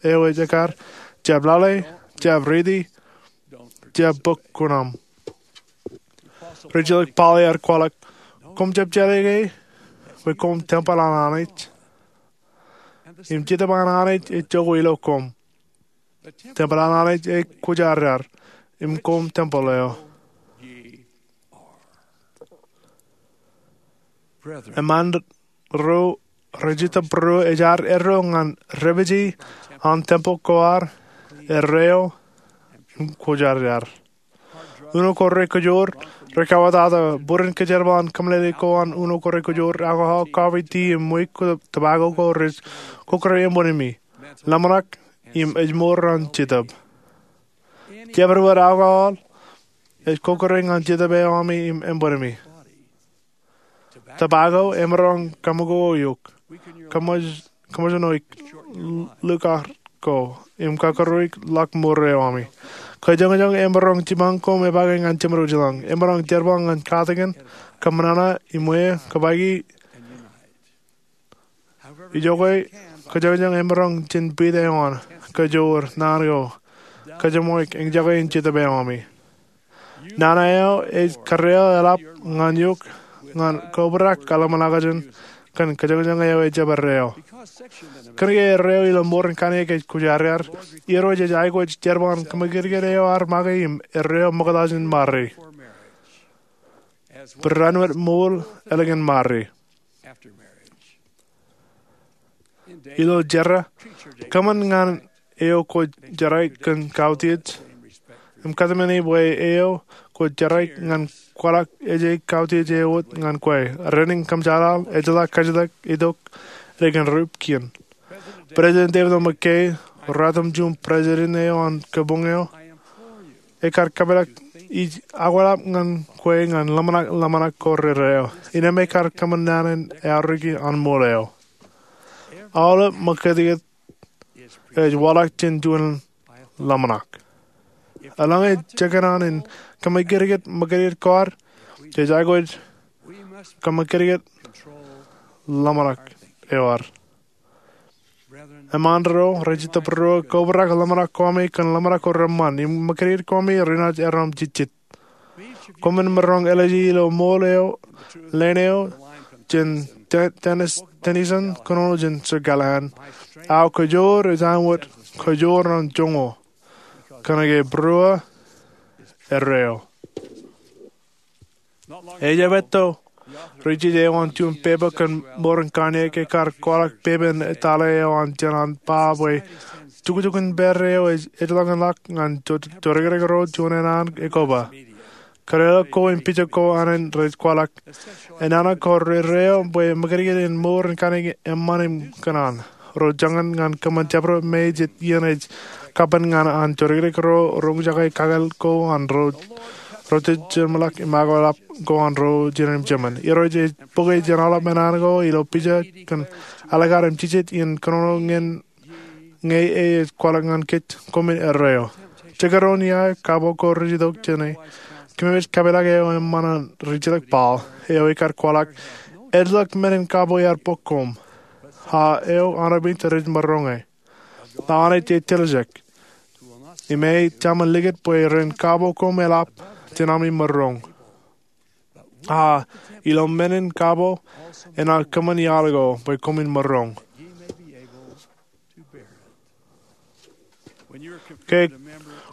eo ej ekkar, jab lale, jab riiti, jab bōk kuṇaṃ. Rijjilōk Paul ear kwaḷọk, koṃ jab jeḷā ke, bwe koṃ tempel an Anij, im Jetōb an Anij ej jokwe ilo koṃ. Tempel an Anij ej kwōjarjar, im koṃ tempel eo. Eṃṃan ro rej itōb ro ej ad erro ñan repeje an tempel ko ad erreo im kwōjarjar. Uno ko rekōjoor rekauwōtata bōran kōjerbal an kōmeḷeḷe ko an uno ko rekōjoor alcohol, coffee, tea, im ṃweiuk, tobacco ko rej kōkōrre eṃṃanmi, ḷōmṇak, im ejmour an Jetōb. Jabdewōt alcohol ej kōkōrre ñan Jetōb eo ami im eṃṃanmi. Tobacco emaroñ kaṃakoko eok, kōṃōjṇoik likar ko, im kakūrūik ḷọk mour eo ami. Kajoñjoñ emaroñ jipañ koṃ epaake ñan jemdwōj ilañ. Emaroñ jerbal ñan katakin, kōṃanṃan, im eo kōpaiki. Ijoke, kajoñjoñ emaroñ jān pit eo an, kajoor, naan ko, kajeṃṃoik, eñjake in Jetōb eo ami. Nana eo ej kōrreoḷọk eḷap ñan eok ñan kobrak kōḷmānḷọkjeṇ kōn kajoñjoñ eo ejjab erreo. Kōnke erreo ilo ṃoor in kanniōk ej kwōjarjar, Irooj ej aikuj jerbal an kōmōkidkid eo ad make im erreo ṃokta jān ṃare. Barāinwōt ṃool ālikin ṃare. Ilo jerā, kōṃṃan ñan eo kwōj jerọwiwi kōn kautiej, im kōtmāne bwe eo kwōj jerọwiwi ñan kwaḷọk ej kautiej eo wōt ñan kwe. Raan in kōṃṃan jeḷā, ejjeḷọk kajjitōk itok ālikin rup kien. President David O. McKay, ratimjuon president eo an kabuñ eo, ekar kapeḷḷọk, ij akwāḷọk ñan kwe ñan ḷōmṇak ḷōmṇak ko rerreo. Innem ekar kōṃṃan naan in eaorōk an ṃool eo. Aolep ṃōkajjitōk ej waḷọk jān juon ḷōmṇak. Eḷaññe jekōṇaan in kōmōkidkid ṃōkajjitōk ko ad, jej aikuj kōmōkidkid ḷōmṇak eo ad. Eṃṃan ro rej itok bwe ro kobrak ḷōmṇak ko ami kōn ḷōmṇak ko reṃṃan im ṃōkajdik ko ami renaaj erom jejjet. Koṃwin maroñ ālije ilo ṃool eo, leen eo jān Dennis Tennyson kōnono jān Sir Gallahan: Aō kajoor ej aṃ wōt kajoor ṇe joñoul, kōnke būruō erreo. Ejjab etto, ri-jeje eo an juon pepa kōn mour in kanniōk ekar kwaḷọk pepa in etale eo an jān an ba bwe jukjukin pād eo ej ḷọk ñan ḷọk ñan jodikdik ro juon āne an ekoba. Kōnono ko im pija ko ānen rej kwaḷọk enana ko erreo bwe ṃōkajdik in mour in kanniōk eṃṃan im kōṇaan. Ro jañin ñan kōṃṃan jabdewōt me jet iien ej kapen ñan an jodikdik ro roñjake kakōḷḷe ko an ro rejejjeḷọk im akwāḷọk ko an ro jinen im jemān. Irooj ej bōke jān aolep men an ko ilo pija kōn ālikin jejjet in kōnono ñe ej kwaḷọk ñan kōj, koṃwin erreo. Jekdọọn ia kabo ko rej itok jāne. Kōmij kapeḷḷọk eo eṃṃan an ri-jilōk Paul eo ekar kwaḷọk, ejjeḷọk men in kabo iar bōk koṃ, a eo aolep rej maroñe. Ḷọk Anij ej tiljek im ej jemān likūt bwe ren kabo koṃ eḷap jān ami maroñ. A ilo men in kabo enaaj kōṃṃan iaḷ ko bwe koṃwin maroñ. Ke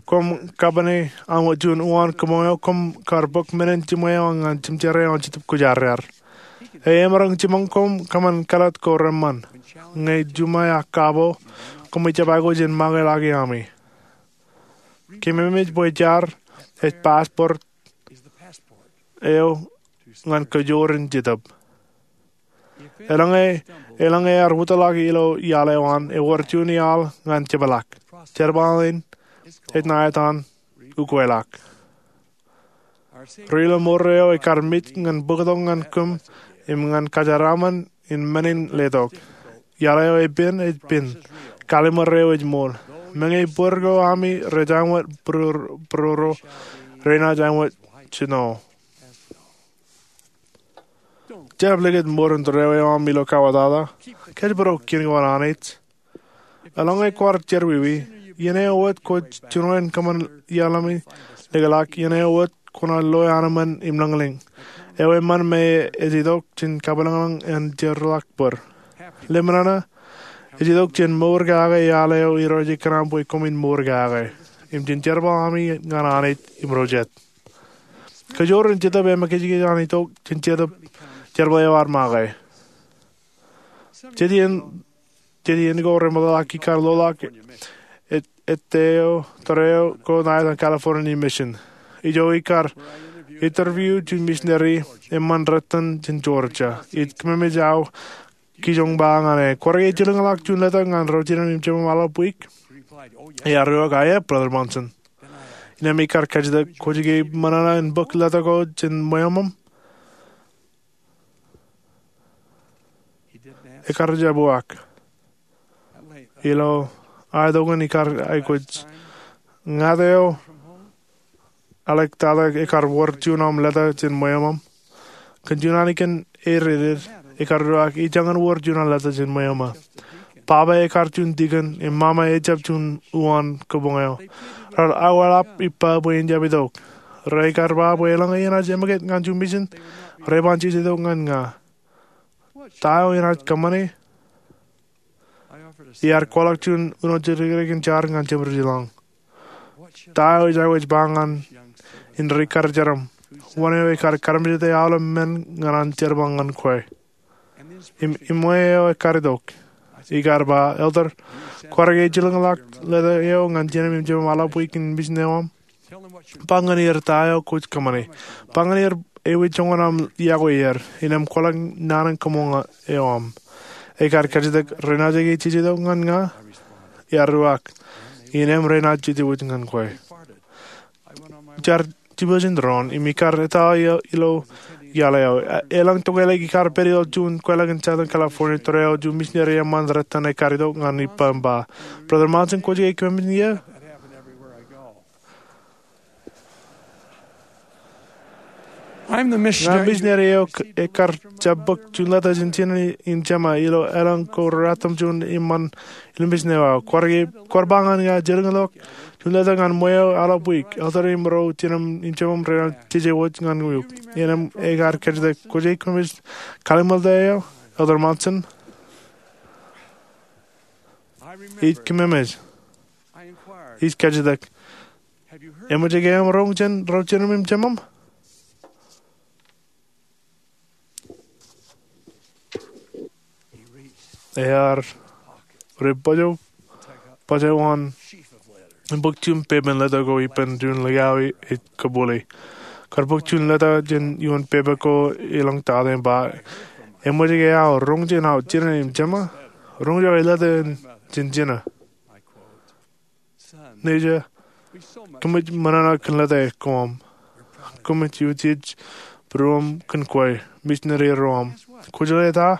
koṃ kapane aṃ juon uwaan kabuñ eo, koṃ kar bōk men in jiṃwe eo ñan jimjare eo an Jetōb Kwōjarjar. Emaroñ jiṃṃaṃ koṃ kōṃṃan kāālōt ko reṃṃan. Ñe juṃae ak kabo, koṃ ijjab aikuj in ṃakūtkake ami. Kōmij bwe jar ej passport eo ñan kajoor in Jetōb. Eḷaññe, eḷaññe ear wōtlọk ilo iaḷ eo an, ewōr juon iaḷ ñan jepḷaak. Jerbal in ej ṇa etan ukweḷọk. Ri-lọmọọr eo ekar mej ñan bōktok ñan kōm im ñan kōjeraaṃṃan in men in letok. Iaḷ eo epen ej pen. Kallim̧ur eo ej ṃool. Meñe bōd ko ami rej aṃ wōt būruōro, renaaj aṃ wōt jino. Jab likūt ṃōrin tōre eo aṃ ilo kawōtata. Kōjparok kien ko an Anij. Eḷaññe kwaar jerọwiwi, iien eo wōt kwōj jino in kōṃṃan iaḷ ami likūtḷọk, iien eo wōt kwōnaaj loe anemān im lōñlōñ. Ewi eṃṃan me ej itok jān kapilōñlōñ an jeorḷọk bōd. Lemñoul, ej itok jān mour kake iaḷ eo Irooj ekōṇaan bwe koṃwin mour kake, im jān jerbal ami ñan Anij im ro jet. Kajoor in Jetōb eṃōkajkij an itok jān Jetōb, jerbal eo ad make. Jet iien, jet iien ko remootḷọk ikar loḷọk et, ettā eo, tōre eo ko ṇa etan California Mission. Ijo ikar interview juon misineri eṃṃan retan jān Georgia. Ij kōmij aō kijoñ ba ñan e, kwaar ke ejilkinḷọk juon leta ñan ro jinem im jemem aolep wiik? Ear uwaak, aō, Brother Monson. Innām ikar kajjitōk, kwōj ke ṃōṇōṇō in bōk leta ko jān ṃweo aṃ? Ekar jab uwaak. Ilo aetok in ikar aikuj, ñāāt eo āliktata, ekar wōr juon aṃ leta jān ṃweo aṃ? Kōn juon ālikin ereded, ekar uwaak, ij jañin wōr juon aō leta jān ṃweo aṃ. Baba ekar juon dikon, im mama ejjab juon uwaan kabuñ eo. Raar aolep ippa bwe in jab itok. Rekar ba bwe eḷaññe enaaj ṃōkaj ñan juon mission, re ban jeje itok ñan ña. Ta eo enaaj kōṃṃane? Iar kwaḷọk juon uno jidikdik in jar ñan Jemedwōj ilañ. Ta eo ij aikuj ba ñan in ri-karijeram, wōn eo ekar karamjete aolep men ñan an jerbal ñan kwe? Im, iṃwe eo ekar itok, ikar ba, Elder, kwaar ke ejilkinḷọk leta eo ñan jinem im jemem aolep wiik in mission eo aṃ? Ba ñan er ta eo kwōj kōṃṃane. Ba ñan er ewi joñan aṃ iọkwe er, innām kwaḷọk naan in kabuñ eo aṃ. Ekar kajjitōk, renaaj ke jeje itok ñan ña? Ear uwaak, innām renaaj jejewōj ñan kwe. Jar jibwōj in doon, im ikar etale ilo iaḷ eo. Elōñ tokālik ikar pād ilo juon kwaḷọk in Southern California, tōre eo juon misineri eṃṃan retan ekar itok ñan ippa im ba, Brother Monson, kwōj ke kōmij ṃōṇōṇō? Ña misineri eo ekkar jab bōk juon lōta jān Jinōn im Jeṃa ilo elōñ ko ruwatimjuon iṃaan ilo misin eo aō. Kwaar ba ñan ña jelōñḷọk juon lōta ñan ṃweo eḷap wiik. Elder im ro jinōm im jeṃaṃ renaaj jejewōj ñan eok. Innām ekar kajjitōk, kwōj aikuj eṃōj kallim̧ur lōta eo, Elder Monson? Ij kōmemej. Ij kajjitōk, eṃōj ke eṃ roñ jān ro jinōm im jeṃaṃ? Ear ri bōjbōj wōt im bōk juon pepen lōta ko ippān juon likao ej kōpooḷe. Kwaar bōk juon lōta jān ioon pepe ko elōñ tata im ba, eṃōj ke aō roñ jān aō jinōn im jeṃa? Roñjake lōta in jān Jinō. Nejū, kōmij ṃōṇōṇō kōn lōta koṃ. Kōmij utiej būruōṃ kōn kwe, misineri ro aṃ. Kwōjeḷā ta?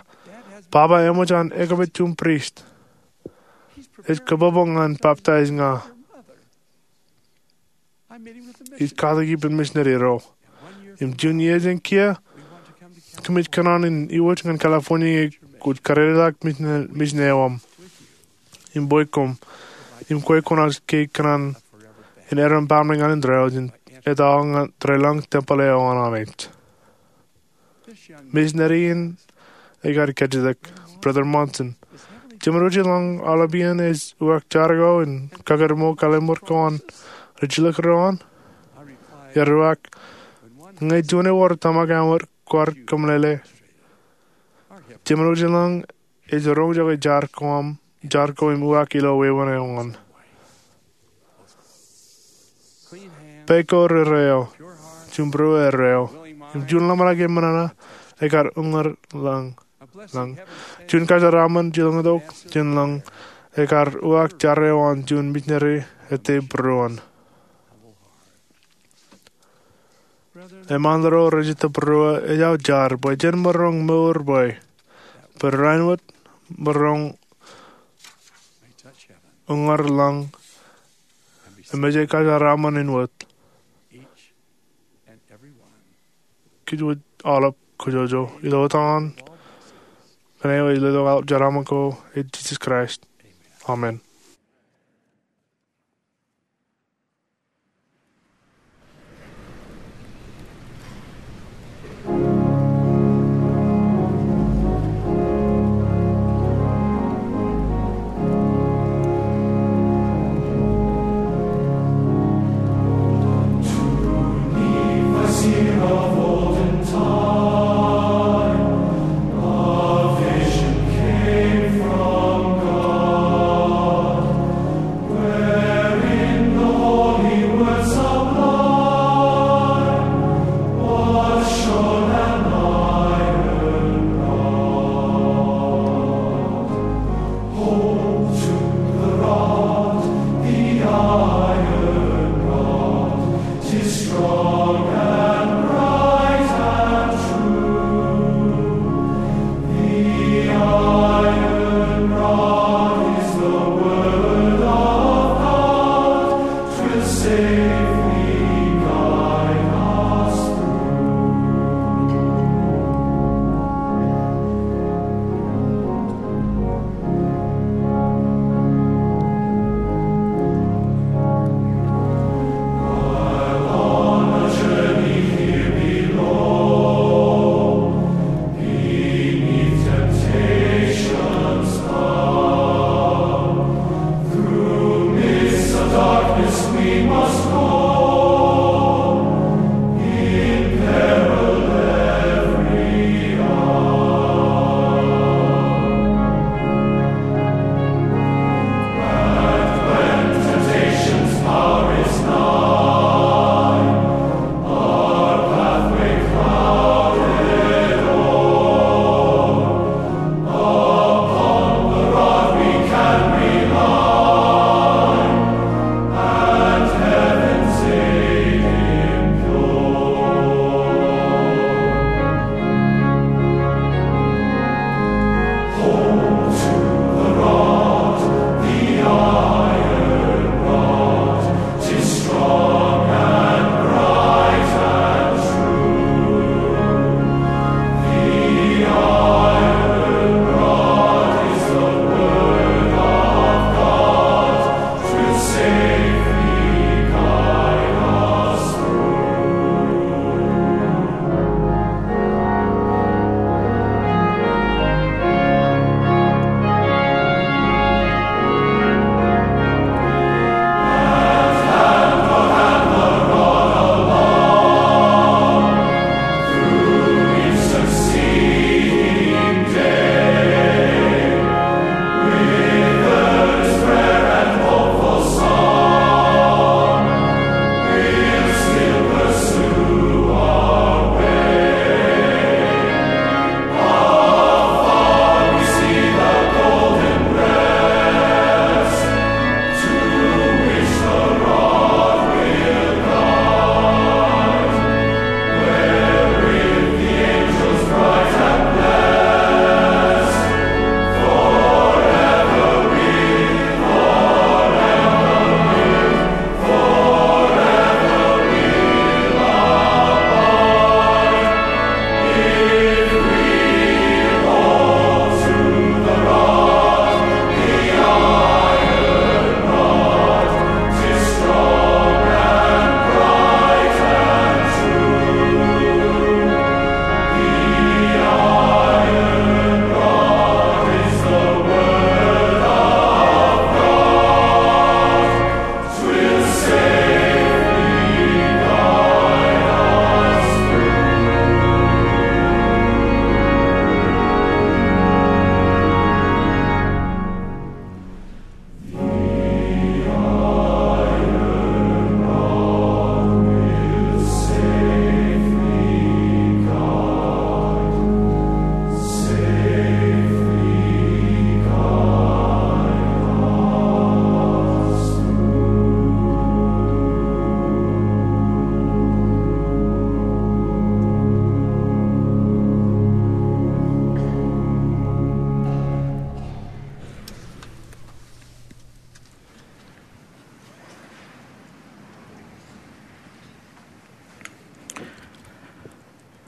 Baba eṃōj an ekōpet juon prist. Ej kōpooj ñan baptaiz ña. Ij katak ippān misineri ro. Im juon iiō jān kiiō, kōmij kōṇaan in iwōj ñan California ñe kwōj kadedetak misin eo aṃ im bwe koṃ im kwe kwōnaaj ke kōṇaan in erom baaṃle ñan indeeo jān etaḷ ñan deḷọñ tempel eo an Anij. Misineri in ekar kajjitōk, Brother Monson, Jemān wōt ilañ aolepān ej uwaak jar ko in kakōtmō kallim̧ur ko an ri jilkinreo aṃ? Ear uwaak, ñe juon ewōr tōmak aṃ kwaar kōmeḷeḷe, Jemān wōt ilañ ej roñjake jar ko im uwaak ilo wāween eo aṃ. Pā ko rere eo, juon būruō erreo, im juon ḷōmṇak eṃṃan ṇa ekar uññūr lañ. Juon kōjeraaṃṃan jilkintok jān lañ ekar uwaak jar eo an juon misineri ete būruon. Eṃṃan ro rej jet būruō, ejjeḷọk jar bwe jen maroñ mour bwe, bwe rainin wōt maroñ uññūr lañ im ej kōjeraaṃṃan in wōt. Kōj wōj aolep kōjọjọ ilo etan kōn eo ej letok aolep jeraaṃṃan ko, ej Jisōs Kraist. Amen.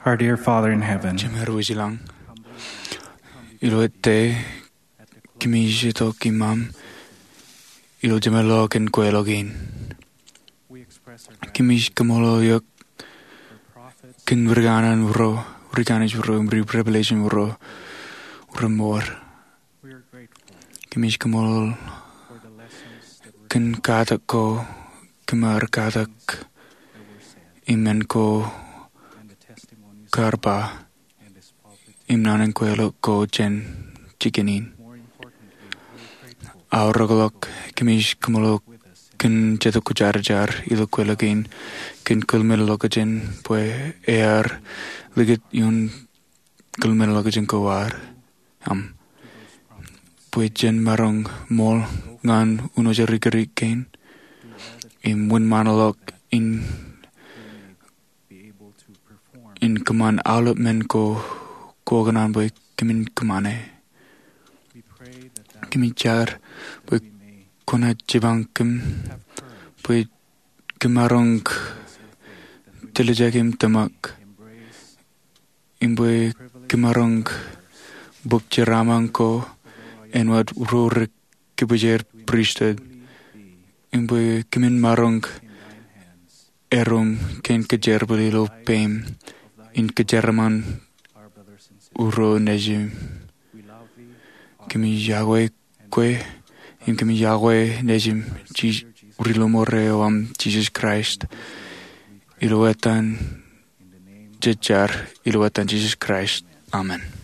Our dear Father in heaven, Jemād wōj ilañ, ilo ette kōmij itok iṃaṃ ilo jemeḷọkin kweilọk in. Kōmij kaṃṃoolol eok kōn ri kanaan ro, ri kanaan ro, im ri revelation ro, remour. Kōmij kaṃṃoolol kōn katak ko, kōm ar katak, im men ko kar ba, im naan in kweilọk ko jān jikin in. Aorōkḷọk, kōmij kaṃṃoolol kōn Jetōb Kwōjarjar ilo kweilọk in, kōn kōḷmānḷọkjeṇ bwe ear likūt ioon kōḷmānḷọkjeṇ ko ad, aṃ, bwe jen maroñ ṃool ñan unojo rikūri kein im wōnṃaanḷọk in, in kōṃṃan aolep men ko kwō kōṇaan bwe kōmin kōṃṃane. Kōmij jar bwe kwōnaaj jipañ kōm bwe kōm maroñ tiljek im tōmak, im bwe kōm maroñ bōk jeraaṃṃan ko āinwōt ro rej kōpooje pristut, im bwe kōmin maroñ erom kōn kōjerbal ilo peiṃ in kōjeraaṃṃan ro nejim. Kōmij iọkwe kwe, im kōmij iọkwe nejim, Jis-, ri lọmọọr eo aṃ Jisōs Kraist, ilo etan jej jar, ilo etan Jisōs Kraist. Amen.